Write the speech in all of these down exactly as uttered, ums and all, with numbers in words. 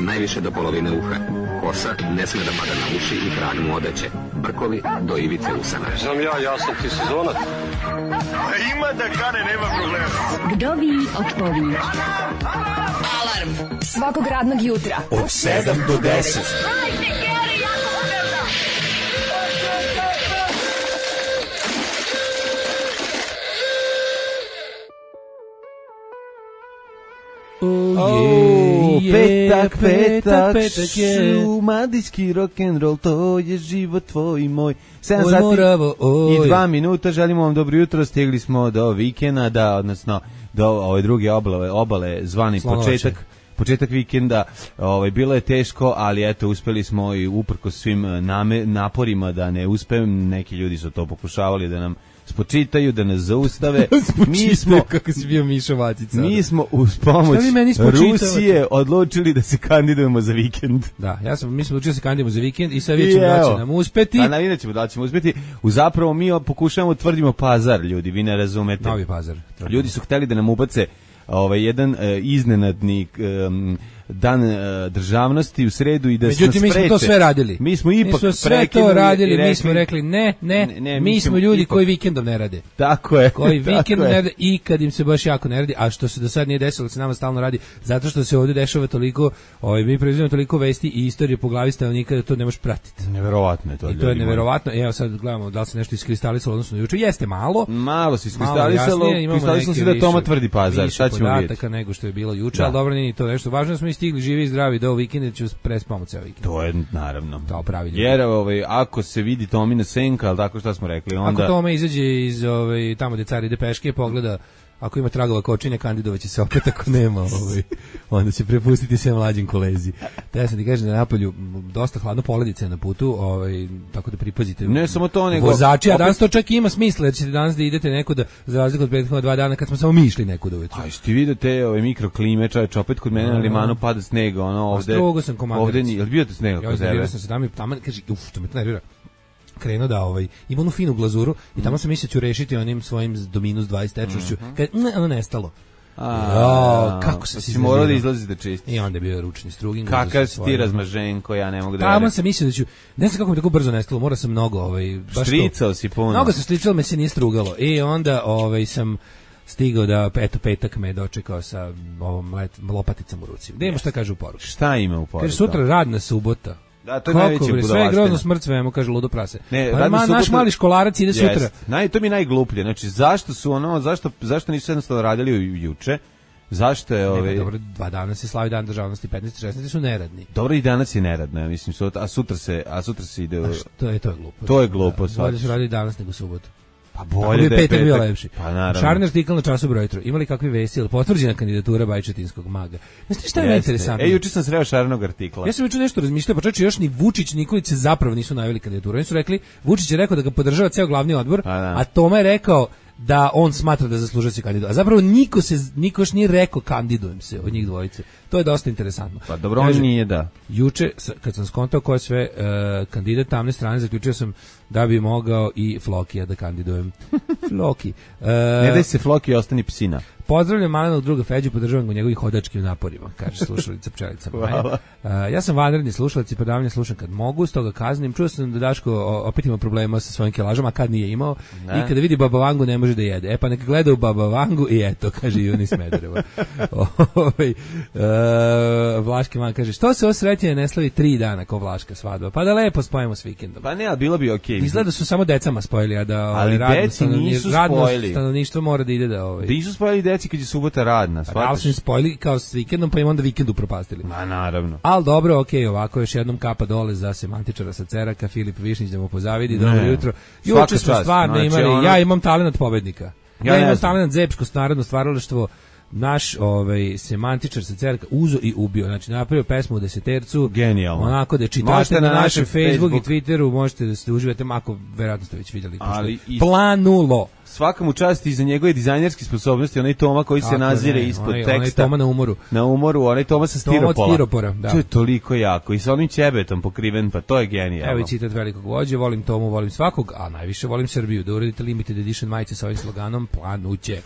najviše do polovine uha. Kosa ne sme da pada na uši i trag mu odeće. Brkovi do ivice usana. Znam ja, ja sam ti sezonac. Ima da kane, nema problema. Vdovi otpovi. Alarm svakog radnog jutra od sedam do deset. Oh, oh, je, petak, petak, petak je. Šumadijski rock'n'roll, to je život tvoj i moj. sedam oj, sati moravo, i dva minuta, želimo vam dobro jutro, stigli smo do vikenda, da, odnosno do ove druge obale, obale zvani Slonovače. početak. Početak vikenda, ovaj, bilo je teško, ali eto, uspeli smo i uprko svim name, naporima da ne uspem, neki ljudi su to pokušavali da nam spočitaju, da nas zaustave. mi smo, kako si bio Mišo Vatica. Mi smo uz pomoć Rusije odlučili da se kandidujemo za vikend. Da, ja sam, mi smo odlučili da se kandidujemo za vikend i sad vidjet ćemo da će nam uspeti. A navidjet ćemo da ćemo uspeti. U zapravo mi pokušavamo, tvrdimo Pazar, ljudi, vi ne razumete. Novi Pazar. Tvrdimo. Ljudi su hteli da nam ubace ovaj jedan uh, iznenadni um, dan uh, državnosti u sredu i da se Međutim, mi smo to sve radili. Mi smo ipak mi smo sve to radili, rekli, mi smo rekli ne, ne, ne, ne mi, mi smo ljudi ipak koji vikendom ne rade. Tako je. Koji vikendom ne rade i kad im se baš jako ne radi, a što se do sad nije desilo, se nama stalno radi, zato što se ovdje dešava toliko, ovaj, mi preuzimamo toliko vesti i istorije po glavi stanovnika da to ne možeš pratiti. Neverovatno je to. I to je neverovatno. Evo sad gledamo da li se nešto iskristalisalo odnosno juče. Jeste malo. Malo se iskristalisalo, iskristalisalo se da Toma tvrdi Pazar. Šta ćemo vidjeti? Nego što je bilo juče, da. Ali dobro nije to nešto. Važno da smo i stigli živi i zdravi do vikenda, ću prespamo ceo vikend. To je naravno. Kao pravi ljudi. Jer ovaj, ako se vidi Tomina senka, ali tako što smo rekli, onda... Ako Toma izađe iz ovaj, tamo gde car ide peške, pogleda, ako ima tragova kočine, kandidovaće se opet, ako nema, ovaj, onda će prepustiti sve mlađim kolezi. Da ja sam ti kažem da na napolju dosta hladno, poledice na putu, ovaj, tako da pripazite. Ne samo to, nego... Vozači, a danas to čak ima smisla, jer ćete danas da idete nekuda, za razliku od prethodnog dva dana, kad smo samo mi išli nekuda uvijek. A jeste vidite ove mikroklime, čovječ, opet kod mene na limanu pada snega, ono ovde... A strogo sam komandirac. Ovde nije, jel bio te snega kod tebe? Ja sam se tamo, tamo, kaže, uf, to me to nervira. Krenuo da ovaj ima onu finu glazuru i tamo sam mislio ću rešiti onim svojim do minus dvadeset tečnošću. Mm-hmm. Kad ne, ono nestalo. A, kako se si morao da izlazi da čisti. I onda je bio ručni struging. Kakav si ti razmaženko, ja ne mogu da... Tamo sam mislio da ću, ne znam kako mi tako brzo nestalo, morao sam mnogo, ovaj, baš štricao to, si puno. Mnogo sam štricao, me se nije strugalo. I onda ovaj, sam stigao da, eto, petak me dočekao sa ovom let, lopaticom u ruci. Da imamo šta kaže u poruci. Šta ima u poruci? Kaže, sutra radna subota. Da, to je najveće budalaštine. Sve je grozno, smrt svemu, kaže ludo prase. Ne, pa ma, naš mali školarac ide yes. sutra. Naj, to mi je najgluplje. Znači, zašto su ono, zašto, zašto nisu jednostavno radili juče? Zašto je ovaj... Dobro, dva dana se slavi dan državnosti, petnaesti šesnaesti su neradni. Dobro, i danas je neradno, ja mislim, sutra, a sutra se, a sutra se ide... A što je, to je glupo. To je glupo, da, bolje su radili danas nego subotu. Pa bolje da je petak bio lepši. Pa naravno. Šarni artikl na času broj tri. Imali kakvi vesti, ili potvrđena kandidatura Bajčetinskog maga. Znaš šta je Jeste. Interesantno? E, juče sam sreo Šarnog artikla. Ja sam juče nešto razmišljao, pa čak još ni Vučić, Nikolić se zapravo nisu najavili kandidaturu. Oni su rekli, Vučić je rekao da ga podržava ceo glavni odbor, a, a Toma je rekao da on smatra da zaslužuje se kandidat. A zapravo niko se niko još nije rekao kandidujem se od njih dvojice. To je dosta interesantno. Pa dobro, on nije da. Juče kad sam skontao ko je sve uh, kandidat tamne strane, zaključio sam da bi mogao i Flokija da kandidujem. Floki. Uh, ne daj se Floki, ostani psina. Pozdravljam malenog druga Feđu, podržavam ga u njegovih hodačkim naporima, kaže slušalica pčelica Maja. Uh, ja sam vanredni slušalac i predavanje slušam kad mogu, stoga kaznim. Čuo sam da Daško opet ima problema sa svojim kilažama, a kad nije imao. Ne. I kada vidi Baba Vangu ne može da jede. E pa neka gleda u Baba Vangu i eto, kaže Juni Smedereva. Ovaj uh, Vlaški man kaže, što se ovo srećenje ne slavi tri dana kao Vlaška svadba? Pa da lepo spojimo s vikendom. Pa ne, a bilo bi okej. Okay. Izgleda su samo decama spojili, a da ali radno, deci nisu radno spojili. Stanovništvo mora da ide da ovaj. Da nisu spojili deci kad je subota radna. Pa da su im spojili kao s vikendom, pa im onda vikend upropastili. Ma naravno. Al dobro, okej, okay, ovako još jednom kapa dole za semantičara sa Ceraka, Filip Višnić da mu pozavidi, dobro jutro. Juče smo stvarno znači, imali, ono... ja imam talenat pobednika. Ja, ja imam talenat Zepsko narodno stvaralaštvo. Naš ovaj semantičar sa Cerka uzo i ubio, znači napravio pesmu u desetercu, genijalno. Onako da čitate na, na našem Facebook, Facebook i Twitteru, možete da se uživate, mako verovatno ste već vidjeli. Ali planulo. Svaka mu čast i za njegove dizajnerske sposobnosti, onaj Toma koji se nazire ne, ispod onaj, teksta. Onaj Toma na umoru. Na umoru, onaj Toma sa stiropola. Toma od stiropora, da. To je toliko jako i sa onim ćebetom pokriven, pa to je genijalno. Evo i citat velikog vođe, volim Tomu, volim svakog, a najviše volim Srbiju. Da uradite limited edition majice sa ovim sloganom, planuće.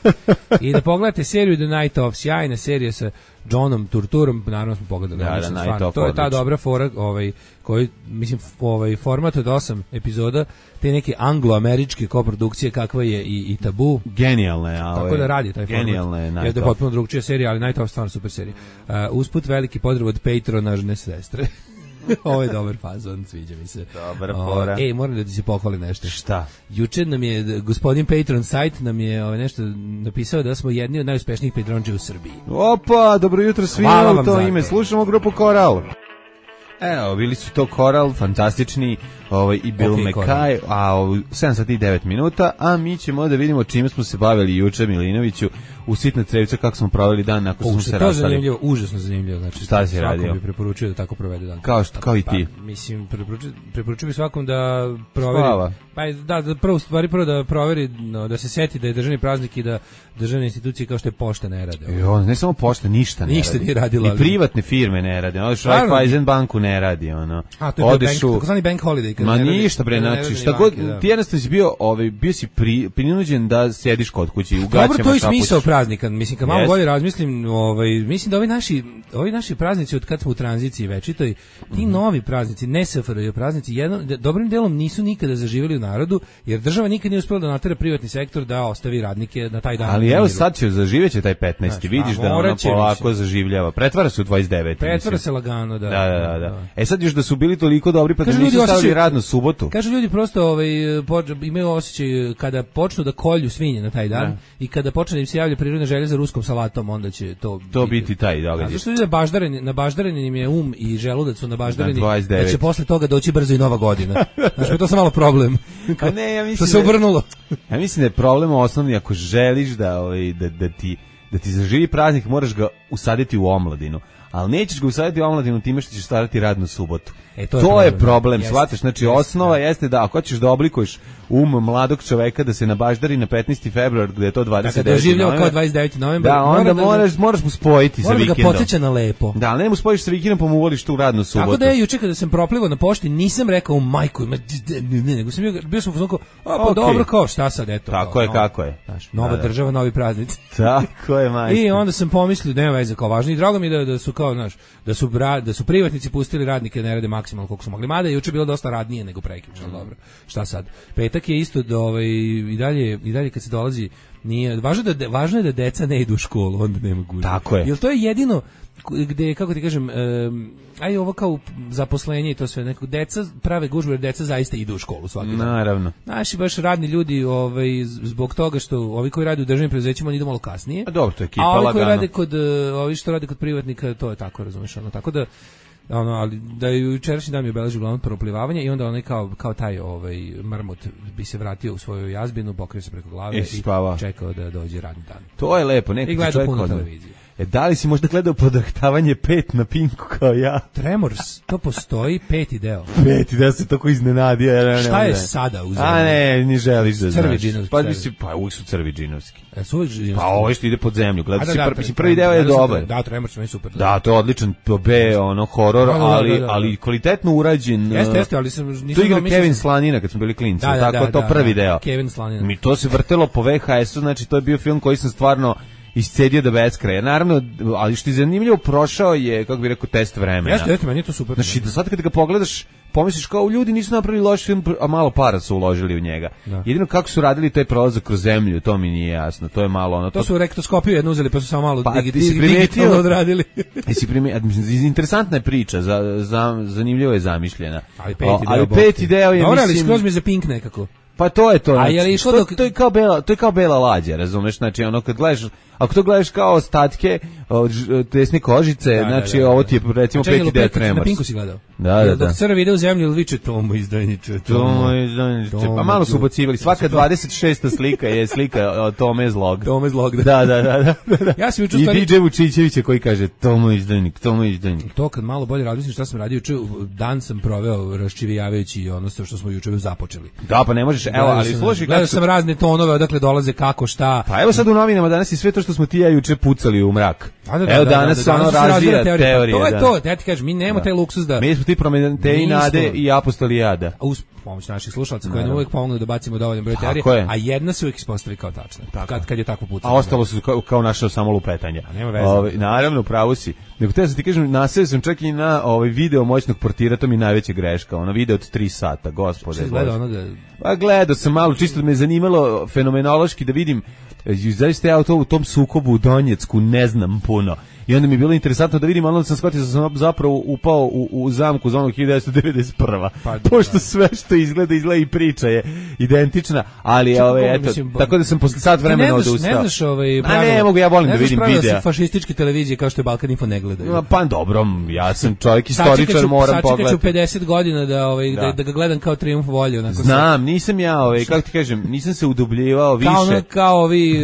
I da pogledate seriju The Night Of, sjajna serija sa Johnom Turturom, naravno smo pogledali. Da, da, Night Of, to je ta odlično. dobra fora, ovaj, koji, mislim, ovaj, format od osam epizoda, te neke anglo-američke koprodukcije kakva je i, i Tabu. Genijalna je. Tako da radi taj format. Genijalna je Night Je da je Of. potpuno drugčija serija, ali Night Of stvarno super serija. Uh, usput veliki pozdrav od patronažne sestre. Ovo je dobar fazon, sviđa mi se. Dobar fora. Ej, moram da ti se pohvali nešto. Šta? Juče nam je gospodin Patron sajt nam je ovaj nešto napisao da smo jedni od najuspešnijih patronđa u Srbiji. Opa, dobro jutro svima, Hvala u vam to za ime. to. Slušamo grupu Koral. Evo, bili su to Koral, fantastični, ovaj, i Bill Ok, McKay, a u sedam sati i devet minuta, a mi ćemo da vidimo čime smo se bavili juče, Milinoviću, u sitna crevca, kako smo proveli dan nakon što smo se to rastali. zanimljivo, užasno zanimljivo. Znači, Šta si svakom radio? bi preporučio da tako provede dan. Kao što, kao i ti. Pa, mislim, preporučio, preporučio bi svakom da proveri. Spava. Pa da, da prvo stvari prvo da proveri, no, da se seti da je državni praznik i da državne institucije kao što je pošta ne rade. I on, ne samo pošta, ništa ne Ništa radi. nije radila, I ali- privatne firme ne rade. Odeš u Naravno. Raiffeisen banku ne radi, ono. A, to je Odeš bank, u... takozvani bank holiday. kad Ma ne radi- ništa bre, kad ne znači rade šta ni god, banke, da. ti jednostavno si bio, ovaj, bio si pri, prinuđen da sediš kod kuće i u gaćama Dobro, to je šapućeš. smisao praznika. Mislim, kad malo Jeste. bolje razmislim, ovaj, mislim da ovi naši, ovi naši praznici od kad smo u tranziciji večitoj, ti Mhm. novi praznici, ne S F R J praznici, jedno, de- dobrim delom nisu nikada zaživjeli u narodu, jer država nikad nije uspela da natera privatni sektor da ostavi radnike na taj dan. Ali u evo miru. sad će zaživjeće taj petnaesti. Znači, Vidiš pa da ono morat će, polako mislim. zaživljava. Pretvara se u dvadeset deveti. Pretvara mislim. se lagano, da. Da, da, da, da. E sad još da su bili toliko dobri pa da Kažu nisu ljudi stavili osjećaju- radnu subotu. Kažu ljudi prosto ovaj, poč- imaju osjećaj kada počnu da kolju svinje na taj dan Ne. i kada počne da im se javlja prirodna želja za ruskom salatom, onda će to, To biti taj A događaj. zašto ljudi baždareni, na baždareni im je um i želudac su na baždareni, Na dvadeset devet. da će posle toga doći brzo i nova godina. Znači, to je samo malo problem. A ne, ja mislim Što se da- obrnulo. Ja mislim da je problem osnovni ako želiš da, ovaj, da, da, ti, da ti zaživi praznik, moraš ga usaditi u omladinu. Ali nećeš ga usaditi u omladinu time što ćeš starati radnu subotu. E, to to je je problem, problem, jeste, shvataš? Znači, jeste, osnova da. jeste da ako hoćeš da oblikuješ um mladog čoveka da se nabaždari na petnaesti februar gde je to dvadeset Dakle, deveti doživljava novembar, kao dvadeset deveti novembar. Da, onda mora moraš, moraš mu spojiti sa mora da ga vikendom. podsjeća na lepo. Da, ali ne mu spojiš sa vikendom pa mu uvoliš tu radnu subotu. Tako da je juče kada sam proplivao na pošti nisam rekao u majku, ima, ne, ne, nego sam bio, bio sam u fazonu kao, a pa Okej. dobro, kao šta sad, eto. Tako kao, je, no, kako je. Znaš, nova Da, da. država, novi praznici. Tako je, majstor. I onda sam pomislio, nema veze, kao važno. I drago mi je da, da su kao, znaš, da su, bra, da su privatnici pustili radnike da ne rade maksimalno koliko su mogli. Mada je juče bilo dosta radnije nego prekjuče, ali dobro. Šta sad? Petak je isto da ovaj i dalje i dalje kad se dolazi nije važno da de- važno je da deca ne idu u školu, onda nema gužve. Tako je. Jel to je jedino gde, kako ti kažem, um, aj ovo kao zaposlenje i to sve, neko deca prave gužve jer deca zaista idu u školu svaki dan. Naravno. Naši baš radni ljudi, ovaj, zbog toga što ovi koji rade u državnim preduzećima oni idu malo kasnije. A dobro, to je ekipa A ovi koji lagano. rade kod, uh, ovi što rade kod privatnika, to je tako, razumiješ, ono, tako da, ono, ali da je jučerašnji dan mi obeležio uglavnom proplivavanje i onda onaj kao, kao taj ovaj, marmot bi se vratio u svoju jazbinu, pokrio se preko glave I i, spava. čekao da dođe radni dan. To je lepo, neki I gleda čovjek puno odmah. televizije. E, da li si možda gledao podahtavanje pet na Pinku kao ja? Tremors, to postoji, peti deo. Peti, da se tako iznenadio. Ja, ne, Šta ne, je ne. sada u A zemlji? ne, ni želiš da znaš. Crvi džinovski, Pa, crvi. mislim, pa uvijek su crvi džinovski. E, su uvijek živim Pa ovo što ide pod zemlju. A Gledao da, si, da, pr, Tremors, mislim, prvi deo je gledao sam dobar. Da, Tremors mi je super. Da, to je odličan B, ono, horor, Da, da, da, ali, da, da. ali kvalitetno urađen. Jeste, uh, jeste, ali sam nisam To igra znao, mislim- Kevin Slanina kad smo bili klinci, Da, da, tako da, to da, prvi da, deo. Kevin Slanina. Mi to se vrtelo po V H S-u, znači to je bio film koji sam stvarno iscedio do beskraja. Naravno, ali što je zanimljivo, prošao je, kako bih rekao, test vremena. Jeste, jeste, meni je to super. Znači, da sad kad ga pogledaš, pomisliš kao ljudi nisu napravili loš film, a malo para su uložili u njega. Da. Jedino kako su radili taj prolazak kroz zemlju, to mi nije jasno. To je malo ono... To su rektoskopiju jednu uzeli, pa su samo malo Pa, digi- ti si dig- primetio- digitalno odradili. Jesi primi, mislim, interesantna je priča, za, za, zanimljivo je zamišljena. Ali peti O, deo, ali bog peti ti. deo je, Dobro, ali mislim... skroz mi je za Pink nekako. Pa to je to. A Znači, je li išlo to, dok- to je kao bela, to je kao bela lađa, razumeš? Znači ono kad gledaš, ako to gledaš kao ostatke od ž- tesne kožice, Da, da, znači da, da. ovo ti je recimo A čekaj, peti jel deo pet- Na Tremors. Pinku si gledao? Da, da, Jel da. Dok crv ide u zemlju, ili viče Tomo izdajniče, Tomo izdajniče. Pa malo su ubacivali. Svaka dvadeset šesta slika je slika od Tome Zlog. Tome Zlog, da. Da, da, da, da, da. Ja sam juče I stvari- D J Vučićevića koji kaže Tomo izdajnik, Tomo izdajnik. To kad malo bolje razmislim šta sam radio juče, dan sam proveo raščivijavajući ono što smo juče započeli. Da, pa ne možeš, evo, Gledao ali sam- slušaj gledao kako su... sam razne tonove, odakle dolaze, kako, šta. Pa evo sad u novinama danas i sve to što što smo ti ja juče pucali u mrak. Da, da, da, Evo da, danas da, da, ono danas se razvija teorija. teorije. To je da. to, ja ti kažem, mi nemamo Da. taj luksuz da... Mi smo ti Prometej nade i apostoli jada. A uz pomoć naših slušalaca koji nam uvijek pomognu da bacimo dovoljan broj teorije, a jedna se uvijek ispostavi kao tačna. Kad, kad je tako pucano. A ostalo su kao, kao naše samo lupetanja. A nema veze. Ove, naravno, pravo si. Nego te sam ti kažem, naseo sam čak i na ovaj video moćnog portira, to mi je najveća greška. Ono video od tri sata, gospode. Što gleda onoga... Pa gledao sam malo, čisto me je zanimalo fenomenološki da vidim, zaista ja u, to, u tom sukobu u Donjecku ne znam puno. I onda mi je bilo interesantno da vidim, ali onda sam shvatio da sam zapravo upao u, u zamku za onog hiljadu devetsto devedeset prva. Pa, pošto sve što izgleda, izgleda i priča je identična, ali Čekaj, ove, eto, mislim, tako da sam posle sat vremena odustao. Ne znaš ovaj pravila, a ne mogu, ja volim da vidim videa. Ne znaš fašističke televizije kao što je Balkan Info ne gledaju. Pa dobro, ja sam čovjek istoričar, moram pogledati. Sačekat ću pedeset godina da, ovaj, da. Da, da ga gledam kao Trijumf volje. Znam, nisam ja, ovaj, kako ti kažem, nisam se udubljivao više. Kao, ono, kao, ovi,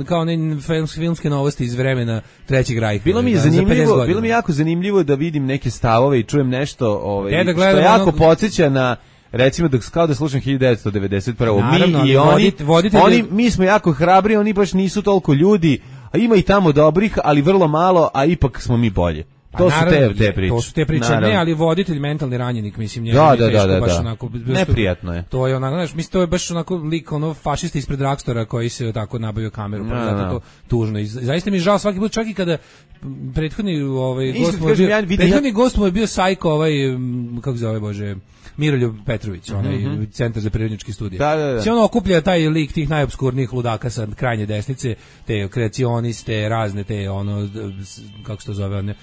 kao one filmske novosti iz vremena Trećeg rajka. Bilo mi je zanimljivo, bilo mi jako zanimljivo da vidim neke stavove i čujem nešto, ovaj, da što jako onog... podsjeća na recimo da kao da slušam hiljadu devetsto devedeset prva. Naravno, mi i oni, vodite, vodite oni mi smo jako hrabri, oni baš nisu toliko ljudi, a ima i tamo dobrih, ali vrlo malo, a ipak smo mi bolje. To su te, te priče. To su te priče, naravno. Ne, ali voditelj, mentalni ranjenik, mislim, njega da, je teško, da, da, baš da. onako... Neprijatno je. To je onako, znaš, mislim, to je baš onako lik, ono, fašista ispred Dragstora koji se tako nabavio kameru, pa no, zato no. to tužno. I zaista mi je žao svaki put, čak i kada prethodni, ovaj, gost mu je bio, ja prethodni gost mu je bio Sajko, ovaj, kako zove, Bože, Miroljub Petrović, onaj mm-hmm. Centar za prirodničke studije. Da, da, da. Se ono okuplja taj lik tih najobskurnijih ludaka sa krajnje desnice, te kreacioniste, razne te, ono, kako se to zove, one,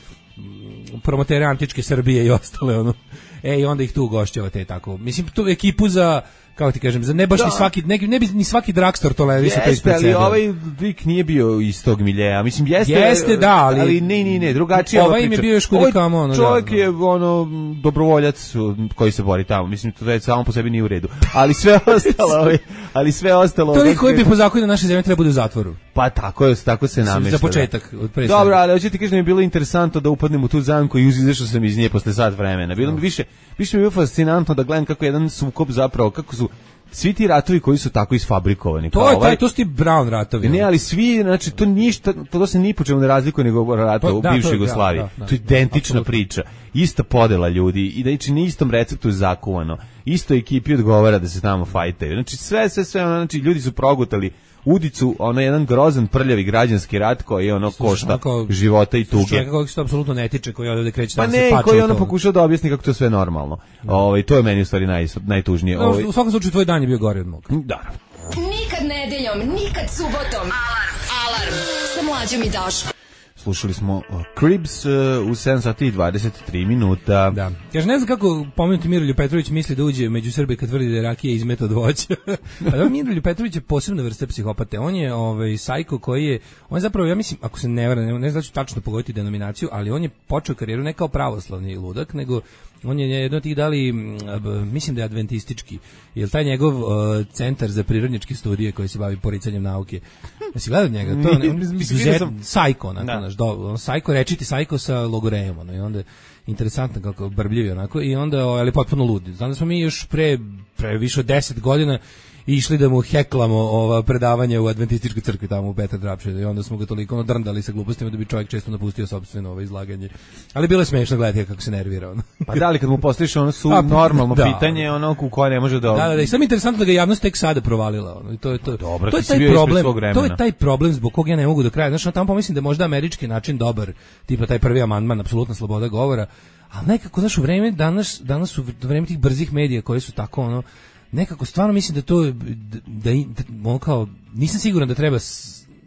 promotere antičke Srbije i ostale, ono. E, i onda ih tu ugošćava te tako. Mislim, tu ekipu za, kako ti kažem, za ne baš da. ni svaki, ne, ne bi ni svaki Dragstor tolerisao to ispred sebe. Ali ovaj lik nije bio iz tog miljeja. Mislim, jeste, jeste da, ali, ali ne, ne, ne, drugačije. Ovaj im je bio još kudikamo, ono. Čovjek da, je, ono, dobrovoljac koji se bori tamo. Mislim, to je samo po sebi nije u redu. Ali sve ostalo, ovaj, ali sve ostalo... To je koji bi po zakonu naše zemlje treba bude u zatvoru. Pa tako je, tako se namešta. Za početak. Da. Dobro, ali hoćete ti kažem, mi je bilo interesantno da upadnem u tu zamku i izašao sam iz nje posle sat vremena. Bilo mi više, više mi je bilo fascinantno da gledam kako jedan sukob zapravo, kako su svi ti ratovi koji su tako isfabrikovani. To je ovaj, taj, to su ti Brown ratovi. Ne, ali svi, znači, to ništa, to, to se ni po čemu ne razlikuje nego ratova u bivšoj Jugoslaviji. Da, da, to je identična absolutno. Priča. Ista podela ljudi i da ići na istom receptu je zakuvano. Isto ekipi odgovara da se tamo fajtaju. Znači, sve, sve, sve, znači, ljudi su progutali udicu, ono jedan grozan prljavi građanski rat koji ono košta onako, života i tuge. Čovjeka kojeg se to apsolutno ne tiče, koji ovdje kreće pa da ne, se pače. koji ono pokušao da objasni kako to sve normalno. No. Ovaj, to je meni u stvari naj, najtužnije. No, ovaj. U svakom slučaju tvoj dan je bio gori od mog. Da. Nikad nedeljom, nikad subotom. Alarm, alarm, sa Mlađom i Daškom. Slušali smo uh, Cribs uh, u sedam sati i dvadeset tri minuta. Da. Kaže, ne znam kako pomenuti Miroljub Petrović misli da uđe među Srbe kad tvrdi da je rakija izmet od voća. Pa da, Miroljub Petrović je posebna vrsta psihopate. On je ovaj sajko koji je, on je zapravo, ja mislim, ako se ne varam, ne, ne znam da ću tačno pogoditi denominaciju, ali on je počeo karijeru ne kao pravoslavni ludak, nego on je jedno od tih dali, mislim da je adventistički, jer taj njegov uh, centar za prirodničke studije koji se bavi poricanjem nauke. Ja si gledao njega? To je mislim, sajko, onako, do, sajko, rečiti sajko sa logorejom, ono, i onda interesantno kako brbljivi onako, i onda, ali potpuno ludi. Znam da smo mi još pre, pre više od deset godina išli da mu heklamo ova predavanja u adventističkoj crkvi tamo u Petar Drapšedu i onda smo ga toliko ono drndali sa glupostima da bi čovjek često napustio sopstveno ovo izlaganje. Ali bilo je smešno gledati kako se nervira on. Pa da li kad mu postaviš ono su pa, normalno da, pitanje, ono u koje ne može da... Da, da, da, i samo interesantno da ga javnost tek sada provalila. Ono, i to je, to, dobro, to je taj problem, to je taj problem zbog kog ja ne mogu do kraja. Znaš, tamo pomislim da je možda američki način dobar, tipa taj prvi amandman, apsolutna sloboda govora, ali nekako, znaš, u vreme, danas, danas u vreme tih brzih medija koji su tako, ono, nekako stvarno mislim da to da, da, da on kao nisam siguran da treba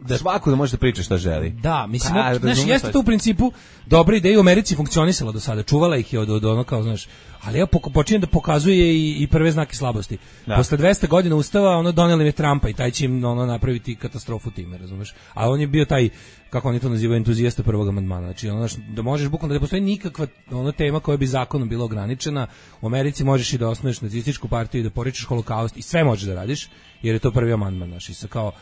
da svako da može da priča šta želi. Da, mislim, pa, znaš, jeste to u principu dobra ideja, u Americi funkcionisala do sada, čuvala ih je od, od ono kao, znaš, ali ja počinjem da pokazuje i, i prve znake slabosti. Da. Posle dvesta godina ustava, ono, doneli me Trumpa i taj će im ono, napraviti katastrofu time, razumeš? A on je bio taj, kako oni to nazivaju, entuzijasta prvog amandmana. Znači, ono, da možeš bukvalno da ne postoji nikakva ono, tema koja bi zakonom bila ograničena. U Americi možeš i da osnuješ nacističku partiju i da poričeš holokaust i sve možeš da radiš, jer je to prvi amandman, znači, sa kao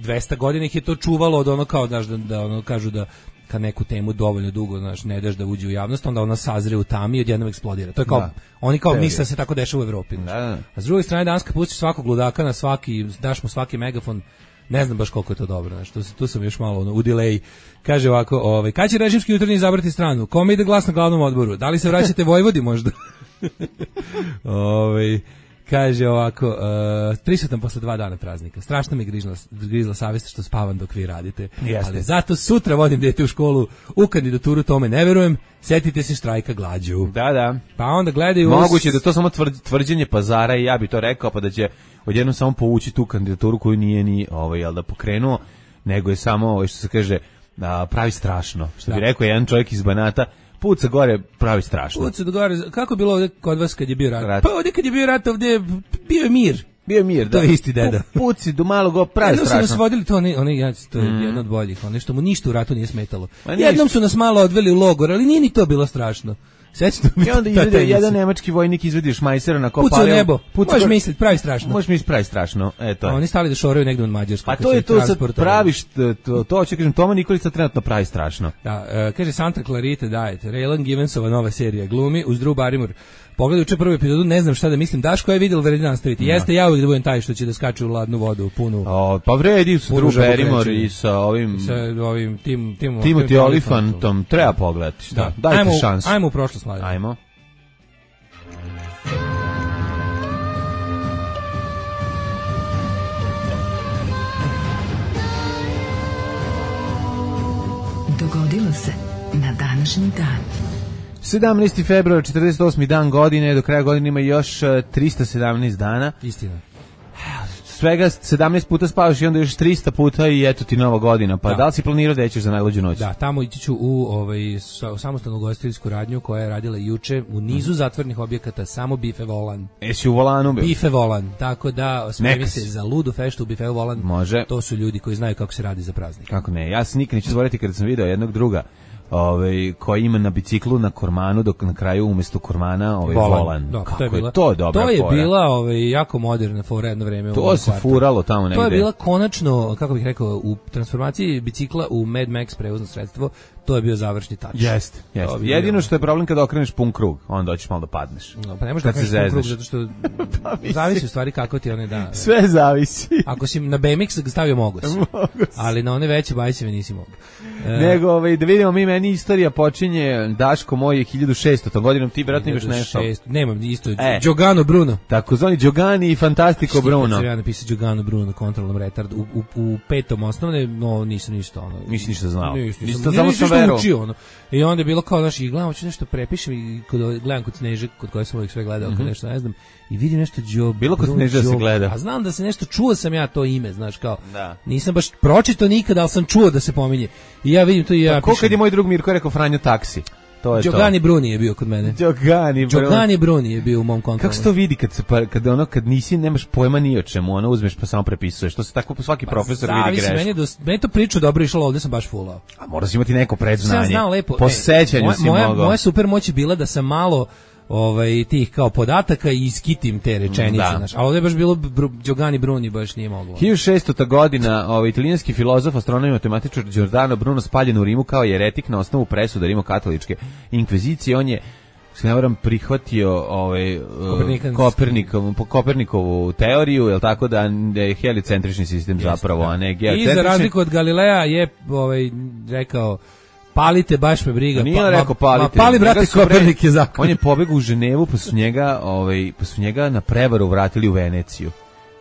dvesta godina ih je to čuvalo od ono kao, znaš, da, da ono kažu da kad neku temu dovoljno dugo, znaš, ne daš da uđe u javnost, onda ona sazre u tami i odjednom eksplodira. To je kao, da. Oni kao misle da se tako dešava u Evropi. Da, da. A s druge strane, danas kad pustiš svakog ludaka na svaki, daš mu svaki megafon, Ne znam baš koliko je to dobro, znači, tu, tu sam još malo ono, u delay. Kaže ovako, ovaj, kad će režimski jutarnji izabrati stranu? Kome ide glas na glavnom odboru? Da li se vraćate Vojvodi možda? ovaj... Kaže ovako, uh, prisutan posle dva dana praznika. Strašno mi grizla, grizla savjest što spavam dok vi radite. Jeste. Ali zato sutra vodim dete u školu u kandidaturu, tome ne verujem. Setite se štrajka glađu. Da, da. Pa onda gledaju... Moguće da to samo tvrđenje pazara i ja bi to rekao, pa da će odjednom samo povući tu kandidaturu koju nije ni ovaj, jel da pokrenuo, nego je samo, ovaj, što se kaže, a, pravi strašno. Što da. Bi rekao jedan čovjek iz Banata, puca gore pravi strašno. Puca gore, kako je bilo ovdje kod vas kad je bio rat? rat. Pa ovdje kad je bio rat, ovdje bio je mir. Bio je mir, da. To je isti deda. Puci do malog go pravi Jednom strašno. Jednom su nas vodili to, oni, oni, to je mm. jedno od boljih, ono što mu ništa u ratu nije smetalo. Jednom su nas malo odveli u logor, ali nije ni to bilo strašno. Sećate mi. I onda izvede jedan nemački vojnik izvedi šmajsera na kopaleo. Puca u nebo. Možeš misliti, pravi strašno. Možeš misliti, pravi strašno. Eto. A oni stali da šoraju negde u Mađarskoj. A to je to sad praviš, to, to ću kažem, Toma Nikolić trenutno pravi strašno. Da, uh, kaže Santa Clarita Diet, Raylan Givensova nova serija glumi uz Drew Barrymore. Pogledaj juče prvu epizodu, ne znam šta da mislim. Daško je vidjel, vredi nastaviti. No. Jeste, ja uvijek da budem taj što će da skače u ladnu vodu, punu. O, pa vredi su Drew Barrymore i sa ovim... Sa ovim tim... tim Timothy Olyphantom. Treba pogledati. Šta? Da. Dajte ajmo, šansu. Ajmo u prošlost, mladen. Ajmo. Dogodilo se na današnji dan. sedamnaesti februar, četrdeset osmi dan godine, do kraja godine ima još trista sedamnaest dana. Istina. Svega sedamnaest puta spavaš i onda još trista puta i eto ti nova godina. Pa da, da li si planirao da ćeš za najluđu noć? Da, tamo ići ću u ovaj, samostalnu ugostiteljsku radnju koja je radila juče u nizu zatvornih objekata, samo Bife Volan. Jesi u Volanu bio? Bife Volan, tako da spremi se za ludu feštu u Bife Volan. Može. To su ljudi koji znaju kako se radi za praznik. Kako ne, ja se nikad neću zaboraviti kada sam video jednog druga ovaj koji ima na biciklu na kormanu, dok na kraju umjesto kormana ovaj volan. volan. Da, kako to je, bila, je to dobra To je fora. bila ovaj jako moderna fora jedno vreme. To se kvartu. Furalo tamo negde. To je bila konačno, kako bih rekao, u transformaciji bicikla u Mad Max prevozno sredstvo. To je bio završni tač. Jeste, jeste. Jedino što je problem kada okreneš pun krug, onda hoćeš malo da padneš. No, pa ne možeš da okreneš pun krug, zato što pa, zavisi u stvari kako ti one da. Sve zavisi. Ako si na B M X stavio mogu si, ali na one veće bajseve nisi mogu. E, Nego, ovaj, da vidimo mi, meni istorija počinje, Daško moj je hiljadu šestotom godinom, ti vjerojatno imaš nešto. Nemam isto, e, Giogano Bruno. Tako zvani Giogani i Fantastico Bruno. Što ja napisao Giogano Bruno, kontrolnom retard, u, u, u petom osnovne, no nisam ništa ono. Nisi ništa znao. Nisam, nisam, samo sam verovao. Ono. I onda je bilo kao, znaš, i gledam, hoću nešto prepišem i kod, gledam kod Sneže, kod koje sam uvijek sve gledao, mm-hmm. kod nešto ne znam, i vidim nešto Gio, bilo kod Sneže da se gleda. A znam da se nešto, čuo sam ja to ime, znaš, kao, da. Nisam baš pročitao nikada, ali sam čuo da se pominje. I ja vidim to i ja pišem. Kad je moj drug Mirko rekao Franjo taksi. To je Giogani to. Bruni je bio kod mene. Giogani Bruni. Giogani Bruni je bio u mom kontrolu. Kako se to vidi kad se pa, kad ono kad nisi nemaš pojma ni o čemu, ono uzmeš pa samo prepisuješ. To se tako svaki pa profesor vidi grešno. Meni do meni to priču dobro išlo, ovde sam baš fulao. A moraš imati neko predznanje. Sam znao lepo. Po sećanju moja, si moja, mogao. Moja super moć je bila da sam malo ovaj tih kao podataka i iskitim te rečenice, znaš. A ovdje je baš bilo Br Giogani Bruni baš nije moglo. hiljadu šestota godina, ovaj italijanski filozof, astronom i matematičar Giordano Bruno spaljen u Rimu kao jeretik na osnovu presude rimokatoličke inkvizicije. On je, se ne varam, prihvatio ovaj Kopernikovu Kopernikovu teoriju, je l' tako, da je heliocentrični sistem Jeste, zapravo, a ne geocentrični. I za razliku od Galileja je ovaj rekao palite, baš me briga. Nije pa, rekao palite. Ma, pali, brate, Kopernik je zakon. On je pobegao u Ženevu, pa su njega, ovaj, pa su njega na prevaru vratili u Veneciju.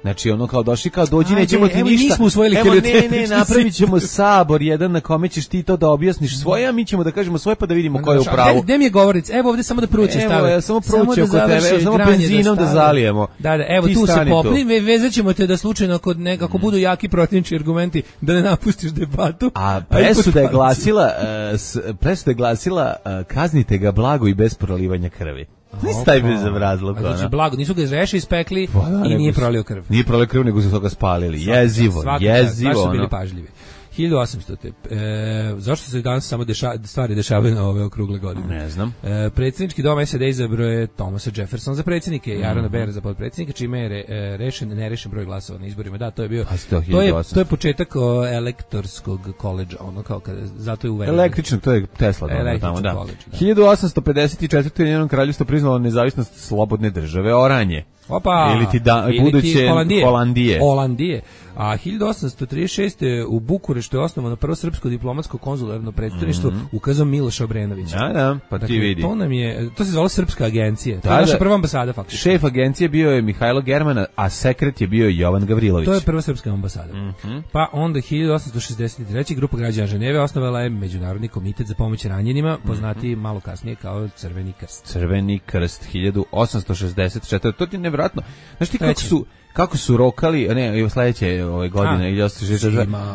Znači, ono kao došli, kao dođi, Ajde, nećemo ti evo, ništa. Nismo usvojili evo, ne, ne, napravit ćemo sabor jedan na kome ćeš ti to da objasniš svoje, a mi ćemo da kažemo svoje pa da vidimo ko je u pravu. Gde mi je govoric? Evo ovde samo da pruće stave. Evo, samo pruće oko tebe, evo, samo benzinom da, da zalijemo. Da, da, evo ti tu se popni, ve, vezat ćemo te da slučajno kod nekako budu jaki protivnički argumenti, da ne napustiš debatu. A presuda je glasila, uh, presuda je glasila, uh, kaznite ga blago i bez prolivanja krvi. Nisi taj bez razlog. Znači, blago, nisu ga izreši, ispekli pa, da, i nije prolio krv. Nije prolio krv, nego su toga spalili. Svaki, jezivo, svaki, jezivo. Baš su bili pažljivi. hiljadu osamstote. E, zašto se danas samo deša, stvari dešavaju na ove okrugle godine? Ne znam. E, predsjednički dom S A D izabrao je Thomasa Jeffersona za predsjednike, mm-hmm. Arona Beara za potpredsjednika, čime je re, e, rešen, nerešen broj glasova na izborima. Da, to je bio, to, to, je, to je početak o, elektorskog koledža, ono kao kada, zato je uvedeno. Električno, to je Tesla. Tamo, da. College, da. hiljadu osamsto pedeset četvrte. Ujedinjeno kraljevstvo priznalo nezavisnost slobodne države Oranje. Opa, ili ti da, ili buduće ti Holandije. Holandije. Holandije. A hiljadu osamsto trideset šeste. u Bukureštu je osnovano prvo srpsko diplomatsko konzularno predstavništvo mm-hmm. ukazom Miloša Obrenovića. Da, da, pa dakle, ti vidi. To nam je, to se zvalo Srpska agencija. To da, je naša da, prva ambasada faktički. Šef agencije bio je Mihajlo Germana, a sekret je bio Jovan Gavrilović. To je prva srpska ambasada. Mm-hmm. Pa onda hiljadu osamsto šezdeset treće. grupa građana Ženeve osnovala je Međunarodni komitet za pomoć ranjenima, poznati mm-hmm. malo kasnije kao Crveni krst. Crveni krst hiljadu osamsto šezdeset četvrte. To ti je nevjerojatno. Znaš ti kako su kako su rokali, ne, sledeće ove godine ili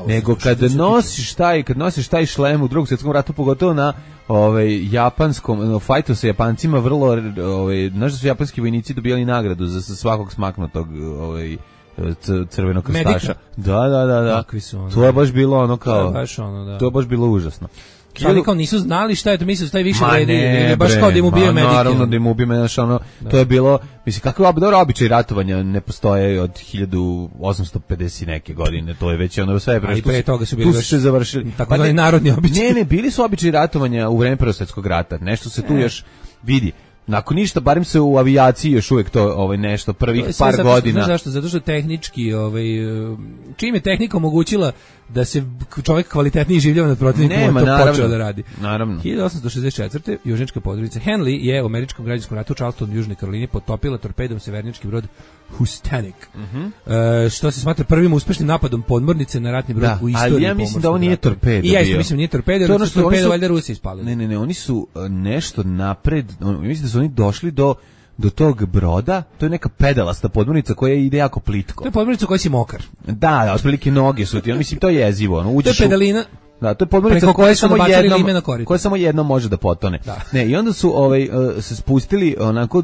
nego kad nosiš taj, kad nosiš taj šlem u Drugom svjetskom ratu, pogotovo na ovaj japanskom, no, fajtu sa Japancima vrlo, ovaj, znaš da su japanski vojnici dobijali nagradu za svakog smaknutog ovaj crvenog krstaša. Da, da, da, da. To je baš bilo ono kao, to je baš, ono, da. To je baš bilo užasno. Ali kao nisu znali šta je to, mislio šta je više vredi, ne, baš kao da im ubije medike. Naravno da im ubije medike, ono, da. To je bilo, mislim, kakve dobro običaji ratovanja ne postoje od hiljadu osamsto pedeset neke godine, to je već ono sve pre, pre toga su bili tu su se završili. Tako da narodni običaji. Ne, ne, bili su običaji ratovanja u vreme Prvog svjetskog rata, nešto se tu ne. još vidi. Nakon ništa, barem se u avijaciji još uvijek to ovaj nešto prvih to par zato, godina. Znaš zašto? Zato što tehnički, ovaj, čim je tehnika omogućila da se čovjek kvalitetnije življava nad protivnikom, on to naravno, počeo da radi. Naravno. hiljadu osamsto šezdeset četvrte. južnička podružnica Henley je u američkom građanskom ratu u Charlestonu, Južnoj Karolini, potopila torpedom severnički brod Houstonic. Mm-hmm. E, što se smatra prvim uspešnim napadom podmornice na ratni brod da, u istoriji. Ali ja mislim da ovo nije torpedo. I ja isto mislim nije torpedo, jer su torpedo valjda Rusi ispalili. Ne, ne, ne, oni su nešto napred, mislim da su oni došli do do tog broda, to je neka pedalasta podmornica koja ide jako plitko. To je podmornica koja si mokar. Da, da, otprilike noge su ti, on mislim to je jezivo, ono uđeš. To je pedalina. U, da, to je podmornica koja samo jednom, koja samo jednom može da potone. Da. Ne, i onda su ovaj uh, se spustili onako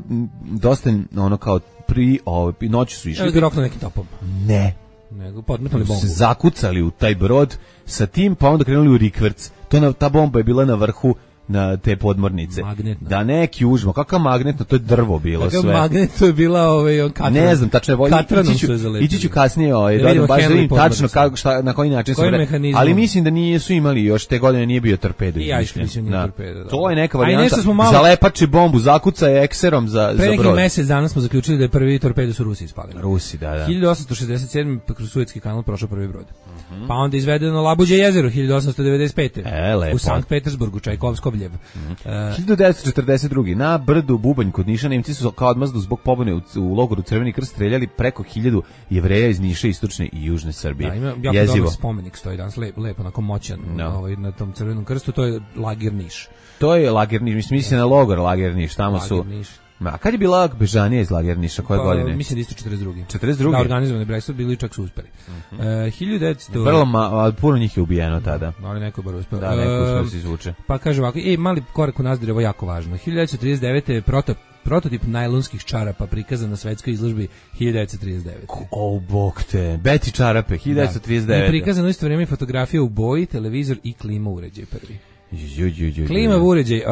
dosta ono kao pri ovaj noći su išli. Evo rokno nekim topom. Ne. Nego podmetnuli bombu. Se zakucali u taj brod sa tim, pa onda krenuli u rikverc. To na, ta bomba je bila na vrhu na te podmornice. Magnetno. Da neki užmo, kakav magnetno, to je drvo bilo kakav sve. Magnetno je bila ovaj katran. Ne znam, tačno je ići ću, ići ću kasnije ovaj, da, da baš da vidim tačno kako, šta, na koji način se vrede. Ali mislim da nije su imali još te godine nije bio torpedo. I ja mislim nije torpedo. To je neka varijanta. Malo... Zalepači bombu, zakuca je ekserom za, za brod. Pre neki mesec dana smo zaključili da je prvi torpedo su Rusi ispalili. Rusi, da, da. hiljadu osamsto šezdeset sedme. kroz Suetski kanal prošao prvi brod. Mm-hmm. Pa onda izvedeno Labuđe jezero hiljadu osamsto devedeset pete. E, u Sankt Petersburgu, Čajkovskobljev. Mm-hmm. Uh, hiljadu devetsto četrdeset druge. Na brdu Bubanj kod Niša Nemci su kao odmazdu zbog pobune u, u logoru Crveni krst streljali preko hiljadu Jevreja iz Niša, istočne i južne Srbije. Da, ima jako dobar spomenik stoji danas, lep, lep onako moćan no. ovaj, na tom Crvenom krstu, to je lager Niš. To je lager Niš, mislim misli na logor lager Niš, tamo lager su... Niš. A kad je bila Bežanija iz lager Niša, koje pa, godine? Mislim da isto četrdeset druge. četrdeset druge? Da, organizovani Brexit bili čak su uspeli. Mm-hmm. Uh, hiljadu devetsto... Vrlo, ma, puno njih je ubijeno tada. Ali neko je bar uspeo. Da, neko uspeo se izvuče. Pa kaže ovako, ej, mali korak u nazdir, ovo je jako važno. hiljadu devetsto trideset devete. Proto, prototip najlonskih čarapa prikazan na svetskoj izložbi hiljadu devetsto trideset devete. O, bog te, Beti čarape, hiljadu devetsto trideset devete. I prikazano isto vrijeme fotografija u boji, televizor i klima uređaj prvi. Ju, ju, ju, klima uređaj. Uh,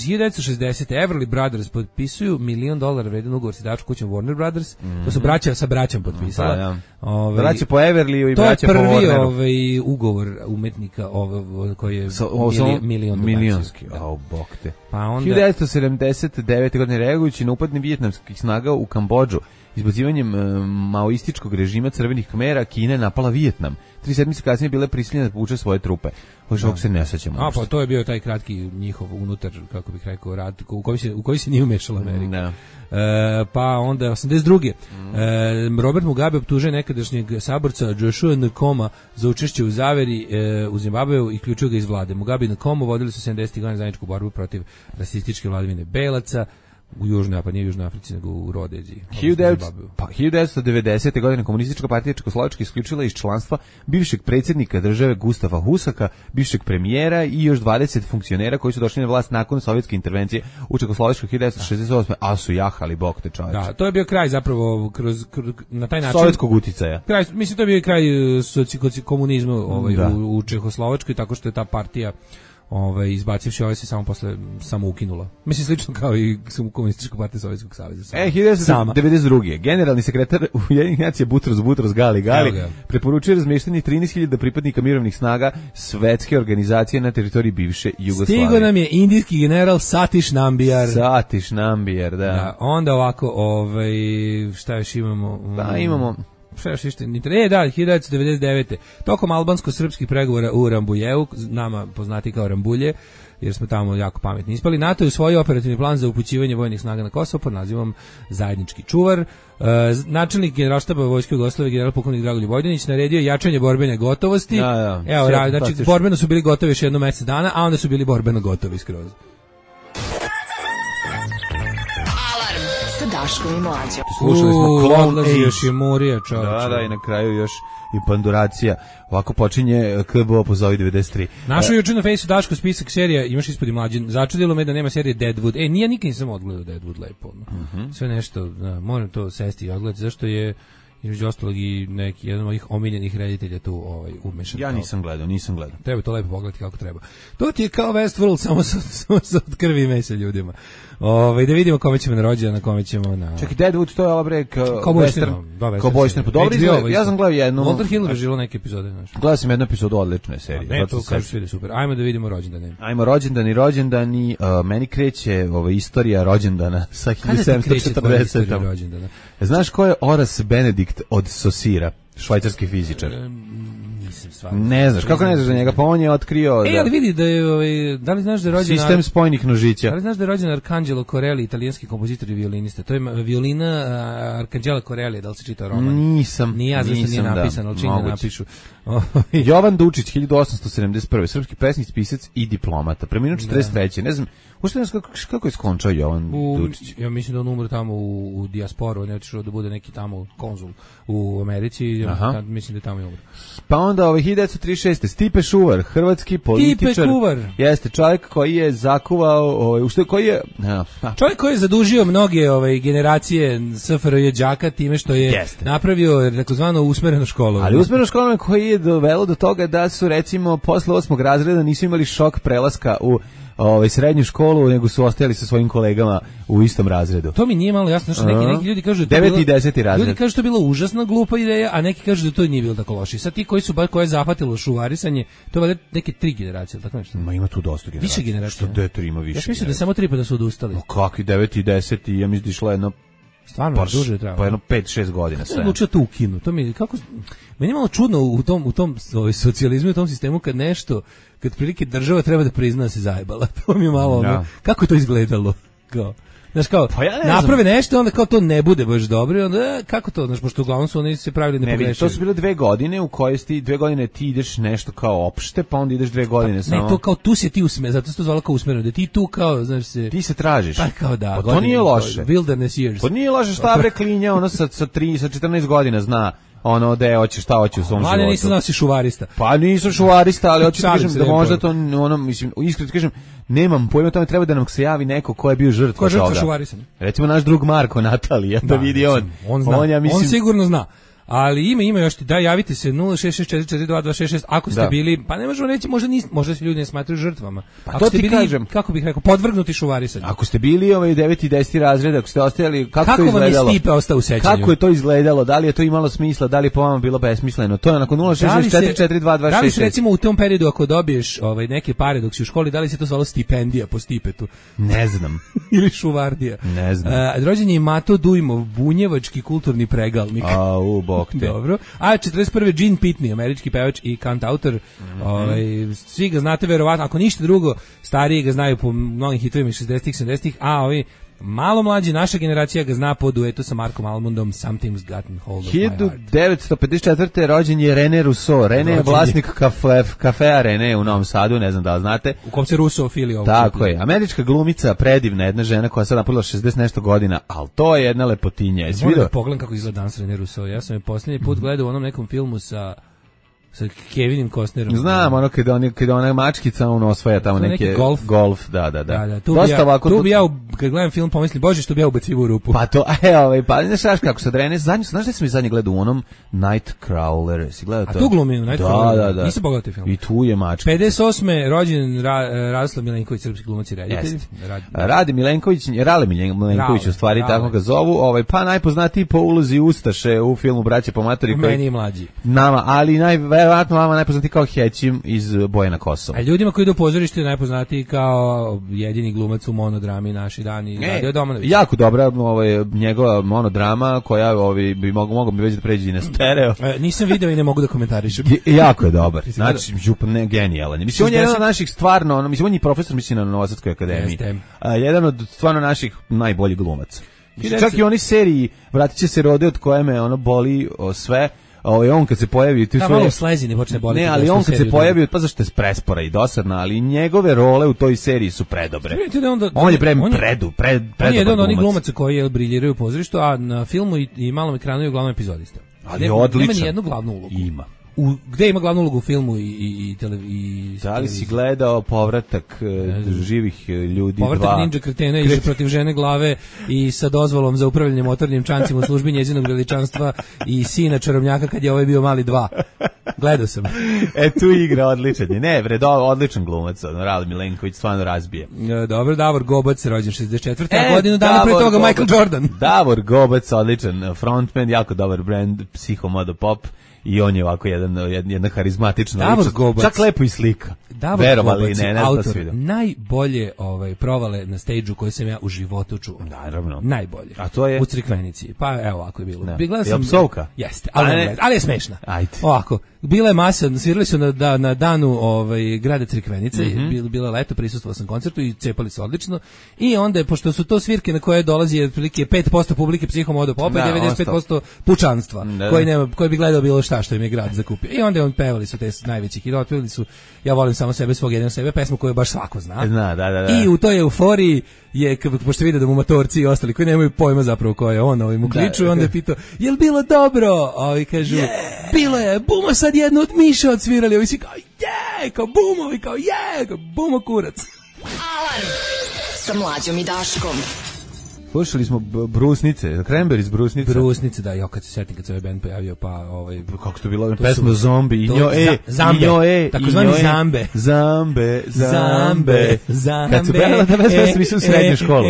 hiljadu devetsto šezdesete. Everly Brothers potpisuju milion dolara vredan ugovor s izdavačkom kućom Warner Brothers. Mm-hmm. To su braća sa braćom potpisala. Pa, ja. Ove, braća po Everlyu i braća po Warneru. To je prvi ovaj, ugovor umetnika ovaj, koji je so, mili, milion milionski. O, bog te. Pa onda... hiljadu devetsto sedamdeset devete. godine reagujući na upadne vijetnamskih snaga u Kambodžu, izbacivanjem um, maoističkog režima crvenih Khmera, Kina je napala Vijetnam. Tri sedmice kasnije bile prisiljene da povuče svoje trupe. Hoće ovog se ne sećamo. A pa to je bio taj kratki njihov unutar, kako bih rekao, rat u koji se u koji se nije umešala Amerika. No. E, pa onda osamdeset druge. Mm. E, Robert Mugabe optužuje nekadašnjeg saborca Joshua Nkoma za učešće u zaveri e, u Zimbabveu i ključio ga iz vlade. Mugabe i Nkomo vodili su sedamdesetih godina zajedničku borbu protiv rasističke vladavine belaca u Južnoj, pa nije u Južnoj Africi, nego u Rodeziji. Pa hiljadu devetsto devedesete. godine komunistička partija Čekoslovačke isključila iz članstva bivšeg predsjednika države Gustava Husaka, bivšeg premijera i još dvadeset funkcionera koji su došli na vlast nakon sovjetske intervencije u Čekoslovačkoj hiljadu devetsto šezdeset osme. A su jahali, bog te čoveče. Da, to je bio kraj zapravo kroz, kroz na taj način sovjetskog uticaja. Kraj, mislim to je bio kraj soci, komunizma ovaj, u, u Čekoslovačkoj, tako što je ta partija ovaj, izbacivši ove se samo posle samo ukinula. Mislim, slično kao i Komunistička partija Sovjetskog saveza. Sama. E, hiljadu devetsto devedeset druge. Generalni sekretar Ujedinjenih nacija Butros Butros Gali Gali preporučuje razmeštanje trinaest hiljada pripadnika mirovnih snaga svetske organizacije na teritoriji bivše Jugoslavije. Stigo nam je indijski general Satish Nambiar. Satish Nambiar, da. da onda ovako, ovaj, šta još imamo? Da, imamo... Šta još ište? E, da, hiljadu devetsto devedeset devete. Tokom albansko-srpskih pregovora u Rambujevu, nama poznati kao Rambulje, jer smo tamo jako pametni ispali, NATO je usvojio operativni plan za upućivanje vojnih snaga na Kosovo pod nazivom Zajednički čuvar. E, načelnik generalštaba Vojske Jugoslavije, general pukovnik Dragoljub Vojdanić, naredio jačanje borbene gotovosti. Da, da. Evo, ra, znači, borbeno su bili gotovi još jedno mjesec dana, a onda su bili borbeno gotovi skroz. Alarm sa Daškom i Mlađom. Slušali smo Clone Age. Još je Morija, čovječe. Da, da, i na kraju još i Panduracija. Ovako počinje K B O pozovi devedeset tri. Našao juče na Fejsu Daško spisak serija, imaš ispod i Mlađe. Začudilo me da nema serije Deadwood. E, nije nikad nisam odgledao Deadwood lepo. Uh -huh. Sve nešto, da, moram to sesti i odgledati, zašto je između ostalog i neki jedan od mojih omiljenih reditelja tu ovaj, umešan. Ja nisam gledao, nisam gledao. Treba to lepo pogledati kako treba. To ti je kao Westworld, samo sa, samo sa od krvi i mesa ljudima. Ovaj, da vidimo kome ćemo na rođendan, na kome ćemo na... Čekaj, Deadwood, to je ova bre kao western. Kao western. Pa dobro izgleda, ja sam gledao jednu... Walter Hill režirao neke epizode. Znaš. Gledao sam jednu epizodu odlične serije. Ne, to kažu svi da super. Ajmo da vidimo rođendane. Ajmo rođendani, rođendani. Uh, meni kreće ova istorija rođendana sa hiljadu sedamsto četrdesetom. Znaš ko je Horace Benedict od Saussure, švajcarski fizičar? E, nisam stvarno. Ne znaš, kako ne znaš za njega? Pa on je otkrio... E, ali vidi da je, ovaj, da li znaš da je rođen... Sistem spojnih nožića. Da li znaš da je rođen Arcangelo Corelli, italijanski kompozitor i violinista? To je violina Arcangelo Corelli, da li se čita roman? Nisam. Nije ja, zašto nije napisan, ali čim da napišu. Jovan Dučić, hiljadu osamsto sedamdeset prve. Srpski pesnik, pisac i diplomata. Preminuo četrdeset treće. Ne znam, ušte nas kako, kako je skončao Jovan u, Dučić? Ja mislim da on umre tamo u, u dijasporu, on je otišao da bude neki tamo konzul u Americi, ja, mislim da tamo je umre. Pa onda ovaj hiljadu devetsto trideset šeste. Stipe Šuvar, hrvatski političar. Stipe Šuvar. Jeste čovjek koji je zakuvao, ovaj, ušte koji je... A, a. Čovjek koji je zadužio mnoge ovaj, generacije S F R J đaka time što je Jeste. napravio takozvano usmereno školovanje. Ali usmereno školovanje koji je dovelo do toga da su recimo posle osmog razreda nisu imali šok prelaska u ovaj srednju školu, nego su ostajali sa svojim kolegama u istom razredu. To mi nije malo jasno, što neki, neki ljudi kažu da to deveti i deseti razred. Ljudi kažu da to bila užasna glupa ideja, a neki kažu da to nije bilo tako loše. Sad ti koji su baš koje je zahvatilo šuvarisanje, to je neke tri generacije, tako nešto. Ma ima tu dosta generacija. Više generacija. Što detri ima više. Ja mislim da samo tri pa da su odustali. No kakvi deveti i deseti, ja mislim da išlo jedno stvarno pa, duže treba. Pa jedno pet šest godina sve. Odlučio to ukinu. To mi kako meni je malo čudno u tom u tom ovaj socijalizmu i u tom sistemu kad nešto kad prilike država treba da prizna da se zajebala. To mi je malo ono, ja. Kako je to izgledalo? Kao znaš kao, pa ja ne naprave znam. Nešto, onda kao to ne bude baš dobro, onda kako to, znaš, pošto uglavnom su oni se pravili ne, ne pogrešili. To su bile dve godine u koje ti dve godine ti ideš nešto kao opšte, pa onda ideš dve godine pa, samo. Ne, to kao tu se ti usme, zato se to zvalo kao usmereno, da ti tu kao, znaš se... Ti se tražiš. Pa kao da. Pa to nije loše. Wilderness years. Pa nije loše, šta bre klinja, ono sa, sa, tri, sa četrnaest godina zna ono da hoće šta hoće u svom životu. Ali nisam znao si šuvarista. Pa nisam šuvarista, ali hoću da kažem da možda to ono mislim iskreno kažem nemam pojma, tome treba da nam se javi neko ko je bio žrtva toga. Ko je žrtva šuvarisanja? Recimo naš drug Marko Natalija, da, da vidi on. On zna. On, ja mislim, on sigurno zna. Ali ima ima još ti da javite se nula šest šest četiri četiri dva dva šest šest ako ste da. bili, pa ne možemo reći možda nis, možda se ljudi ne smatraju žrtvama. Pa ako to ste ti bili, kažem. Kako bih rekao, podvrgnuti šuvarisanju. Ako ste bili ovaj deveti i deseti razred, ako ste ostajali kako, kako to izgledalo? Kako vam je Stipe ostao u sećanju? Kako je to izgledalo? Da li je to imalo smisla? Da li je po vama bilo besmisleno? To je onako nula šest šest četiri četiri dva dva šest šest. Da li se recimo u tom periodu ako dobiješ ovaj neke pare dok si u školi, da li se to zvalo stipendija po Stipetu? Ne znam. Ili šuvardija? Ne znam. Uh, rođen je Mato Dujmov, bunjevački kulturni pregalnik. A u bok te. Dobro. A četrdeset prve Gene Pitney, američki pevač i kantautor. Mm-hmm. Ovaj svi ga znate verovatno, ako ništa drugo, stariji ga znaju po mnogim hitovima iz šezdesetih sedamdesetih, a ovi malo mlađi, naša generacija ga zna po duetu sa Markom Almondom, Something's Gotten Hold of My Heart. hiljadu devetsto pedeset četvrte rođen je René Rousseau. René je vlasnik kafe, kafea René u Novom Sadu, ne znam da li znate. U kom se Rousseau fili ovo. Tako je. Američka glumica, predivna jedna žena koja sad napunila šezdeset nešto godina, ali to je jedna lepotinja. Jesi vidio? Pogledam kako izgleda danas René Rousseau. Ja sam je posljednji put gledao u onom nekom filmu sa sa Kevinom Costnerom. Znam, ono kada on kada ona mačkica on osvaja tamo neke neki golf. golf, da, da, da. Da, da, tu Dosta bi ja, ovako tu bi ja kad gledam film pomislim, bože što bi ja ubacivo u rupu. Pa to, e, ovaj, pa ne znaš kako se drene, zadnji, znaš da sam i zadnji gledao u onom Nightcrawler, si gledao to? A tu glumi u Nightcrawler? Da, da, da. Nisam pogledao taj film. I tu je mačka. pedeset osme rođen Ra, Radoslav Milenković, srpski glumac i reditelj. Radi, Radi Milenković, Rale Milenković u stvari, Rale. tako ga zovu, ovaj, pa najpoznatiji po ulozi Ustaše u filmu Braće po matori. Meni je mlađi. Nama, ali najverovatno vama najpoznatiji kao Hećim iz Bojana Kosova. A ljudima koji idu u pozorište najpoznatiji kao jedini glumac u monodrami Naši dani. E, jako dobra ovaj, njegova monodrama koja ovaj, bi mogo, mogo bi već da pređe i na stereo. E, nisam video i ne mogu da komentarišem. Jako je dobar. Znači, župan ne genijalan. Mislim, on je jedan od naših stvarno, ono, mislim, on je profesor, mislim, na Novosadskoj akademiji. A, jedan od stvarno naših najboljih glumaca. Mislim, čak i oni seriji Vratit će se rode od koje me ono boli o, sve. Ovaj on kad se pojavi tu sve malo slezi ne počne boliti. Ne, ali on kad se pojavi pa zašto je prespora i dosadna, ali njegove role u toj seriji su predobre. Da onda, on je pre predu, pred predobar. On je jedan od onih glumaca koji je briljiraju u pozorištu, a na filmu i, i malom ekranu je uglavnom epizodista. Ali ne, odličan. Nema ni jednu glavnu ulogu. Ima. U, gde ima glavnu ulogu u filmu i i tele, i da li si gledao Povratak uh, živih ljudi Povratak dva? Ninja Kretena i protiv žene glave i sa dozvolom za upravljanje motornim čamcima u službi njezinog veličanstva i sina čarobnjaka kad je ovaj bio mali dva. Gledao sam. E tu igra odličan. Ne, bre, odličan glumac, Rale Milenković stvarno razbije. E, dobro, Davor Gobac, rođen šezdeset četvrte E, godinu dana pre toga Michael Jordan. Davor Gobac, odličan frontman, jako dobar brand, Psihomodo Pop. I on je ovako jedan, jedna harizmatična ličnost. Čak lepo i slika. Davor Gobac je autor najbolje ovaj, provale na stage-u koje sam ja u životu čuo. Naravno. Najbolje. A to je? U Crikvenici. Pa evo ovako je bilo. Da. Je sam, psovka? Jeste, ali, ne, ali je smešna. Ajde. Ovako, bila je masa, svirali su na, da, na danu ovaj, grada Crikvenice, mm-hmm. bilo, bilo je leto, prisustvovao sam koncertu i cepali se odlično. I onda je, pošto su to svirke na koje dolazi otprilike pet posto publike Psihomodo Popa i devedeset pet posto pučanstva, da, koji, nema, koji bi gledao bilo šta što im je grad zakupio. I onda on pevali su te najveći hit, otpevali su Ja volim samo sebe, svog jednog sebe, pesmu koju baš svako zna. Zna, da, da, da. I u toj euforiji je, pošto vide da mu motorci i ostali koji nemaju pojma zapravo ko je on, ovaj mu kliču, da, onda je pitao, jel bilo dobro? Ovi kažu, yeah. Bilo je, bumo sad jednu od Miša odsvirali, ovi si kao, je, yeah! Kao bumovi, kao je, yeah! Kao bumo kurac. Alarm sa Mlađom i Daškom. Slušali smo Brusnice, Cranberries Brusnice. Brusnice, da, ja kad se setim kad se ovaj band pojavio, pa ovaj kako to bilo, pesma Zombi, Injo e, Zambe, Injo e, takozvani Zambe. Zambe, Zambe, Zambe. Kad su pevali ta pesma, svi su u srednju školu.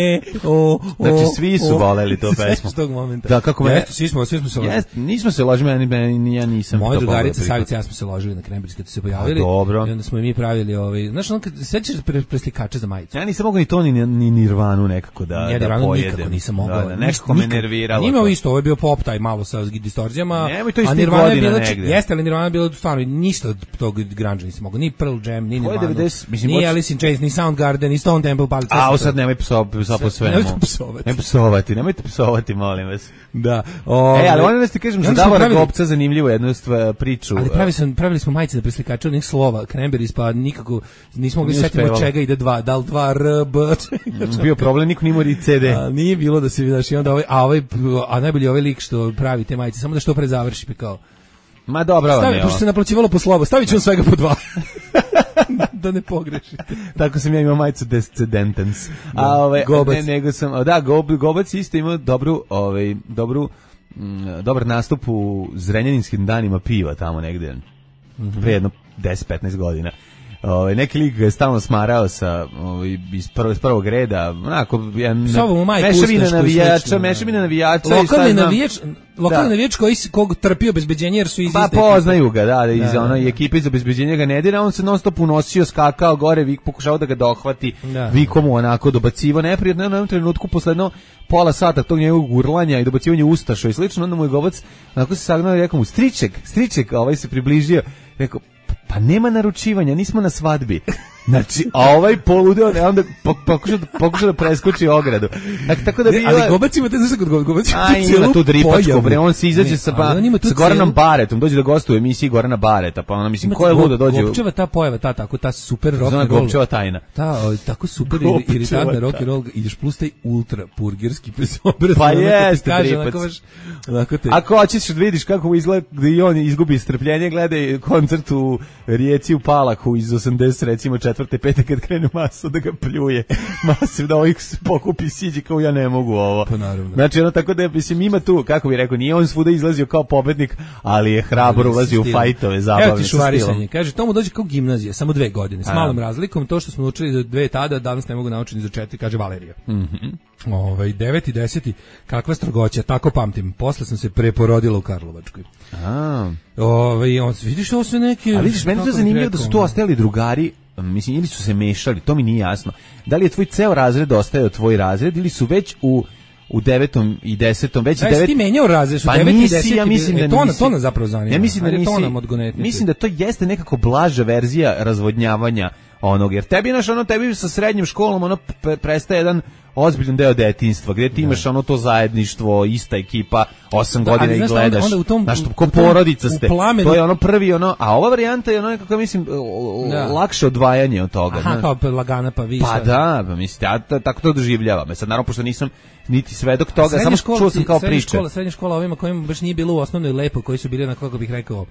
Znači svi su voleli tu pesmu. S tog momenta. Da, kako me, svi smo, svi smo se ložili. Nismo se ložili, ni ja nisam. Moja drugarica Savica, ja smo se ložili na Cranberries kad su se pojavili. Dobro. I onda smo i mi pravili ovaj, znaš, on kad sećaš preslikače za majicu. Ja nisam mogao ni to ni Nirvanu nekako da da pojedem. Nikako nisam mogao. Da, da, nekako me nerviralo. Nije imao isto, ovo je bio pop taj malo sa distorzijama. Nemoj to isto a Nirvana je bila, negde. Jeste, ali Nirvana je bila stvarno ništa od tog grunge nisam mogao. Ni Pearl Jam, ni Nirvana, ni Alice in Chains, ni Soundgarden, ni Stone Temple Pilots. A, sad nemoj psovati po svemu. Nemojte psovati. Nemojte psovati, nemojte psovati, molim vas. Da. E, ali ono da ti kažem, za Davora Gobca zanimljivo jednu priču. Ali pravi sam, pravili smo majice za preslikače onih slova, Cranberries, pa nikako nismo mogli setiti od čega ide dva, da li dva R, B. Bio problem, niko nije imao C D. A, nije bilo da se vidiš i onda ovaj, a ovaj, a najbolji ovaj lik što pravi te majice, samo da što pre završi pa kao. Ma dobro, stavi, ne. Pošto se naplaćivalo po slovo, stavit ću on svega po dva. Da ne pogrešite. Tako sam ja imao majicu Descendentens. A ove ne, nego sam, da, Gob, Gobac isto imao dobru, ovaj dobru m, dobar nastup u Zrenjaninskim danima piva tamo negde. Mm-hmm. Pre jedno deset petnaest godina. Ovaj neki lik ga je stalno smarao sa ovaj iz prvog prvog reda, onako jedan mešavina navijača, mešavina navijača, lokalni navijač, lokalni navijač koji kog trpi obezbeđenje jer su iz pa poznaju ga, da, da, iz one ekipe iz obezbeđenja ga ne dira, on se non stop unosio, skakao gore, vik pokušao da ga dohvati, vikom mu onako dobacivo neprijatno, na jednom trenutku posledno pola sata tog njegovog urlanja i dobacivanja ustaša i slično, onda mu je Gobac onako se sagnao i rekao mu striček, striček, ovaj se približio, rekao pa nema naručivanja, nismo na svadbi. Znači, a ovaj poludeo, ne, onda pokuša, pokuša da preskoči ogradu. Dakle, tako da bi... Ali Gobacima, te znaš kod Gobacima tu cijelu ima tu dripačko, bre, on se izađe sa, pa, sa Goranom Baretom, dođe da gostuje u emisiji Gorana Bareta, pa ona, mislim, ko je luda dođe... Gopčeva ta pojava, ta, tako, ta super rock and roll. Zna Gopčeva tajna. Ta, tako super iritantna rock and roll, ideš plus taj ultra purgerski obraz. Pa jeste, dripac. Ako hoćeš da vidiš kako izgleda, gde on izgubi strpljenje, gledaj koncert u Rijeci u Palaku iz osamdeset, recimo, četvrte, pete, kad krenu maso da ga pljuje. Maso da ovih pokupi siđi kao ja ne mogu ovo. Pa naravno. Znači, ono tako da, mislim, ima tu, kako bi rekao, nije on svuda izlazio kao pobednik, ali je hrabro ulazio u fajtove, zabavne. Evo ti šuvarisanje. Kaže, to mu dođe kao gimnazija, samo dve godine, s malom razlikom. To što smo učili do dve tada, danas ne mogu naučiti za četiri, kaže Valerija. Mhm. Ovaj deveti, deseti, kakva strogoća, tako pamtim. Posle sam se preporodila u Karlovačkoj. A. Ovaj on vidiš ovo sve neke. A vidiš, meni to zanimljivo da su tu ostali drugari, mislim, ili su se mešali, to mi nije jasno. Da li je tvoj ceo razred ostajao tvoj razred ili su već u u devetom i desetom već devet. Ti menjao razred, su pa devet i nisi, deset. Ja mislim da to na to nas zapravo zanima. Ja mislim da nisi, to nam odgonetnice. Mislim da to jeste nekako blaža verzija razvodnjavanja onog, jer tebi naš ono tebi sa srednjim školom ono prestaje jedan ozbiljan deo detinjstva, gdje ti imaš ono to zajedništvo, ista ekipa, osam da, godina i gledaš, onda, onda u tom, znaš, ko porodica ste, plamenu, to je ono prvi, ono, a ova varijanta je ono nekako, mislim, da. lakše odvajanje od toga. Aha, kao lagana pa više. Pa da, pa mislim, ja tako to doživljavam. Sad, naravno, pošto nisam niti svedok toga, samo škola, čuo sam kao srednja priče. Škola, srednja škola ovima kojima baš nije bilo u osnovnoj lepo, koji su bili, na kako bih rekao,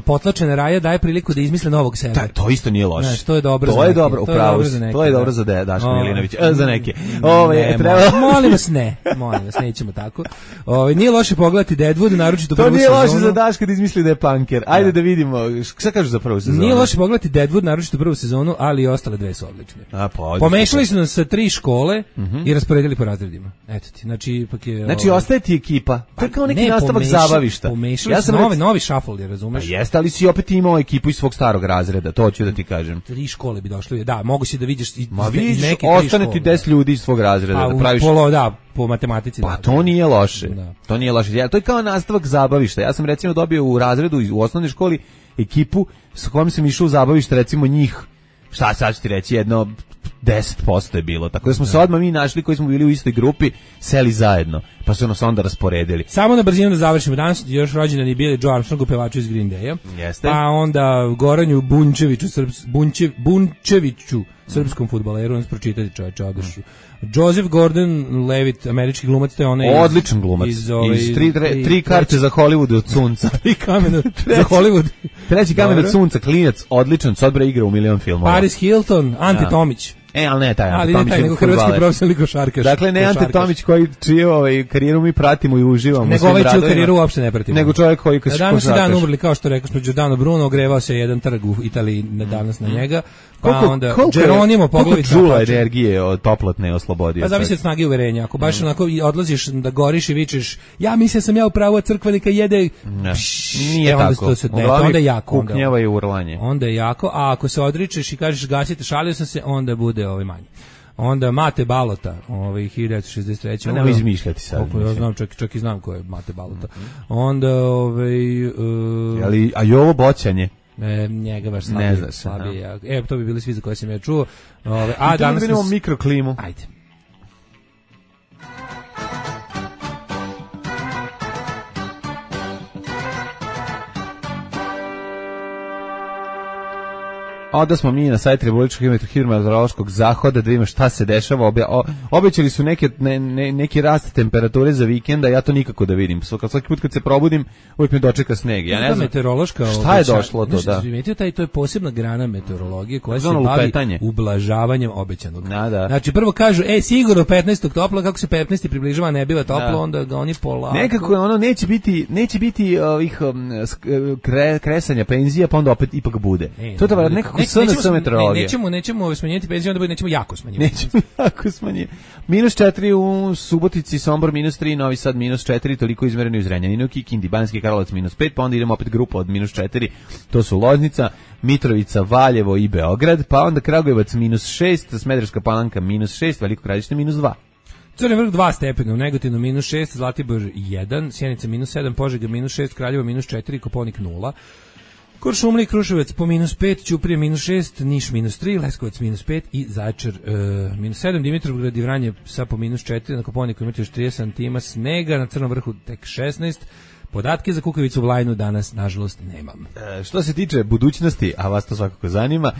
potlačene raje, daje priliku da izmisle novog sebe. Ta, to isto nije loše. Znaš, to je dobro to za je neke. Dobro, to je dobro za neke. neke. To je dobro za de, Daško Milinović, e, za neke. Ove, ne, treba... molim vas ne, molim vas, nećemo tako. Ove, nije loše pogledati Deadwood, naročito prvu sezonu. To nije loše za Daška da izmisli da je punker. Ajde da, da vidimo, šta kažu za prvu sezonu? Nije loše pogledati Deadwood, naročito prvu sezonu, ali i ostale dve su odlične. A, pa, pomešali su nas sa tri škole uh -huh. i rasporedili po razredima. Eto ti, znači ipak je... Znači, ovaj... ostaje ti ekipa. To je kao neki ne, nastavak pomeša, zabavišta. Pomešali ja sam novi, rec... novi shuffle, razumeš? Pa jeste, ali si opet imao ekipu iz svog starog razreda, to hoću da ti kažem. Tri škole bi došli, da, mogu si da vidiš iz, Ma iz neke ostane ti deset ljudi iz svog razreda. A, da praviš... polo, da, po matematici. Pa da, to nije loše. Da. To nije loše. Ja, to je kao nastavak zabavišta. Ja sam recimo dobio u razredu u osnovnoj školi ekipu sa kojom sam išao u zabavište, recimo njih, šta sad ću ti reći, jedno deset posto je bilo. Tako da smo da. se odmah mi našli koji smo bili u istoj grupi, seli zajedno. Pa su nas onda rasporedili. Samo na brzinu da završimo. Danas još rođendan je bili Joe Armstrong, pevaču iz Green Daya. Jeste. Pa onda Goranju Bunčeviću, Srps, Bunčev, Bunčeviću, srpskom fudbaleru, on pročitati čoveče, odešu. Joseph Gordon-Levitt, američki glumac, to je onaj odličan glumac. Iz, ove, iz tri, tri, tri karte za Hollywood od sunca. Tri kamena za Hollywood. Treći kamen od sunca, klinac, odličan, Sodbra igra u milion filmova. Paris Hilton, Ante ja. Tomić. E, ali ne taj Ante Tomić. Ali ne taj, nego hrvatski profesionalni košarkaš. Dakle, ne Ante Tomić koji čiju ovaj, karijeru mi pratimo i uživamo. Nego ovaj čiju karijeru uopšte ne pratimo. Nego čovjek koji košarkaš. Danas je dan umrli, kao što rekao smo, Giordano Bruno, ogrevao se jedan trg u Italiji danas na njega. Pa koliko, onda Geronimo poglavi džula energije od toplotne oslobodio. Pa zavisi od snage uverenja. Ako baš mm. onako odlaziš da goriš i vičeš, ja mislim sam ja u pravu, crkvenika jede. Ne, nije e, onda tako. Se, ne, onda je jako. Kuknjava i urlanje. Onda je jako, a ako se odričeš i kažeš gasite, šalio sam se, onda bude ovaj manje. Onda Mate Balota, ovaj hiljadu devetsto šezdeset treće. Ne izmišljati sad. Ja znam, čak, čak i znam ko je Mate Balota. Onda ovaj uh, ali a Jovo Boćanje. E, njega baš slabije. Ne znaš, slabije. E, to bi bili svi za koje sam ja čuo. Ove, a I danas vidimo nas... mikroklimu. Ajde. Onda smo mi na sajtu Republičkog hidrometeorološkog zahoda da vidimo šta se dešava. Obe, o, obećali su neke, ne, ne, neki rast temperature za vikenda, ja to nikako da vidim. Svaki put kad se probudim, uvijek me dočeka sneg. Ja ne znam meteorološka šta je došlo to, da. Primetio taj, to je posebna grana meteorologije koja se bavi lupetanje. Ublažavanjem obećanog. Da, da. Znači prvo kažu, ej, sigurno petnaestog toplo, kako se petnaesti približava, ne biva toplo, da. Onda ga oni polako. Nekako ono neće biti, neće biti ovih um, kre, kresanja penzija, pa onda opet ipak bude. Ne, to je da nekako Neć, nećemo, ne, nećemo, nećemo smanjiti penziju, onda nećemo jako smanjiti. Nećemo jako smanjiti. Minus četiri u Subotici, Sombor minus tri, Novi Sad minus četiri, toliko izmereno u Zrenjaninu, Kikindi, Banjski Karlovac minus pet, pa onda idemo opet grupa od minus četiri, to su Loznica, Mitrovica, Valjevo i Beograd, pa onda Kragujevac minus šest, Smederevska Palanka minus šest, Veliko Gradište minus dva. Crni vrh dva stepena, u Negotinu minus šest, Zlatibor jedan, Sjenica minus sedam, Požega minus šest, Kraljevo minus četiri, Koponik nula. Kuršumlija i Kruševac po minus pet, Ćuprija minus šest, Niš minus tri, Leskovac minus pet i Zaječar e, minus sedam, Dimitrovgrad i Vranje sa po minus četiri, na Kopaoniku imate još trideset santima snega, na Crnom vrhu tek šesnaest. Podatke za Kukavicu Vlajnu danas, nažalost, nemam. E, što se tiče budućnosti, a vas to svakako zanima,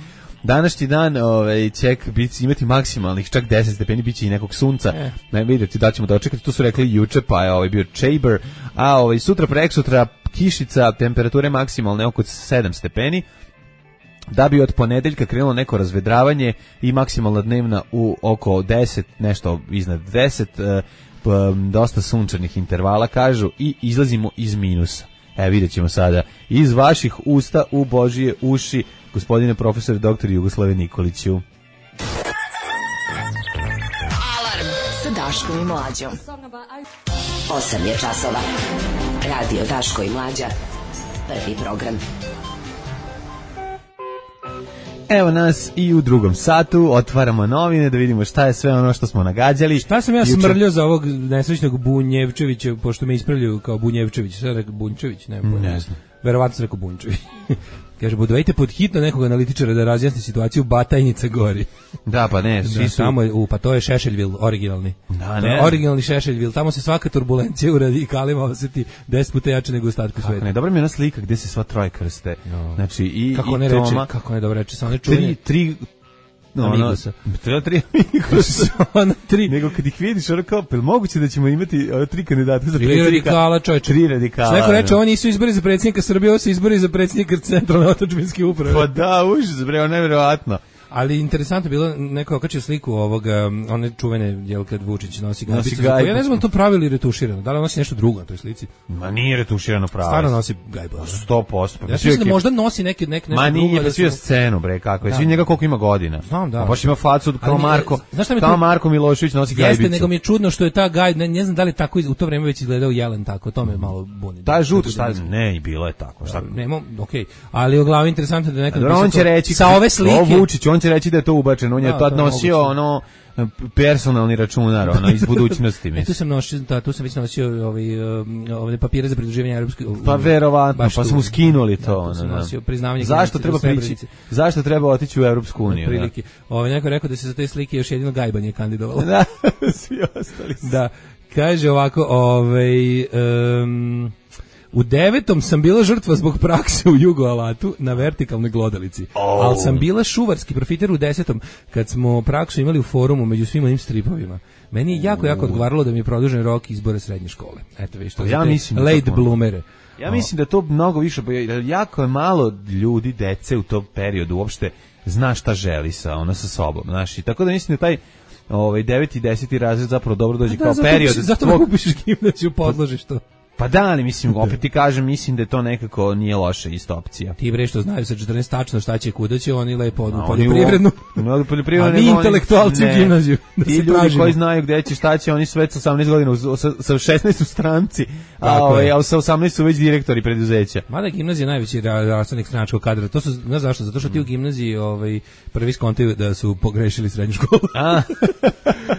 današnji dan ovaj, će biti, imati maksimalnih čak deset stepeni, bit će i nekog sunca. E. Ne vidite da ćemo dočekati, to su rekli juče, pa je ovaj bio Chamber, a ovaj, sutra preksutra kišica, temperature maksimalne oko sedam stepeni, da bi od ponedeljka krenulo neko razvedravanje i maksimalna dnevna u oko deset, nešto iznad deset, e, dosta sunčanih intervala, kažu, i izlazimo iz minusa. E, vidjet ćemo sada iz vaših usta u Božije uši, gospodine profesor doktor Jugoslave Nikoliću. Alarm sa Daškom i Mlađom. osam je časova. Radio Daško i Mlađa. Prvi program. Evo nas i u drugom satu, otvaramo novine da vidimo šta je sve ono što smo nagađali. Šta sam ja Juče... smrljao za ovog nesrećnog Bunjevčevića, pošto me ispravljaju kao Bunjevčević, šta je rekao Bunjčević? Ne, ne znam. Verovatno se rekao Bunjčević. Kaže, budovajte pod hitno nekog analitičara da razjasni situaciju Batajnica gori. Da, pa ne, svi da, su... Tamo je, u, pa to je Šešeljvil, originalni. Da, ne. Originalni Šešeljvil, tamo se svaka turbulencija u radikalima osjeti deset puta jače nego u ostatku sveta. Ne, dobra mi je ona slika gde se sva troje krste. No. Znači, i, kako i ne Toma... Reče, kako ne dobro reče, samo ne čuvanje. Tri, tri... No, Amigusa. Treba tri Amigusa. tri. Nego kad ih vidiš, ono kao, pel moguće da ćemo imati uh, tri kandidata za predsjednika? Tri radikala, čovječe. Tri radikala. Što neko reče, ovo nisu izbori za predsjednika Srbije, ovo su izbori za predsjednika centralne otadžbinske uprave. Pa da, užas, bre, ono nevjerovatno. Ali interesantno je bilo, neko okačio sliku ovoga, one čuvene, jel, kad Vučić nosi gajbicu. Ja ne znam to pravilo ili retuširano, da li nosi nešto drugo na toj slici? Ma nije retuširano pravo. Stvarno nosi gajbu. sto posto. Ja mislim da možda nosi neke, neke nešto drugo. Ma nije, da svio scenu, bre, kako je. Svi njega koliko ima godina. Znam, da. A baš ima facu kao Marko, kao Marko Milošević nosi gajbicu. Jeste, nego mi je čudno što je ta gaj, ne, ne znam da li tako u to vreme već izgledao jelen tako, to me malo buni. Ta žuta, šta ne, i bilo je tako. Šta? Nemo, okej. Ali u glavi interesantno da nekad on će reći sa ove slike. Vučić, on će reći da je to on je tad nosio ono personalni računar, ono iz budućnosti, mislim. E, tu sam nosio, da, tu sam već nosio ovaj ove papire za pridruživanje evropskoj. Pa verovatno, pa smo skinuli to, ono. Da, nosio priznavanje. Zašto treba prići? Zašto treba otići u Evropsku uniju? Prilike. Ovaj neko rekao da se za te slike još jedino gajbanje kandidovalo. Da, svi ostali. Da, kaže ovako, ovaj um, u devetom sam bila žrtva zbog prakse u Jugoalatu na vertikalnoj glodalici, oh. ali sam bila šuvarski profiter u desetom kad smo praksu imali u forumu među svim onim stripovima. Meni je jako, jako odgovaralo da mi je produžen rok izbora srednje škole. Eto, viš, to ja mislim late da bloomere. Ja mislim da to mnogo više, jako je malo ljudi, dece u tom periodu uopšte zna šta želi sa, ono, sa sobom. Znaš, i tako da mislim da taj ovaj, deveti i deseti razred zapravo dobro dođe da, kao zato, period. Zato tvog... upišeš gimnaziju, podložiš to. Pa da, ali mislim, opet ti kažem, mislim da to nekako nije loša isto opcija. Ti bre što znaju sa četrnaest tačno šta će kuda će, oni lepo odu u poljoprivrednu. No, poljoprivrednu. A mi intelektualci u gimnaziju. Da ti ljudi tražimo. Koji znaju gde će, šta će, oni su već sa osamnaest godina, sa, sa šesnaest u stranci, a, ovaj, a sa osamnaest su već direktori preduzeća. Mada gimnazija je najveći rastavnik stranačkog kadra. To su, znaš zašto? Zato što ti u gimnaziji ovaj, prvi skontaju da su pogrešili srednju školu. A,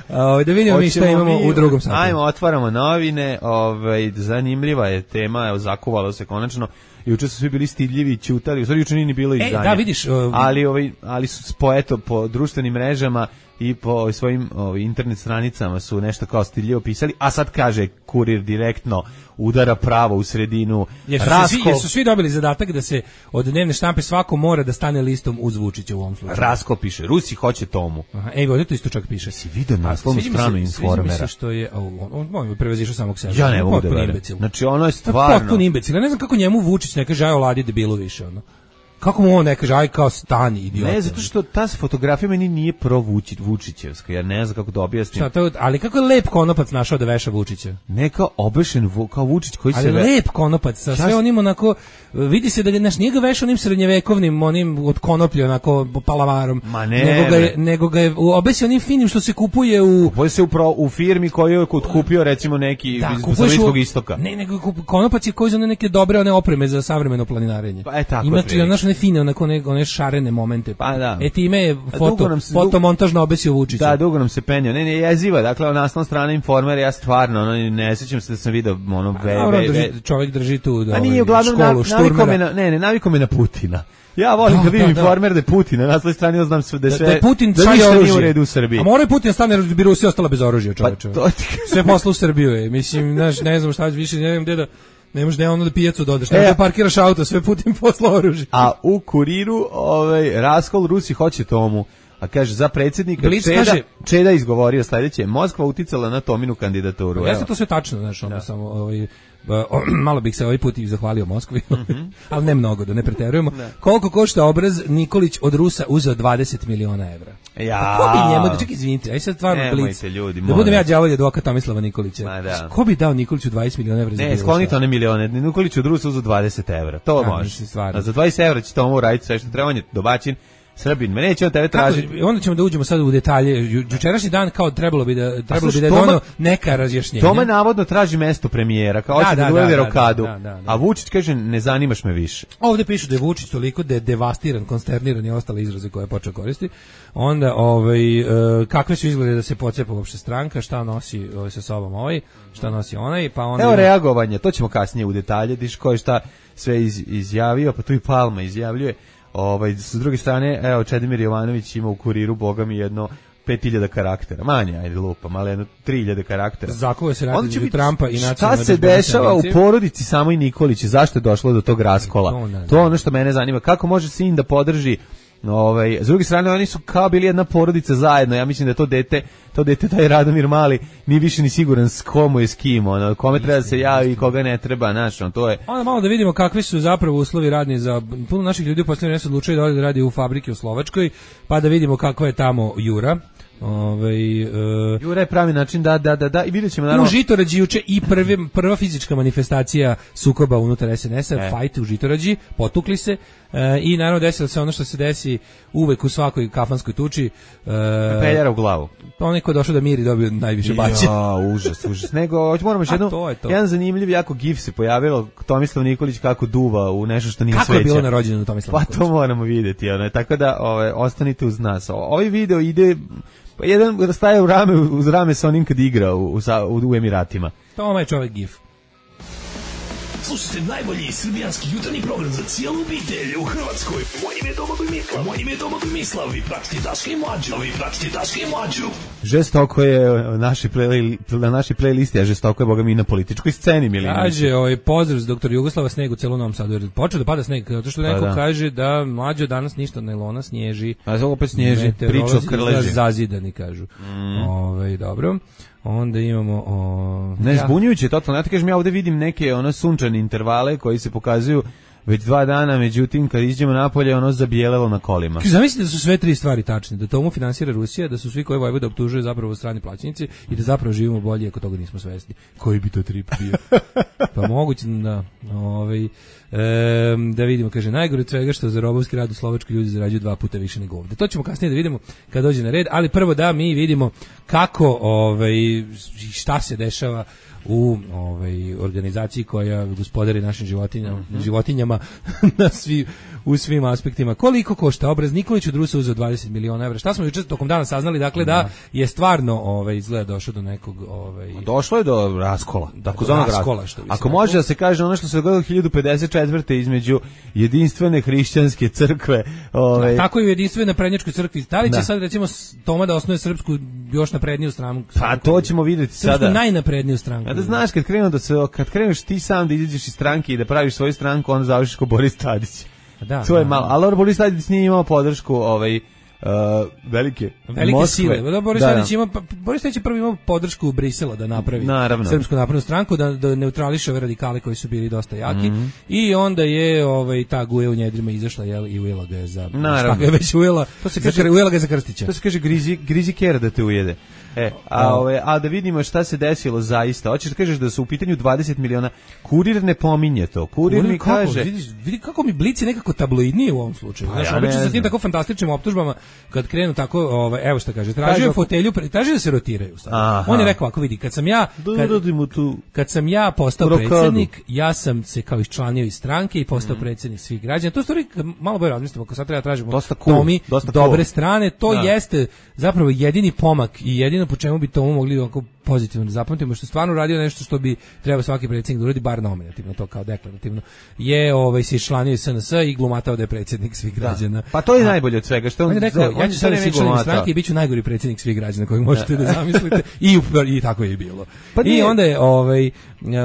a da vidimo mi šta imamo mi, u drugom satu. Ajmo, otvaramo novine, ovaj, zanimljiva je tema, evo, zakuvalo se konačno. Juče su svi bili stidljivi i ćutali, u stvari juče nije ni bilo izdanje. E, da, vidiš. Uh, ali, ovaj, ali su po, eto, po društvenim mrežama i po svojim ovaj, internet stranicama su nešto kao stidljivo pisali, a sad kaže Kurir direktno udara pravo u sredinu. Jer su, Rasko... svi, jer su svi dobili zadatak da se od dnevne štampe svako mora da stane listom uz Vučića u ovom slučaju. Rasko piše, Rusi hoće Tomu. Aha, evo, ovdje to isto čak piše. Si vidio naslovnu stranu Informera. Sviđa mi se što je, on, on, on prevezišao samog sebe. Ja ne mogu da verujem. Znači ono je stvarno. Potpun imbecil. Ja ne znam kako njemu Vučić ne kaže aj oladi debilu više, ono. Kako mu on ne kaže, aj kao stani, idiot. Ne, zato što ta fotografija meni nije pro Vučić, Vučićevska, ja ne znam kako da objasnim. Šta, to, ali kako je lep konopac našao da veša Vučića? Ne kao obešen, kao Vučić koji ali se... Ali lep konopac, sa sve onim onako, vidi se da ga, naš, nije ga vešao onim srednjevekovnim, onim od konoplje, onako, palavarom. Ma ne, nego ga je, nego ga je obesio onim finim što se kupuje u... Kupuje se u, pro, u firmi koju je kupio, recimo, neki da, iz Bliskog istoka. Ne, nego konopac je koji za neke dobre one opreme za savremeno planinarenje. Pa, e, tako ima, znaš, one fine, onako one, one šarene momente. Pa da. E time je foto, se, fotomontažno obesio Vučića. Da, dugo nam se penio. Ne, ne, jeziva, dakle, naslovna strana Informera, ja stvarno, ono, ne sjećam se da sam video, ono, ve, A, ve, drži, ve, čovjek drži tu da, a nije, uglavnom, školu, šturmera. Na, ne, ne, naviko me na Putina. Ja volim kad vidim Informer da je Putin, na svoj strani ja znam sve da sve da, da Putin da ništa nije u redu u Srbiji. A mora je Putin stane bi Rusija ostala bez oružja, čoveče. Pa sve posla u Srbiju je. Mislim, znaš, ne znam šta više, ne znam gde da ne možeš da ono da pijacu dodaš, ne e, da parkiraš auto, sve Putin posla oružje. A u Kuriru, ovaj raskol Rusi hoće Tomu. A kaže, za predsjednika Blic Čeda, kaže, Čeda izgovorio sledeće, Moskva uticala na Tominu kandidaturu. Jeste to sve tačno, znaš, ono, samo ovaj, malo bih se ovaj put i zahvalio Moskvi, mm-hmm. ali ne mnogo, da ne preterujemo. Ne. Koliko košta obraz Nikolić od Rusa uzeo dvadeset miliona evra? Ja. Ko bi njemu, da čekaj, izvinite, aj sad stvarno Blic, ljudi, da budem ja đavolji advokat Tomislava Nikolića. Da. Ko bi dao Nikoliću dvadeset miliona evra? Ne, sklonite one milione, Nikolić od Rusa uzeo dvadeset evra, to ja, može. A za dvadeset evra će Tomu uraditi sve što treba, on je domaćin. Srbin, me neće on tebe tražiti. Onda ćemo da uđemo sad u detalje. Jučerašnji dan kao trebalo bi da trebalo bi da je doneo neka razjašnjenja. Toma navodno traži mesto premijera, kao hoće da uvede rokadu. A Vučić kaže ne zanimaš me više. Ovde piše da je Vučić toliko da je devastiran, konsterniran i ostale izraze koje je počeo koristiti. Onda ovaj kakve su izglede da se pocepa uopšte stranka, šta nosi ovaj sa sobom ovaj, šta nosi onaj, pa onda evo reagovanje, to ćemo kasnije u detalje, diš ko je šta sve iz, izjavio, pa tu i Palma izjavljuje. Ovaj, s druge strane, evo, Čedomir Jovanović ima u Kuriru, boga mi, jedno pet hiljada karaktera. Manje, ajde lupam, ali jedno tri hiljade karaktera. Zakovo se radi između Trumpa i nacionalne. Šta se dešava u porodici Samo i Nikolić? Zašto je došlo do tog raskola? To je ono što mene zanima. Kako može sin da podrži ovaj, s druge strane, oni su kao bili jedna porodica zajedno. Ja mislim da to dete, to dete, taj Radomir Mali, nije više ni siguran s komu je s kim, ono, kome treba da se javi i koga ne treba, znaš, on, to je. Onda malo da vidimo kakvi su zapravo uslovi radni za puno naših ljudi u posljednje vreme se odlučuju da ode da radi u fabrike u Slovačkoj, pa da vidimo kakva je tamo Jura. Ovaj uh, Jura je pravi način da da da da i videćemo naravno. U Žitorađi juče i prvi prva fizička manifestacija sukoba unutar es en es-a, e. Fight u Žitorađi, potukli se uh, i naravno desilo se ono što se desi uvek u svakoj kafanskoj tuči. Uh, Peljara u glavu. Onaj ko je došao da miri dobio najviše baće. Ja, užas, užas. Nego moramo još jedno, to to. jedan zanimljiv jako gif se pojavilo, Tomislav Nikolić kako duva u nešto što nije sveća. Kako je bilo na rođendanu Tomislava Nikolića? Pa to moramo vidjeti, ono, tako da ove, ostanite uz nas. Ovaj video ide pa jedan staje u rame, uz rame sa onim kad igra u, u, u Emiratima. To je čovjek gif. Slušajte najbolji srbijanski jutarnji program za cijelu obitelj u Hrvatskoj. Moje ime je Domagoj Mislav. Moje ime je Domagoj Mislav. Vi pratite Daška i Mlađu. Vi pratite Daška i Mlađu. Žestoko je naši play, na našoj playlisti, a žestoko je, boga mi, na političkoj sceni. Milinović. Kaže, ovaj, pozdrav s doktor Jugoslava, sneg u celu Novom Sadu. Jer počeo da pada sneg, zato što neko da. kaže da Mlađo danas ništa nailona snježi. A ovo opet snježi, priča o krleži. Zazidani, kažu. Mm. Ovaj, dobro. Onda imamo o... Ne, zbunjujuće totalno. Ja ti kažem, ja ovdje vidim neke ono sunčane intervale koji se pokazuju već dva dana, međutim kad iđemo napolje ono zabijelelo na kolima. Zamislite da su sve tri stvari tačne, da Tomu finansira Rusija, da su svi koji Vojvoda optužuju zapravo strani plaćenici i da zapravo živimo bolje ako toga nismo svesni. Koji bi to trip bio? Pa moguće da ovaj e, da vidimo, kaže, najgore od svega što za robovski rad u Slovačkoj ljudi zarađuju dva puta više nego ovde. To ćemo kasnije da vidimo kad dođe na red, ali prvo da mi vidimo kako ovaj šta se dešava u ovaj organizaciji koja gospodari našim životinjama, mm-hmm. životinjama na svi u svim aspektima. Koliko košta obraz Nikolić od Rusa uzeo dvadeset miliona evra? Šta smo juče tokom dana saznali, dakle da, da je stvarno ovaj izgleda došao do nekog ovaj došlo je do raskola, takozvanog raskola, što bi Ako može da se kaže ono što se dogodilo hiljadu pedeset četvrte između jedinstvene hrišćanske crkve, ovaj da, tako i jedinstvene prednjačkoj crkvi. Da li će da. sad recimo Toma da osnuje srpsku još napredniju stranku? Pa to ćemo vidjeti sada. Srpsku najnapredniju stranku. A da znaš kad krenu da se kad kreneš ti sam da izađeš iz stranke i da praviš svoju stranku, onda završiš kao Boris Tadić. Da, to je malo, ali Boris Tadić nije imao podršku ovaj uh, velike velike Moskve. sile. Da, Boris Tadić ima Boris Tadić je prvi imao podršku u Brisela da napravi Naravno. Srpsku naprednu stranku, da, da neutrališe ove radikale koji su bili dosta jaki, mm-hmm. i onda je ovaj ta Guja u njedrima izašla, jel, i ujela ga je za šta ga je već ujela, to se kaže ujela ga je za Krstića. To se kaže grizi grizi kera da te ujede. E, a, ove, a da vidimo šta se desilo zaista. Hoćeš da kažeš da su u pitanju dvadeset miliona. Kurir ne pominje to. Kurir, Kurir mi kako, kaže... Vidi, vidi kako mi Blic je nekako tabloidniji u ovom slučaju. Pa, znači, ja obično sa tim tako fantastičnim optužbama kad krenu tako, ovaj, evo šta kaže, tražio fotelju, tražio da se rotiraju sad. Aha. On je rekao, ako vidi, kad sam ja kad, kad sam ja postao Rokadu. predsjednik, ja sam se kao iščlanio iz stranke i postao mm. predsjednik svih građana. To stvari, malo bolje razmislimo, ako sad treba tražimo dosta cool, Tomi, dosta dobre cool. strane, to da. jeste zapravo jedini pomak i jedino po čemu bi Tomu mogli ovako pozitivno da zapamtimo, što stvarno radio nešto što bi trebao svaki predsjednik da uradi, bar nominativno, to kao deklarativno, je ovaj, se iščlanio iz S N S i glumatao da je predsjednik svih građana. Da. Pa to je A, najbolje od svega. Što on, on je rekao, on ja ću sada se iščlaniti stranke i bit ću najgori predsjednik svih građana kojeg možete da zamislite i, i tako je i bilo. Pa I onda je ovaj,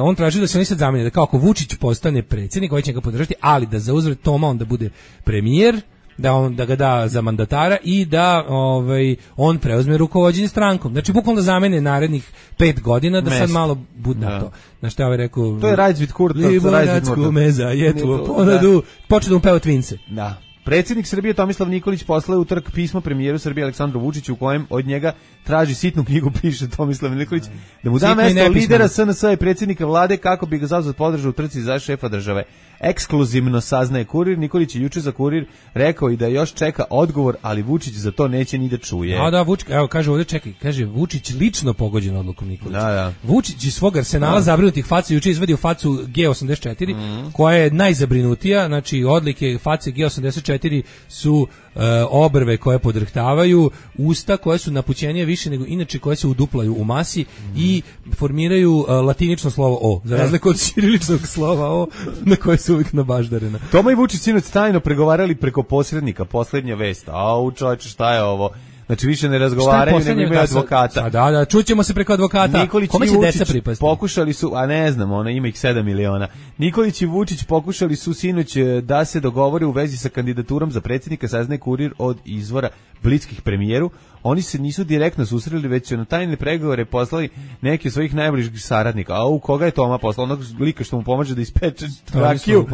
on tražio da se oni sad zamene, da kao ako Vučić postane predsjednik, ovaj će ga podržati, ali da za uzvrat Toma on da bude premijer, da on da ga da za mandatara i da ovaj on preuzme rukovođenje strankom. Znači bukvalno da zamene narednih pet godina da Mesto. sad malo bude na to. Na šta je rekao? To je Rajzvid Kurta, Rajzvid Kurta. Meza, je tu ponadu, počne da mu peva Twinse. Da. Predsjednik Srbije Tomislav Nikolić poslao u utorak pismo premijeru Srbije Aleksandru Vučiću u kojem od njega traži sitnu knjigu, piše Tomislav Nikolić, da mu da mesto lidera S N S i predsjednika vlade kako bi ga zauzet podržao u trci za šefa države. Ekskluzivno saznaje Kurir. Nikolić je juče za Kurir rekao i da još čeka odgovor, ali Vučić za to neće ni da čuje. A da, Vučić, evo kaže ovdje, čekaj, kaže Vučić lično pogođen odlukom Nikolića. Da, da. Vučić iz svog arsenala zabrinutih faca juče izvadio facu G osamdeset četiri, mm. koja je najzabrinutija, znači odlike face G osamdeset četiri su e, obrve koje podrhtavaju, usta koje su napućenije više nego inače, koje se uduplaju u masi mm. i formiraju e, latinično slovo O, za razliku od ćiriličnog slova O na koje su uvijek nabaždarena. Toma i Vučić sinoć tajno pregovarali preko posrednika, posljednja vest. Au, čovječe, šta je ovo? Znači više ne razgovaraju, nego imaju advokata. Da, da, čućemo se preko advokata. Nikolić Kome će deca pripasti? Pokušali su, a ne znam, ona ima ih sedam miliona. Nikolić i Vučić pokušali su sinoć da se dogovore u vezi sa kandidaturom za predsjednika, saznaje Kurir od izvora bliskih premijeru. Oni se nisu direktno susreli, već su na tajne pregovore poslali neki od svojih najbližih saradnika. A u koga je Toma poslao? Onog lika što mu pomaže da ispeče rakiju,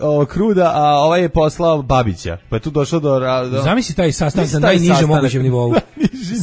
ovo kruda, a ovaj je poslao Babića. Pa je tu došlo do... do... Zamisli taj sastanak na najnižem mogućem nivou.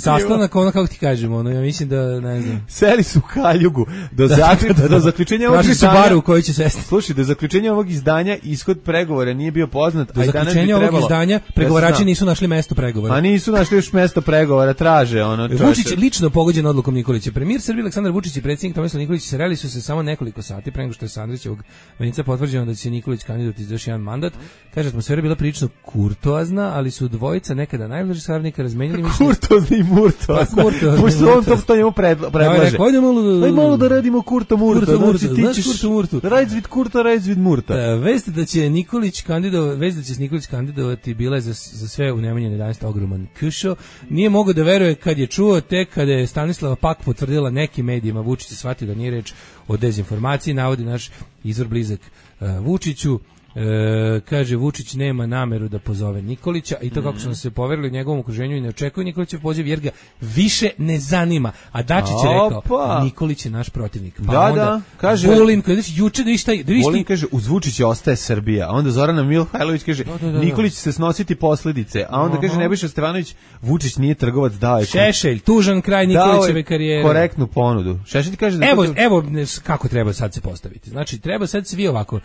Sastanak, ono kako ti kažemo, ono, ja mislim da, ne znam. Seli su u kaljugu do, zakl... do zaključenja ovog izdanja. Traži su baru u kojoj će sesti. Slušaj, do zaključenja ovog izdanja ishod pregovora nije bio poznat. Do zaključenja ovog izdanja pregovarači nisu našli mesto pregovora. A nisu našli još mesto pregovora, traže ono. Vučić lično pogođen odlukom Nikolića. Premijer Srbije Aleksandar Vučić i predsjednik Tomislav Nikolić sreli su se samo nekoliko sati pre nego što je sa Andrićevog venca potvrđeno da će se Nikolić kandidovati za još jedan mandat. Kaže, atmosfera bila prilično kurtoazna, ali su dvojica nekada najbliži saradnika razmenili mišljenje. Kurtoazni i murtoazna. Pošto on to što njemu predlaže. Ajde malo, Aj malo da radimo kurto murto. Znači ti ćeš kurto murto. Rajzvid kurto, rajzvid murta. Vest da će Nikolić kandidovati, vest da će se Nikolić kandidovati bila je za za sve u Nemanjine jedanaest ogroman kušo. Nije mogao da veruje kad je čuo, tek kada je Stanislava Pak potvrdila nekim medijima. Vučić je shvatio da nije reč o dezinformaciji, navodi naš izvor blizak uh, Vučiću. E, kaže, Vučić nema nameru da pozove Nikolića i to kako su se poverili njegovom okruženju i ne očekuju Nikolićev poziv jer ga više ne zanima. A Dačić je rekao, Opa. Nikolić je naš protivnik. Pa da, onda, da, kaže, Vulin, koji je juče da išta... Vulin kaže, uz Vučića ostaje Srbija, a onda Zorana Mihajlović kaže, da, da, da, Nikolić će se snositi posljedice, a onda Aha. kaže Nebojša Stefanović, Vučić nije trgovac, dao je... Šešelj, tužan kraj Nikolićeve karijere. Korektnu ponudu. Šešelj kaže da... Evo, to... evo kako treba sad se postaviti. Znači, treba sad svi ovako...